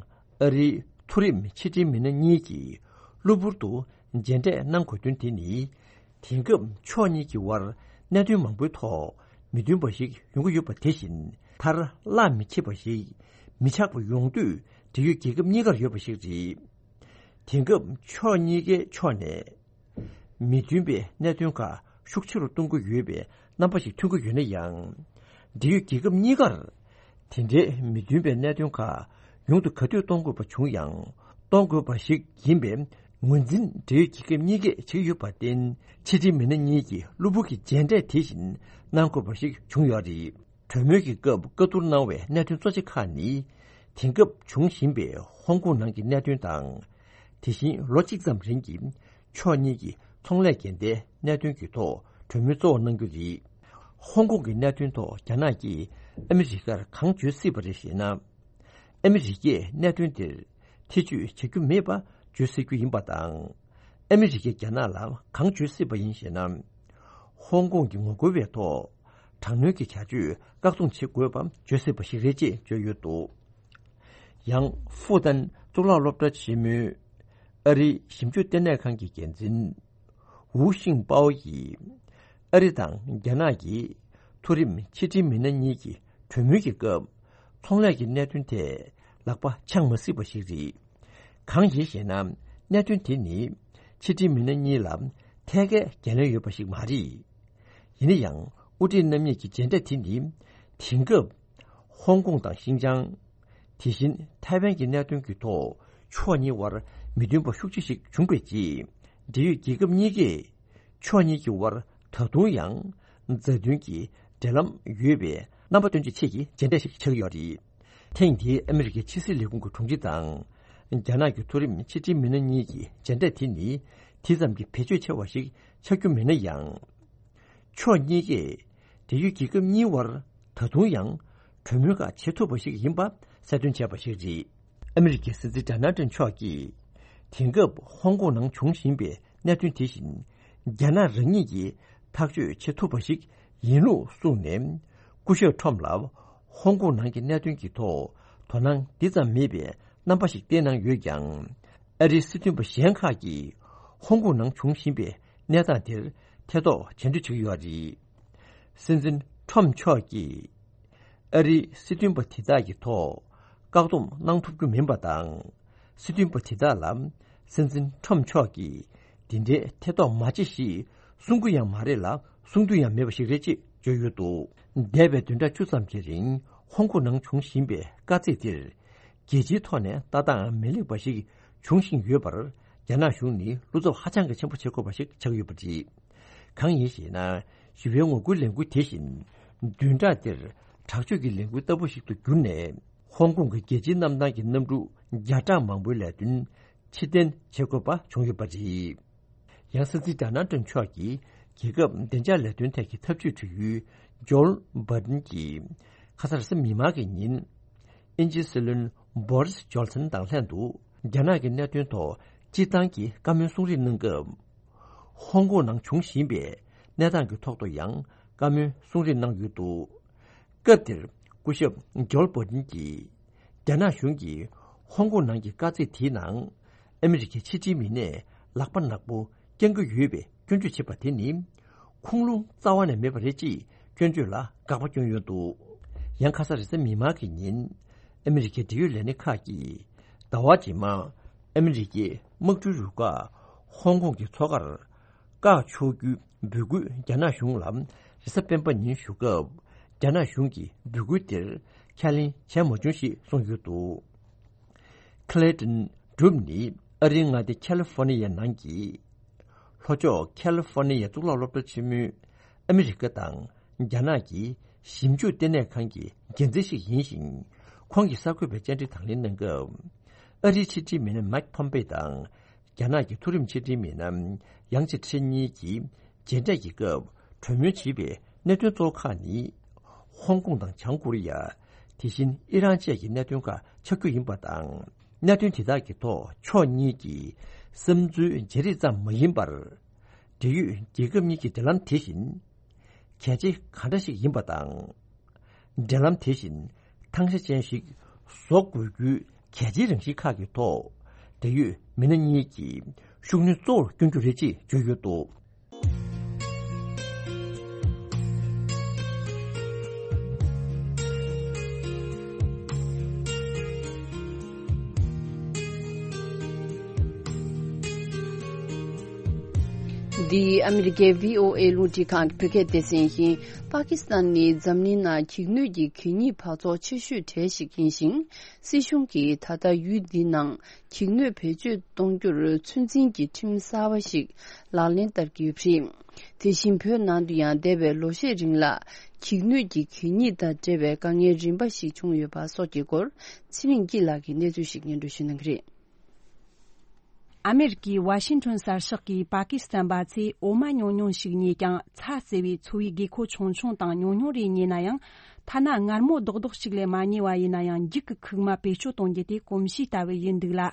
ཨ་རིའི་མཐོ་རིམ་ཕྱི་འབྲེལ་མི་སྣ་གཉིས་ཀྱིས་གློ་བུར་དུ་མཇལ་འཕྲད་གནང་དགོས་དོན་དེ་ནི། དེང་སྐབས་ཕྱོགས་གཉིས་ཀྱི་དབར་གནད་དོན་མང་པོའི་ཐོག་མི་མཐུན་པ་ཞིག་ཡོང་གི་ཡོད་པ་དེ་བཞིན། མཐར་གླགས་མི་ཁེལ་བ་ཞིག་མི་ཆགས་པ་ཡོང་འདོད་འབྲེལ་ཡོད་རྒྱལ་ཁབ་གཉིས་ཀར་ཡོད་པ་ཞིག་རེད། དེང་སྐབས་ཕྱོགས་གཉིས་ཀའི་ཕྱོགས་ནས་མི་མཐུན་པའི་གནད་དོན་ཁག་ཤུགས་ཆེ་རུ་གཏོང་གི་ཡོད་པའི་རྣམ་པ་ཞིག་ཐོན་གྱི་ཡོད་ན་ཡང་། འབྲེལ་ཡོད་རྒྱལ་ཁབ་གཉིས་ཀར་དེ་འདྲའི་མི་མཐུན་པའི་གནད་དོན་ཁག་ཡོང་དུས་ག་དུས་གཏོང་དགོས་པ་བྱུང་ཡང་། གཏོང་དགོས་པ་ཞིག་ཡིན་པའི་ངོས་འཛིན་འབྲེལ་ཡོད་རྒྱལ་ཁབ་གཉིས་ཀས་བྱེད་ཀྱི་ཡོད་པར་བརྟེན། ཕྱི་འབྲེལ་མི་སྣ་གཉིས་ཀྱིས་གློ་བུར་གྱི་མཇལ་འཕྲད་དེ་བཞིན་གནང་དགོས་པ་ཞིག་བྱུང་ཡོད་རེད། གྲོས་མོལ་གྱི་སྐབས་བཀའ་བསྡུར་གནང་བའི་གནད་དོན་གཙོ་ཆེ་ཁག་ནི། དེང་སྐབས་འབྱུང་བཞིན་པའི་ཧོང་ཀོང་ནང་གི་གནད་དོན་དང་། དེ་བཞིན་ལོ་གཅིག་ཙམ་རིང་གི་ཕྱོགས་གཉིས་ཀྱི་ཚོང་ལས་འགལ་ཟླའི་གནད་དོན་གྱི་ཐོག་གྲོས་མོལ་གཙོ་བོ་གནང་རྒྱུ་རེད། ཧོང་ཀོང་གི་གནད་དོན་ཐོག་རྒྱ་ནག་གིས་ཨ་མི་རི་ཀར་གང་བརྗོད་སྲིད་པ་རེད་ཞེ་ན། ཨ་མི་རི་ཀས་གནད་དོན་དེར་ཐེ་བྱུས་བྱ་རྒྱུ་མེད་པ་བརྗོད་སྲིད་རྒྱུ་ཡིན་པ་དང་། ཨ་མི་རི་ཀས་རྒྱ་ནག་ལ་གང་བརྗོད་སྲིད་པ་ཡིན་ཞེ་ན། ཧོང་ཀོང་གི་ངོ་རྒོལ་བའི་ཐོག་དྲག་གནོན་གྱི་བྱ་སྤྱོད་བཀག་སྡོམ་བྱེད་དགོས་པ་བརྗོད་སྲིད་པ་ཞིག་རེད་ཅེས་བརྗོད་ཡོད་འདུག། ཡང་ཧྥུ་ཏན་གཙུག་ལག་སློབ་གྲྭ་ཆེན་མོའི་ཨ་རིའི་ཞིབ་འཇུག་ལྟེ་གནས་ཁང་གི་འགན་འཛིན་ཝུའུ་ཤིང་པའོ་ཡིས། ཨ་རི་དང་རྒྱ་ནག་གི་མཐོ་རིམ་ཕྱི་འབྲེལ་མི་སྣ་གཉིས་ཀྱི་གྲོས་མོལ་གྱི་སྐབས། ཚོང་ལས་ཀྱི་གནད་དོན་ཐད་ལག་པ་འཆང་མ་སྲིད་པ་ཞིག་རེད། གང་ཡིན་ཞེ་ན། གནད་དོན་དེ་ནི་ཕྱི་འབྲེལ་མི་སྣ་གཉིས་ལ་ཐད་ཀའི་འགན་ལེན་ཡོད་པ་ཞིག་མ་རེད། ཡིན་ན་ཡང་དབུ་ཁྲིད་རྣམ་གཉིས་ཀྱི་མཇལ་འཕྲད་དེ་ནི་དེང་སྐབས་ཧོང་ཀོང་དང་ཤིན་ཅང་། དེ་བཞིན་ཐའེ་ཝན་གྱི་གནད་དོན་གྱི་ཐོག་ཕྱོགས་གཉིས་དབར་མི་མཐུན་པ་ཤུགས་ཆེ་ཞིག་བྱུང་བའི་རྗེས། འབྲེལ་ཡོད་རྒྱལ་ཁབ་གཉིས་ཀས་ཕྱོགས་གཉིས་ཀྱི་དབར་ད་དུང་ཡང་མཛའ་མཐུན་གྱི་འབྲེལ་ལམ་ཡོད་པའི་རྣམ་པ་སྟོན་ཆེད་ཀྱི་མཇལ་འཕྲད་ཞིག་ཆགས་ཀྱི་ཡོད་རེད། ཐེངས་འདིའི་ཨ་མི་རི་ཀའི་ཕྱི་སྲིད་ལས་ཁུངས་ཀྱི་དྲུང་ཆེ་དང་། རྒྱ་ནག་གི་མཐོ་རིམ་ཕྱི་འབྲེལ་མི་སྣ་གཉིས་ཀྱི་མཇལ་འཕྲད་དེ་ནི་དེ་ཙམ་གྱི་བེད་སྤྱོད་ཆེ་བ་ཞིག་ཆགས་རྒྱུ་མིན་ན་ཡང་། ཕྱོགས་གཉིས་ཀས་འབྲེལ་ཡོད་རྒྱལ་ཁབ་གཉིས་དབར་ད་དུང་ཡང་གྲོས་མོལ་ཁག་བྱེད་ཐུབ་པ་ཞིག་ཡིན་པ་གསལ་སྟོན་བྱས་པ་ཞིག་རེད། ཨ་མི་རི་ཀའི་སྲིད་འཛིན་ཌོ་ནལ་ཊམ་མཆོག་གིས། དེང་སྐབས་ཧོང་ཀོང་ནང་འབྱུང་བཞིན་པའི་གནད་དོན་དེ་བཞིན། རྒྱ་ནག་རང་ཉིད་ཀྱིས་ཐག་གཅོད་བྱེད་ཐུབ་པ་ཞིག་ཡིན་ལུགས་གསུངས་ནས། སྐུ་ཞབས་ཁྲོམ་ལ་ཧོང་ཀོང་ནང་གི་གནད་དོན་གྱི་ཐོག་དོ་སྣང་འདི་ཙམ་མེད་པའི་རྣམ་པ་ཞིག་བསྟན་གནང་ཡོད་ཀྱང་། ཨ་རིའི་སྲིད་དོན་པ་གཞན་ཁག་གིས་ཧོང་ཀོང་ནང་འབྱུང་བཞིན་པའི་གནས་སྟངས་དེར་ཐེ་གཏོགས་བྱ་འདོད་བྱེད་ཀྱི་ཡོད་རེད། སྲིད་འཛིན་ཁྲོམ་མཆོག་གིས་ཨ་རིའི་སྲིད་དོན་པ་དེ་དག་གི་ཐོག་བཀག་སྡོམ་གནང་ཐུབ་རྒྱུ་མིན་པ་དང་། སྲིད་དོན་པ་དེ་དག་ལ་སྲིད་འཛིན་ཁྲོམ་མཆོག་གིས་འདི་འདྲའི་ཐེ་གཏོགས་མ་བྱེད་ཞེས་གསུང་གི་ཡང་མ་རེད་ལ། གསུང་རྒྱུ་ཡང་མེད་པ་ཞིག་རེད་ཅེས་བརྗོད་ཡོད་འདུག། འདས་པའི་བདུན་ཕྲག་བཅུ་ཙམ་གྱི་རིང་ཧོང་ཀོང་ནང་འབྱུང་བཞིན་པའི་དཀའ་ཚེགས་དེར། རྒྱལ་སྤྱིའི་ཐོག་ནས་ལྟ་སྟངས་མི་ལེགས་པ་ཞིག་འབྱུང་བཞིན་ཡོད་པར། རྒྱ་ནག་གཞུང་ནི་བློ་འཚབ་ཧ་ཅང་གི་ཆེན་པོ་བྱེད་དགོས་པ་ཞིག་ཆགས་ཡོད་པ་རེད། གང་ཡིན་ཞེ་ན། ཞི་བའི་ངོ་རྒོལ་ལས་འགུལ་དེ་བཞིན་བདུན་ཕྲག་འདིར་དྲག་སྤྱོད་ཀྱི་ལས་འགུལ་ལྟ་བུ་ཞིག་ཏུ་གྱུར་ནས། ཧོང་ཀོང་གི་རྒྱལ་སྤྱིའི་གནམ་ཐང་གི་གནམ་གྲུ་བརྒྱ་ཕྲག་མང་པོའི་ལས་དོན་ཕྱིར་འཐེན་བྱེད་དགོས་པ་བྱུང་ཡོད་པ་རེད། ཡང་སྲིད་འཛིན་ཌོ་ནལ་ཊམ་མཆོག་གིས་རྒྱལ་ཁབ་བདེ་འཇགས་ལས་དོན་ཐད་ཀྱི་ཐབས་ཇུས་དྲི་ཡུལ་ཇོལ་བྷར་ཏན་གྱིས་ཁ་སང་རེས་གཟའ་མིག་དམར་གྱི་ཉིན། དབྱིན་ཇིའི་སྲིད་བློན་བོ་རིས་ཇོན་སན་དང་ལྷན་དུ་རྒྱ་ནག་གི་གནད་དོན་ཐོག་སྤྱིར་བཏང་གི་བཀའ་མོལ་གསུང་རེས་གནང་སྐབས། ཧོང་ཀོང་ནང་འབྱུང་བཞིན་པའི་གནས་སྟངས་ཀྱི་ཐོག་ཏུ་ཡང་བཀའ་མོལ་གསུང་རེས་གནང་ཡོད་འདུག། སྐབས་དེར་སྐུ་ཞབས་ཇོལ་བྷར་ཏན་གྱིས། རྒྱ་ནག་གཞུང་གིས་ཧོང་ཀོང་ནང་གི་དཀའ་ཚེགས་དེའི་ནང་ཨ་མི་རི་ཀའི་ཕྱི་འབྲེལ་མི་སྣས་ལག་པ་ནག་པོ་བརྐྱང་གི་ཡོད་པའི་སྐྱོན་བརྗོད་བྱེད་པ་དེ་ནི། ཁུངས་ལུང་རྩ་བ་ནས་མེད་པ་རེད་ཅེས་སྐྱོན་བརྗོད་ལ་དགག་པ་བསྐྱོན་ཡོད་འདུག། ཡང་ཁ་སང་རེས་གཟའ་མིག་དམར་གྱི་ཉིན། ཨ་མི་རི་ཀའི་འབྲེལ་ཡོད་ལས་སྣེ་ཁག་གིས་ཟླ་བ་རྗེས་མར་ཨ་མི་རི་ཀའི་དམག་གྲུའི་རུ་ཁག་ཧོང་ཀོང་གི་མཚོ་ཁར་བཀག་ཆོག་རྒྱུའི་འབོད་སྐུལ་རྒྱ་ནག་གཞུང་ལ་རེས་གཟའ་སྤེན་པ་ཉིན་ཞུ་སྐབས། རྒྱ་ནག་གཞུང་གིས་འབོད་སྐུལ་དེར་ཁས་ལེན་བྱས་མ་བྱུང་ཞེས་གསུངས་ཡོད་འདུག། ཁི་ལེ་ཏོན་གྲུབ་ནི་ཨ་རིའི་མངའ་སྡེ་ཁ་ལི་ཧྥོ་ནི་ཡའི་ནང་གི་ལྷོ་ཕྱོགས་ཁ་ལི་ཧྥོ་ནི་ཡའི་གཙུག་ལག་སློབ་གྲྭ་ཆེན་མོའི་ཨ་མི་རི་ཀ་དང་རྒྱ་ནག་གི་ཞིབ་འཇུག་ལྟེ་གནས་ཁང་གི་འགན་འཛིན་ཞིག་ཡིན་ཞིང་། ཁོང་གིས་གསར་འགོད་པའི་བཅར་འདྲི་དང་ལེན་གནང་སྐབས། ཨ་རིའི་ཕྱི་འབྲེལ་མི་སྣ་མཱིག་ཕོམ་པེ་དང་། རྒྱ་ནག་གི་མཐོ་རིམ་ཕྱི་འབྲེལ་མི་སྣ་ཡང་ཅི་ཁྲེན་གཉིས་ཀྱིས་མཇལ་འཕྲད་ཀྱི་སྐབས་གྲོས་མོལ་བྱས་པའི་གནད་དོན་གཙོ་བོ་ཁག་ནི། ཧོང་ཀོང་དང་བྱང་ཀོ་རི་ཡ། དེ་བཞིན་ཨི་རན་བཅས་ཀྱི་གནད་དོན་ཁག་ཆགས་རྒྱུ་ཡིན་པ་དང་། གནད་དོན་དེ་དག་གི་ཐོག་ཕྱོགས་གཉིས་ཀྱི་བསམ་ཚུལ་བརྗེ་རེས་ཙམ་མ་ཡིན་པར། འབྲེལ་ཡོད་རྒྱལ་ཁབ་གཉིས་ཀྱི་འབྲེལ་ལམ་དེ་བཞིན་གལ་ཆེ་གང་འདྲ་ཞིག་ཡིན་པ་དང་། འབྲེལ་ལམ་དེ་བཞིན་ཐང་ཆ་ཅན་ཞིག་བཟོ་དགོས་རྒྱུའི་གལ་ཆེའི་རང་བཞིན་ཁག་གི་ཐོག་འབྲེལ་ཡོད་མི་སྣ་གཉིས་ཀྱིས་ཤུགས་སྣོན་གཙོ་བོར་བསྐྱོན་རྒྱུ་རེད་ཅེས་བརྗོད་ཡོད་འདུག། འདི་ཨ་མི་རི་ཀའི་བྷི་ཨོ་ཨེ་རླུང་འཕྲིན་ཁང་གི་བོད་སྐད་སྡེ་ཚན་ཡིན། པ་ཀི་སི་ཐན་ནི་འཛམ་གླིང་ནང་འགྱིག་སྣོད་ཀྱི་གད་སྙིགས་འབག་བཙོག་ཆེ་ཤོས་གྲས་ཤིག་ཡིན་ཞིང་། སྲིད་གཞུང་གིས་ད་ལྟ་ཡུལ་འདི་ནང་འགྱིག་སྣོད་བེད་སྤྱོད་གཏོང་རྒྱུར་ཚོད་འཛིན་གྱི་ཁྲིམས་གསར་པ་ཞིག་ལག་ལེན་བསྟར་གྱི་ཡོད་པ་རེད། དེ་བཞིན་བོད་ནང་དུ་ཡང་འདས་པའི་ལོ་ཤས་རིང་ལ་འགྱིག་སྣོད་ཀྱི་གད་སྙིགས་དང་འབྲེལ་བའི་དཀའ་ངལ་རིམ་པ་ཞིག་བྱུང་ཡོད་པ་སོགས་ཀྱི་སྐོར་ཚེ་རིང་སྐྱིད་ལགས་ཀྱིས་གནས་ཚུལ་ཞིག་སྙན་སྒྲོན་ཞུ་གནང་གི་རེད། ཨ་མེ་རི་ཀའི་ཝ་ཤིང་ཊོན་གསར་ཤོག་གིས་པ་ཀི་སི་ཐན་པ་ཚོས་འོ་མ་ཉུང་ཉུང་ཞིག་ཉོས་ཀྱང་ཚྭ་བཙོས་པའི་འཚོ་བའི་དགོས་མཁོ་ཆུང་ཆུང་དང་ཉུང་ཉུང་རེ་ཉོས་ན་ཡང་། ཐ་ན་མངར་མོ་རྡོག་རྡོག་ཅིག་ལས་མ་ཉོས་པ་ཡིན་ན་ཡང་འགྱིག་གི་ཁུག་མ་བེད་སྤྱོད་གཏོང་རྒྱུ་དེ་གོམས་གཤིས་ལྟ་བུ་ཡིན་འདུག་ལ།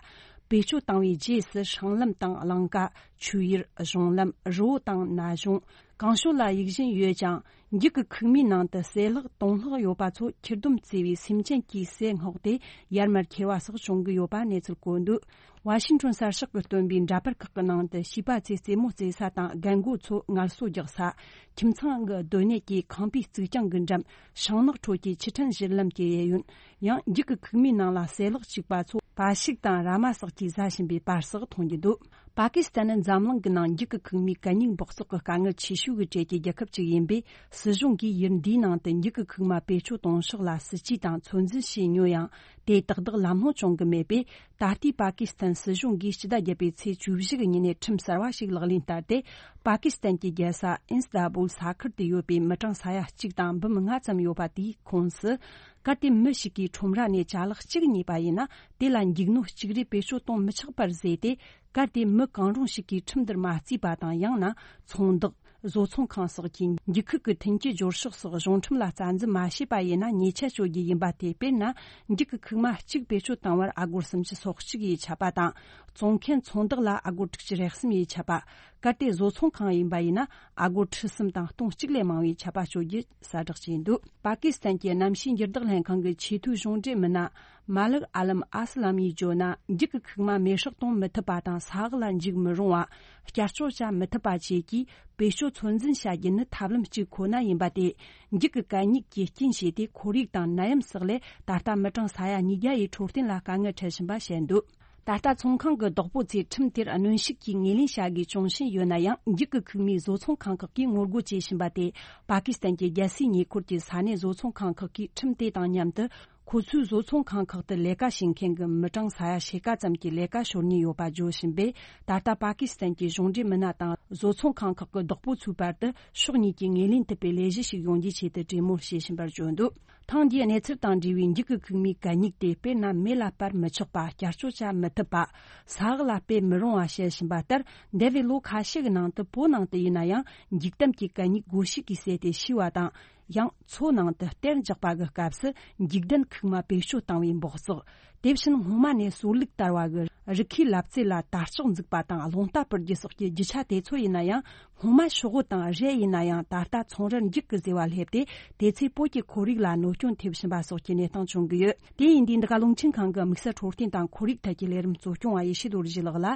བེད་སྤྱོད་བཏང་བའི་རྗེས་སུ་སྲང་ལམ་དང་གླིང་ཀ། ཆོས་ཡུལ། གཞུང་ལམ། རི་བོ་དང་ན་གཞོང་། གང་ཕྱོགས་ལ་གཡུག་བཞིན་ཡོད་ཀྱང་། འགྱིག་གི་ཁུག་མའི་ནང་དུ་ཟས་ལྷག་དོང་ལྷག་ཡོད་པ་ཚོ་འཁྱེར་སྡོམ་བརྩི་བའི་སེམས་ཅན་གྱིས་ཟས་སྔོག་སྟེ་ཡར་མར་འཁྱེར་བ་སོགས་བྱུང་གི་ཡོད་པ་གནས་ཚུལ་བཀོད་འདུག། ཝ་ཤིང་ཊོན་གསར་ཤོག་གིས་བཏོན་པའི་འདྲ་པར་ཁག་གི་ནང་དུ་བྱིས་པ་ཚོས་རྩེད་མོ་རྩེ་ས་དང་རྒན་རྒོན་ཚོ་ངལ་གསོ་རྒྱག་ས། ཁྱིམ་ཚང་གི་སྡོད་གནས་ཀྱི་ཁང་པའི་རྩིག་གྱང་གི་འགྲམ། ཤིང་ནགས་ཁྲོད་ཀྱི་ཆུ་ཕྲན་བཞུར་ལམ་གྱི་གཡས་གཡོན། ཡང་འགྱིག་གི་ཁུག་མའི་ནང་ལ་ཟས་ལྷག་བཅུག་པ་ཚོ་བལ་ཤུགས་དང་ར་མ་སོགས་ཀྱིས་ཟ་བཞིན་པའི་པར་སོགས་མཐོང་རྒྱུ་འདུག། པ་ཀི་སི་ཐན་ནི་འཛམ་གླིང་གི་ནང་འགྱིག་གི་ཁུག་མའི་གད་སྙིགས་འབག་བཙོག་གི་དཀའ་ངལ་ཆེ་ཤོས་ཀྱི་གྲས་ཀྱི་རྒྱལ་ཁབ་ཅིག་ཡིན་པས། སྲིད་གཞུང་གིས་ཡུལ་འདིའི་ནང་དུ་འགྱིག་གི་ཁུག་མ་བེད་སྤྱོད་གཏོང་ཕྱོགས་ལ་སྲིད་ཇུས་དང་ཚོད་འཛིན་བྱས་མྱོང་ཡང་། དེ་ཏག་ཏག་ལམ་ལྷོང་བྱུང་གི་མེད་པས། ད་ལྟའི་པ་ཀི་སི་ཐན་སྲིད་གཞུང་གིས་སྤྱི་ཟླ་བརྒྱད་པའི་ཚེས་བཅུ་བཞི་གི་ཉིན་ནས་ཁྲིམས་གསར་བ་ཞིག་ལག་ལེན་བསྟར་ཏེ། པ་ཀི་སི་ཐན་གྱི་རྒྱལ་ས་ཨིན་སི་ཏ་བུལ་ས་ཁུལ་དུ་ཡོད་པའི་མི་གྲངས་ས་ཡ་གཅིག་དང་འབུམ་ལྔ་ཙམ་ཡོད་པ་དེའི་ཁོངས་སུ། གལ་ཏེ་མི་ཞིག་གིས་ཁྲོམ་ར་ནས་ཅ་ལག་གཅིག་ཉོས་པ་ཡིན་ན། དེ་ལ་འགྱིག་སྣོད་གཅིག་རེ་བེད་སྤྱོད་གཏོང་མི་ཆོག་པར་བཟོས་ཏེ། གལ་ཏེ་མི་གང་རུང་ཞིག་གིས་ཁྲིམས་འདིར་མ་བརྩིས་པ་དང་། ཡང་ན་ཚོང་བདག་བཟོ་ཚོང་ཁང་སོགས་ཀྱིས་འགྱིག་ཁུག་གི་མཐུན་རྐྱེན་སྦྱོར་ཕྱོགས་སོགས་གཞུང་ཁྲིམས་ལ་རྩ་འཛིན་མ་བྱས་པ་ཡིན་ན། ཉེས་ཆད་གཅོད་རྒྱུ་ཡིན་པ་དེ། དཔེར་ན། འགྱིག་གི་ཁུག་མ་གཅིག་བེད་སྤྱོད་བཏང་བར་ཨ་སྒོར་སུམ་ཅུ་སོ་གཅིག་ཡིས་ཆད་པ་དང་། བཙོང་མཁན་ཚོང་བདག་ལ་ཨ་སྒོར་དྲུག་ཅུ་རེ་གསུམ་ཡིས་ཆད་པ། གལ་ཏེ་བཟོ་ཚོང་ཁང་ཡིན་པ་ཡིན་ན། ཨ་སྒོར་ཁྲི་གསུམ་དང་སྟོང་གཅིག་ལས་མང་བའི་ཆད་པ་གཅོད་རྒྱུ་གསལ་བསྒྲགས་བྱས་འདུག། པ་ཀི་སི་ཐན་གྱི་གནམ་གཤིས་འགྱུར་ལྡོག་ལྷན་ཁང་གི་ཆེས་མཐོའི་གཞུང་འབྲེལ་མི་སྣ། མ་ལིག་ཨ་ལམ་ཨ་སི་ལམ་ཡིས་བརྗོད་ན། འགྱིག་གི་ཁུག་མ་མེ་སྲེག་གཏོང་མི་ཐུབ་པ་དང་། ས་འོག་ལ་འཇུག་མི་རུང་བ། བསྐྱར་སྤྱོད་བྱ་མི་ཐུབ་པ་བཅས་ཀྱི་བེད་སྤྱོད་ཚོད་འཛིན་བྱ་རྒྱུ་ནི་ཐབས་ལམ་གཅིག་ཁོ་ན་ཡིན་པ་དེ། འགྱིག་གི་གད་སྙིགས་ཀྱི་རྐྱེན་བྱས་ཏེ། ཁོར་ཡུག་དང་ནད་ཡམས་སོགས་ལས་ད་ལྟ་མི་གྲངས་ས་ཡ་ཉིས་བརྒྱ་ཡི་འཕྲོད་བསྟེན་ལ་དཀའ་ངལ་འཕྲད་བཞིན་པ་བཤད་འདུག། ད་ལྟ་ཚོང་ཁང་གི་བདག་པོ་ཚོས་ཁྲིམས་དེར་གནོན་ཤུགས་ཀྱིས་ངོས་ལེན་བྱ་དགོས་བྱུང་བཞིན་ཡོད་ན་ཡང་། འགྱིག་གི་ཁུག་མའི་བཟོ་ཚོང་ཁང་ཁག་གིས་ངོ་རྒོལ་བྱེད་བཞིན་པ་དེ། པ་ཀི་སི་ཐན་གྱི་རྒྱལ་སའི་ཉེ་འཁོར་གྱི་ས་གནས་བཟོ་ཚོང་ཁང་ཁག་གིས་ཁྲིམས་དེ་དང་མཉམ་དུ། ཁོ་ཚོའི་བཟོ་ཚོང་ཁང་ཁག་ཏུ་ལས་ཀ་བྱེད་མཁན་གྱི་མི་གྲངས་ས་ཡ་ཕྱེད་ཀ་ཙམ་གྱི་ལས་ཀ་ཤོར་ཉེན་ཡོད་པ་བརྗོད་བཞིན་པས། ད་ལྟ་པ་ཀི་སི་ཐན་གྱི་གཞུང་འབྲེལ་མི་སྣ་དང་བཟོ་ཚོང་ཁང་ཁག་གི་བདག་པོ་ཚོའི་བར་དུ་ཕྱོགས་གཉིས་ཀྱིས་ངོས་ལེན་ཐུབ་པའི་ལས་གཞི་ཞིག་ཡོང་རྒྱུའི་ཆེད་དུ་གྲོས་མོལ་བྱེད་བཞིན་པར་བརྗོད་འདུག། ཐེངས་འདིའི་གནས་ཚུལ་དང་འབྲེལ་བའི་འགྱིག་གི་ཁུག་མའི་གད་སྙིགས་དེ། དཔེར་ན། མེ་ལ་སྤར་མི་ཆོག་པ། བསྐྱར་སྤྱོད་བྱ་མི་ཐུབ་པ། ས་འོག་ལ་སྤེལ་མི་རུང་བ་བཤད་བཞིན་པ་ལྟར། འདས་པའི་ལོ་ཁ་ཤས་ཀྱི་ནང་དུ། བོད་ནང་དུ་ཡིན་ན་ཡང་། འགྱིག་དམ་གྱི་གད་སྙིགས་སྒོ་ཕྱུགས་ཀྱིས་བསྲེས་ཏེ་བཤུས་པ་དང་། ཡང་མཚོ་ནང་དུ་གཏེར་འཇགས་པ་གི་སྐབས་སུ་འགྱིག་ལྡན་ཁུག་མ་བེད་སྤྱོད་བཏང་བའི་འབག་བཙོག། དེ་བཞིན་སྔོན་མ་ནས་སོར་ལུག་དར་བ་གི་རི་ཁའི་ལབ་རྩེ་ལ་དར་ལྕོག་འཛུགས་པ་དང་རླུང་རྟ་སྤུར་རྒྱུ་སོགས་ཀྱི་རྒྱུ་ཆ་དེ་ཚོ་ཡིན་ན་ཡང་། སྔོན་མ་ཤོག་བུ་དང་རས་ཡིན་ན་ཡང་། ད་ལྟ་ཚོང་རར་འགྱིག་གི་ཟེ་བ་སླེབས་ཏེ། དེ་ཚོས་བོད་ཀྱི་ཁོར་ཡུག་ལ་གནོད་སྐྱོན་ཐེབས་བཞིན་པ་སོགས་ཀྱི་གནས་སྟངས་བྱུང་གི་ཡོད། དེ་ཡིན་དུས་འདི་ག་རླུང་འཕྲིན་ཁང་གི་དམིགས་བསལ་འཕྲོད་བསྟེན་དང་ཁོར་ཡུག་ཐད་ཀྱི་ལས་རིམ་གཙོ་སྐྱོང་བ་ཡེ་ཤེས་རྡོ་རྗེ་ལགས་ལ།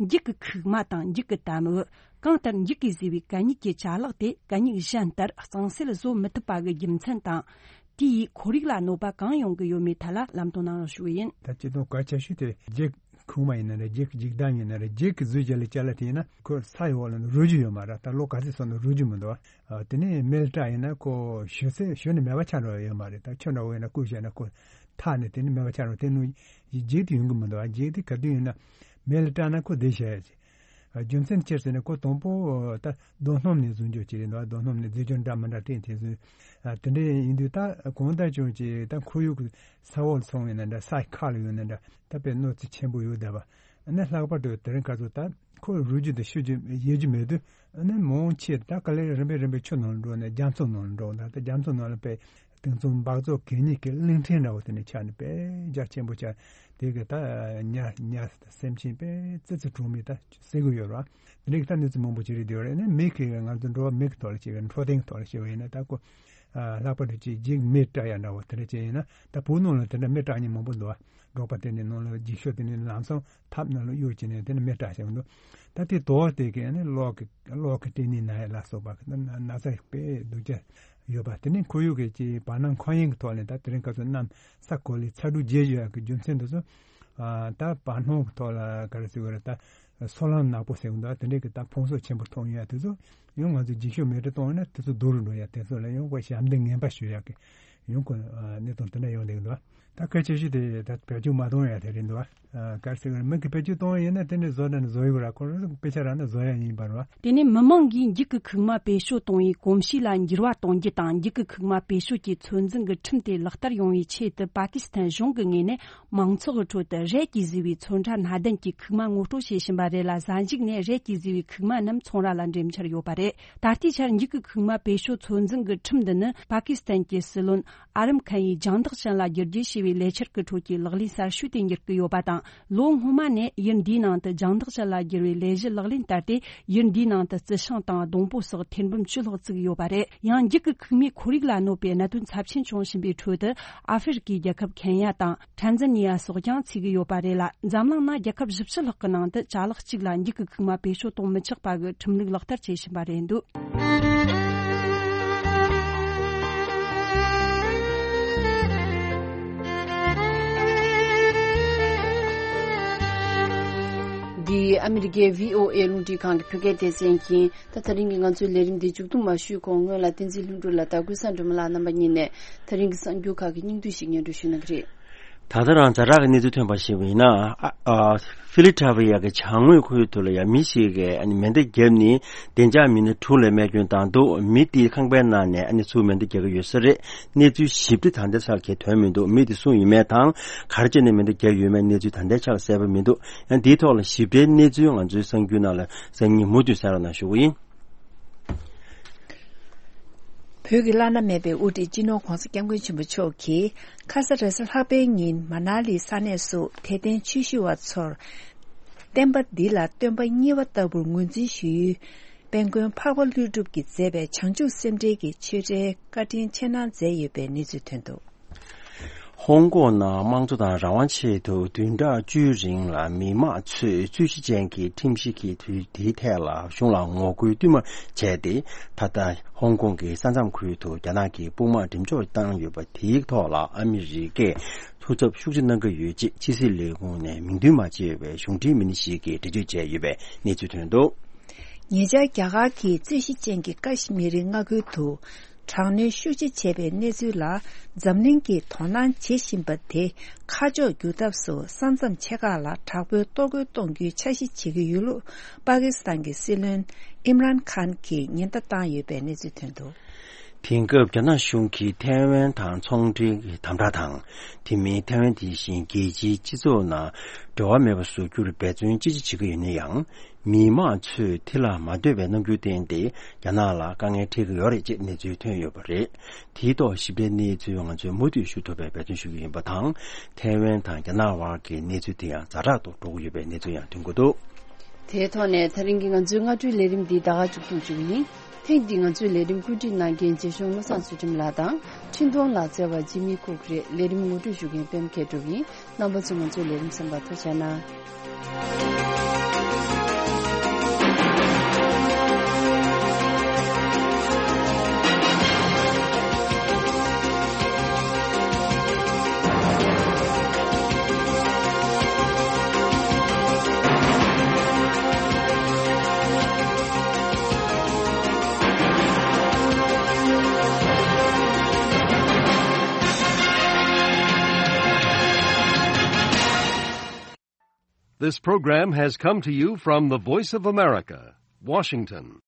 འགྱིག་གི་ཁུག་མ་དང་འགྱིག་གི་དམ་འོད། གང་ལྟར་འགྱིག་གིས་བཟོས་པའི་གད་སྙིགས་ཀྱི་ཅ་ལག་དེ་གད་སྙིགས་གཞན་ལྟར་གཙང་སེལ་བཟོ་མི་ཐུབ་པ་གི་རྒྱུ་མཚན་དང་། དེ་ཡིས་ཁོར་ཡུག་ལ་གནོད་པ་གང་ཡོང་གི་ཡོད་མེད་ཐད་ལ་ལམ་སྟོན་གནང་རོགས་ཞུ་གི་ཡིན། ད་སྤྱིར་བཏང་གལ་ཆེ་ཤོས་དེ་འགྱིག་ཁུག་མ་ཡིན་ན་རེད། འགྱིག་འགྱིག་དམ་ཡིན་ན་རེད། འགྱིག་གིས་བཟོས་བྱས་ལ་ཅ་ལག་དེ་ཡིན་ན། ཁོ་ས་ཡི་འོག་ལ་ནི་རུལ་རྒྱུ་ཡོད་མ་རེད། ད་ལོ་ག་ཚོད་སོང་ན་རུལ་རྒྱུ་མི་འདུག་ཨ། དེ་ནས་མེ་ལ་སྲེག་ཡིན་ན་ཁོ་ཞུ་ཚེ་ཞུ་ནས་མེད་པ་ཆགས་འགྲོ་ཡོད་མ་རེད། ད་ཆུ་འདྲ་བོ་ཡིན་ན་བསྐུས་བྱས་ན་ཁོ་ཐག་ནས་དེ་ནས་མེད་པ་ཆགས་འགྲོ། དེ་ནི་འགྱིག་དེ་ཡོང་གི་མི་འདུག་ཨ། འགྱིག་དེ་ག་དུས་ཡིན་ན་མེ་ལ་སྲེག་ན་ཁོ་བདེ་ཤག་ཡ་ཅིག། རྒྱུ་མཚན་ཅི་ཟེར་ན་ཁོ་དང་པོ་ད་རྡོ་སྣུམ་ནས་བཟོ་འཇོག་བྱས་རེད་འདུག་རྡོ་སྣུམ་ནས་རྫས་སྦྱོར་འདྲ་མི་འདྲ་སྤྲད་དེ་བཟོས། དེ་འདྲ་ཡིན་དུས་ད་གང་ལྟར་ཀྱང་ཅིག་ད་ཁོར་ཡུག་གི་ས་འོག་སོང་བའི་ནང་འདྲ་ས་ཁ་ལ་ཡོད་ནང་འདྲ་ད་དཔེ་གནོད་འཚེ་ཆེན་པོ་ཡོད་བསྡད་པ། ཨ་ནི་ལྷག་པར་དུ་དེ་རིང་ཁ་སང་ད་ཁོ་རུལ་རྒྱུ་དང་བཤུ་རྒྱུ་ཡལ་རྒྱུ་མེད་དུས་ཨ་ནི་མང་ཆེ་ད་ག་ལེར་རིམ་པས་རིམ་པས་ཆུ་ནང་ལ་འགྲོ་ནས་རྒྱ་མཚོ་ནང་ལ་འགྲོ་ད་ལྟ་རྒྱ་མཚོ་ནང་ལ་དཔེ་དེང་སང་སྦགས་བཙོག་གད་སྙིགས་ཀྱི་གླིང་ཕྲན་འདྲ་བོ་དེ་ནས་ཆགས་ནས་དཔེ་རྒྱ་ཆེན་པོ་ཆགས་དེ་གི་ད་ཉ་ཉ་སེམས་ཅན་དཔེ་ཙི་ཙི་གྲོག་མི་ད་ཟེར་གི་ཡོད་ར། དེ་འདྲ་གི་ད་གནས་ཚུལ་མང་པོ་ཅིག་རེད་དེ་ཡོད་རེད། ཨ་ནི་མི་གི་ང་ཚོ་འགྲོ་བ་མི་གི་ཐོག་ལ་བྱས་པའི་འཕྲོད་བསྟེན་གི་ཐོག་ལ་བྱས་པ་ཡིན་ན་ད་ཁོ། ལྷག་པར་དུ་ཅིག་འཇིགས་མེར་སྐྲག་ཡ་འདྲ་བོ་དེ་འདྲ་ཅིག་ཡིན་ན་ད་བོད་ནང་ལ་དེ་འདྲ་མི་སྐྲག་མཁན་མང་པོ་འདུག་བ། འབྲོག་པ་དེ་ནས་ནང་ལ་འགྱིག་ཤོག་དེ་ནས་ལམ་སང་ཐབ་ནང་ལ་གཡུག་བྱས་ནས་དེ་ནས་མི་སྐྲག་བྱས་འདུག་ད་དེ་དོགས་དེ་གས་ནི་གློག་གི་གློག་གི་སྐྲན་ནད་ན་ཡ་ལ་སོགས་པ་གི་ན་ན་ཚ་དཔེ་སྡུག་ཅག་ཡོད་པ་དེ་ནས་ཁོར་ཡུག་གི་ཅིག་བར་སྣང་འཁོར་ཡུག་གི་ཐོག་ནས་ད་དེ་རིང་སྐབས་སུ་གནམ་ས་གོ་ལའི་ཚ་དྲོད་རྒྱས་བཞིན་ཡོད་ཀྱི་རྒྱུ་མཚན་དེ་ཚོ་ད་བར་སྣང་གི་ཐོག་ལ་ག་རེ་ཟེར་དགོས་རེད། ད་སོལ་རླངས་ནག་པོ་ཟེར་གི་འདུག་དེ་འདྲས་ཀྱི་ད་ཕུང་གསོག་ཆེན་པོ་ཐོན་ཡོད་དེ་ཚོ་ཡང་ང་ཚོ་འགྱིག་ཤོག་མེ་དྲི་གཏོང་ཡོད་ན་དེ་ཚོ་རྡོ་རུ་འགྲོ་ཡ་དེ་ཚོ་ལ་ཡང་ཁོ་ཞབས་འདེགས་ངན་པ་ཞུ་ཡག་གི་ཡང་ཁོ་གནས་སྟངས་དེ་འདྲ་ཡོང་བསྡད་ཀྱི་འདུག་ད་གལ་ཆེ་ཤོས་དེ་ད་བེད་སྤྱོད་མ་གཏོང་ཡ་དེ་རེད་འདུག་ག་རེ་ཟེར་གི་རེད། མི་གི་བེད་སྤྱོད་གཏོང་ཡ་ཡིན་ན་དེ་འདྲས་བཟོ་ན་ནི་བཟོ་ཡོད་ར། ཁོ་རང་དཔེ་ཆ་རག་ན་བཟོ་ཡ་ཡིན་པ་རེད་བ། དེ་ནས་མི་མང་གིས་འགྱིག་གི་ཁུག་མ་བེད་སྤྱོད་གཏོང་བའི་གོམས་གཤིས་ལ་འགྱུར་བ་གཏོང་རྒྱུ་དང་འགྱིག་གི་ཁུག་མ་བེད་སྤྱོད་ཀྱི་ཚོད་འཛིན་གྱི་ཁྲིམས་དེ་ལག་བསྟར་ཡོང་བའི་ཆེད་དུ་པ་ཀི་སི་ཐན་གཞུང་གི་ངོས་ནས་མང་ཚོགས་ཀྱི་ཁྲོད་དུ་རད་ཀྱིས་བཟོས་པའི་ཚོན་ཁྲ་སྣ་ལྡན་གྱི་ཁུག་མ་ངོ་སྤྲོད་བྱེད་བཞིན་པ་རེད་ལ། གཟའ་མཇུག་ནས་རད་ཀྱིས་བཟོས་པའི་ཁུག་མ་རྣམས་ཚོང་ར་ལ་འགྲེམས་འཆར་ཡོད་པ་རེད། ད་ལྟའི་ཆར་འགྱིག་གི་ཁུག་མ་བེད་སྤྱོད་ཚོད་འཛིན་གྱི་ཁྲིམས་འདི་ནི་པ་ཀི་སི་ཐན་གྱི་སྲིད་བློན་ཨ་རམ་ཁན་ཡིས་རྒྱང་ཐག་ཅན་ལ་བསྒྱུར་བཅོས་བྱས་པའི་ལས་འཆར་གྱི་ཁྲོད་ཀྱི་ལག་ལེན་གསར་ཤོས་དེ་འགྱུར་གྱི་ཡོད་པ་དང་། ལོ་སྔོན་མ་ནས་ཡུལ་འདིའི་ནང་དུ་རྒྱང་ཐག་ཅན་ལ་བསྒྱུར་བའི་ལས་གཞི་ལག་ལེན་བསྟར་ཏེ། ཡུལ་འདིའི་ནང་དུ་རྩི་ཤིང་དང་སྡོང་པོ་སོགས་ཐེར་འབུམ་བཅུ་ལྷག་བཙུགས་ཡོད་པ་རེད། ཡང་འགྱིག་གི་ཁུག་མའི་ཁོར་ཡུག་ལ་གནོད་པའི་གནད་དོན་ཚབས་ཆེན་བྱུང་བཞིན་པའི་ཁྲོད་དུ། ཨ་ཧྥེ་རི་ཀའི་རྒྱལ་ཁབ་ཁེན་ཡ་དང་ཁྲན་ཛན་ནི་ཡ་སོགས་ཀྱང་ཚུད་ཀྱི་ཡོད་པ་རེད་ལ། འཛམ་གླིང་ན་རྒྱལ་ཁབ་བཞི་བཅུ་ལྷག་གི་ནང་དུ་ཅ་ལག་གཅིག་ལ་འགྱིག་གི་ཁུག་མ་བེད་སྤྱོད་གཏོང་མི་ཆོག་པ་གི་ཁྲིམས་ལུགས་ལག་བསྟར་བྱེད་བཞིན་པ་རེད་འདུག་འདི་ཨ་མི་རི་ཀའི་བྷི་ཨོ་ཨེ་རླུང་འཕྲིན་ཁང་གི་བོད་སྐད་སྡེ་ཚན་ཡིན། ད་ད་རིང་གི་ང་ཚོའི་ལས་རིམ་འདི་མཇུག་བསྡོམས་མ་ཞུས་གོང་སྔོན་ལ་བསྟན་འཛིན་ལྷུན་གྲུབ་ལགས་དང་ཀུན་བཟང་སྒྲོལ་མ་ལགས་རྣམ་པ་གཉིས་ནས་ད་རིང་གི་གསར་འགྱུར་ཁག་གི་སྙིང་བསྡུས་ཤིག་སྙན་སྒྲོན་ཞུ་གནང་གི་རེད། ད་ལྟ་རང་ཛ་དྲག་གི་གནས་ཚུལ་ཐོན་པ་ཞིག་ཡིན་ན། ཨ་ཨ་ཧྥི་ལི་ཐ་ཝི་ཡ་གི་བྱང་ངོས་ཁུལ་དུ་ལ་ཡ་མི་ཞིག་གིས་ཨ་ནི་མེ་མདའ་བརྒྱབ་ནས་བདེ་འཇགས་མི་སྣ་དྲུག་ལ་རྨས་སྐྱོན་བཏང་འདུག་མི་དེའི་ཁང་པའི་ནང་ནས་ཨ་ནི་ཚུར་མེ་མདའ་རྒྱག་གི་ཡོད་ས་རེད། གནས་ཚུལ་ཞིབ་ཕྲ་ད་ལྟ་ཆགས་ཀྱི་ཐོན་མི་འདུག་མི་དེ་སུ་ཡིན་མིན་དང་ག་རེ་བྱས་ནས་མེ་མདའ་བརྒྱབ་ཡོད་མེད་གནས་ཚུལ་ད་ལྟ་ཆགས་གསལ་པོ་མི་འདུག་ཡང་འདིའི་ཐོག་ལ་ཞིབ་ཕྲའི་གནས་ཚུལ་ང་ཚོའི་གསར་འགྱུར་ནང་ལ་སང་ཉིན་མུ་མཐུད་གསན་རོགས་གནང་ཞུ་གི་ཡིན། བོད་ཀྱི་བླ་ན་མེད་པའི་དབུ་ཁྲིད་སྤྱི་ནོར་༧གོང་ས་༧སྐྱབས་མགོན་ཆེན་པོ་མཆོག་གིས་ཁ་ས་ར་སི་ལྷག་པའི་ཉིན་མ་ན་ལི་ས་གནས་སུ་དད་ལྡན་ཆོས་ཞུ་བ་ཚོར། བསྟན་པ་འདི་ལ་སྟོན་པ་གཉིས་པ་ལྟ་བུར་ངོས་འཛིན་ཞུ་ཡུལ། དཔལ་མགོན་འཕགས་པ་ཀླུ་སྒྲུབ་ཀྱིས་མཛད་པའི་བྱང་ཆུབ་སེམས་འགྲེལ་གྱི་ཆོས་འབྲེལ་བཀའ་དྲིན་ཆེ་གནང་མཛད་ཡོད་པའི་གནས་ཚུལ་ཐོན་འདུག་ཧོང་ཀོང་ནང་དམངས་གཙོ་དང་རང་དབང་ཆེད་དུ་བདུན་ཕྲག་བཅུའི་རིང་ལ་མི་མང་ཚོས་རྩོད་གཞི་ཅན་གྱི་ཁྲིམས་གཞི་གི་དུས་དེའི་ཐད་ལ་གཞུང་ལ་ངོ་རྒོལ་བསྟུད་མར་བྱས་ཏེ། ད་ལྟ་ཧོང་ཀོང་གི་ས་མཚམས་ཁུལ་དུ་རྒྱ་ནག་གིས་དཔུང་དམག་འགྲེམས་འཇོག་བཏང་ཡོད་པ་དེའི་ཐོག་ལ་ཨ་མི་རི་ཀས་ཐུགས་འཚབ་ཤུགས་ཆེ་གནང་གི་ཡོད་ཅེས་ཕྱི་སྲིད་ལས་ཁུངས་ནས་མིང་འདོན་མ་བྱས་པའི་གཞུང་འབྲེལ་མི་སྣ་ཞིག་གིས་འགྲེལ་བརྗོད་བྱས་ཡོད་པའི་གནས་ཚུལ་ཐོན་འདུག་ཉེ་ཆར་རྒྱ་གར་གྱི་རྩོད་གཞི་ཅན་གྱི་ཀ་ཤི་མི་རི་མངའ་ཁུལ་དུ་དྲག་གནོན་ཤུགས་ཆེ་བྱས་པའི་གནས་ཚུལ་ལ་འཛམ་གླིང་གིས་དོ་སྣང་བྱེད་བཞིན་པ་དེ་ཁ་ཕྱོགས་བསྒྱུར་ཐབས་སུ་ས་མཚམས་ཆེ་ཁག་ལ་དྲག་པོའི་གཏོར་རྒོལ་གཏོང་རྒྱུའི་འཆར་གཞི་བྱེད་ཀྱི་ཡོད་ལུགས་པ་ཀི་སི་ཐན་གྱི་སྲིད་བློན་ཨིམ་རན་ཁཱན་གྱིས་ཉེན་བརྡ་བཏང་ཡོད་པའི་གནས་ཚུལ་ཐོན་འདུག་དེང་སྐབས་རྒྱ་ནག་གཞུང་གིས་ཐའེ་ཝན་དང་ཚོང་འབྲེལ་གྱི་དམ་དྲག་དང་། དེ་མིན་ཐའེ་ཝན་དེ་བཞིན་རྒྱལ་སྤྱིའི་སྤྱི་ཚོགས་ནང་འབྲེལ་བ་མེད་པ་བཟོ་རྒྱུར་འབད་བརྩོན་ཅི་ཆེ་བྱེད་ཀྱི་ཡོད་ན་ཡང་། མི་མང་ཚོས་དེ་ལ་མ་འདོད་པའི་རྣམ་འགྱུར་བསྟན་ཏེ་རྒྱ་ནག་ལ་དཀའ་ངལ་འཕྲད་ཀྱི་ཡོད་རེད་ཅེས་གནས་ཚུལ་ཐོན་ཡོད་པ་རེད། དེའི་ཐོག་ཞིབ་ཕྲའི་གནས་ཚུལ་ང་ཚོས་མུ་མཐུད་ཞུ་ཐུབ་པའི་འབད་བརྩོན་ཞུ་གི་ཡིན་པ་དང་། ཐའེ་ཝན་དང་རྒྱ་ནག་དབར་གྱི་གནས་ཚུལ་དེ་ཡང་ཛ་དྲག་ཏུ་འགྲོ་གི་ཡོད་པའི་གནས་ཚུལ་ཡང་ཐོན་གྱི་འདུག་དེའི་ཐོག་ནས་ད་རིང་གི་ང་ཚོའི་སྔ་དྲོའི་ལས་རིམ་འདི་ད་ག་མཇུག་བསྡུ་བཅུག་ཡིན། ཐེངས་འདིའི་ང་ཚོའི་ལས་རིམ་བཀོད་སྒྲིག་གནང་མཁན་རྗེ་གཞུང་བློ་བཟང་ཚུལ་ཁྲིམས་ལགས་དང་། འཕྲིན་གཏོང་ལག་རྩལ་བ་འཇིགས་མེད་ཀུག་རེད། ལས་རིམ་ངོ་སྤྲོད་ཞུ་མཁན་པད་མ་མཁས་གྲུབ་ཡིན། རྣམ་པ་ཚོས་ང་ཚོའི་ལས་རིམ་གསན་པར་ཐུགས་རྗེ་གནང་། This program has come to you from the Voice of America, Washington.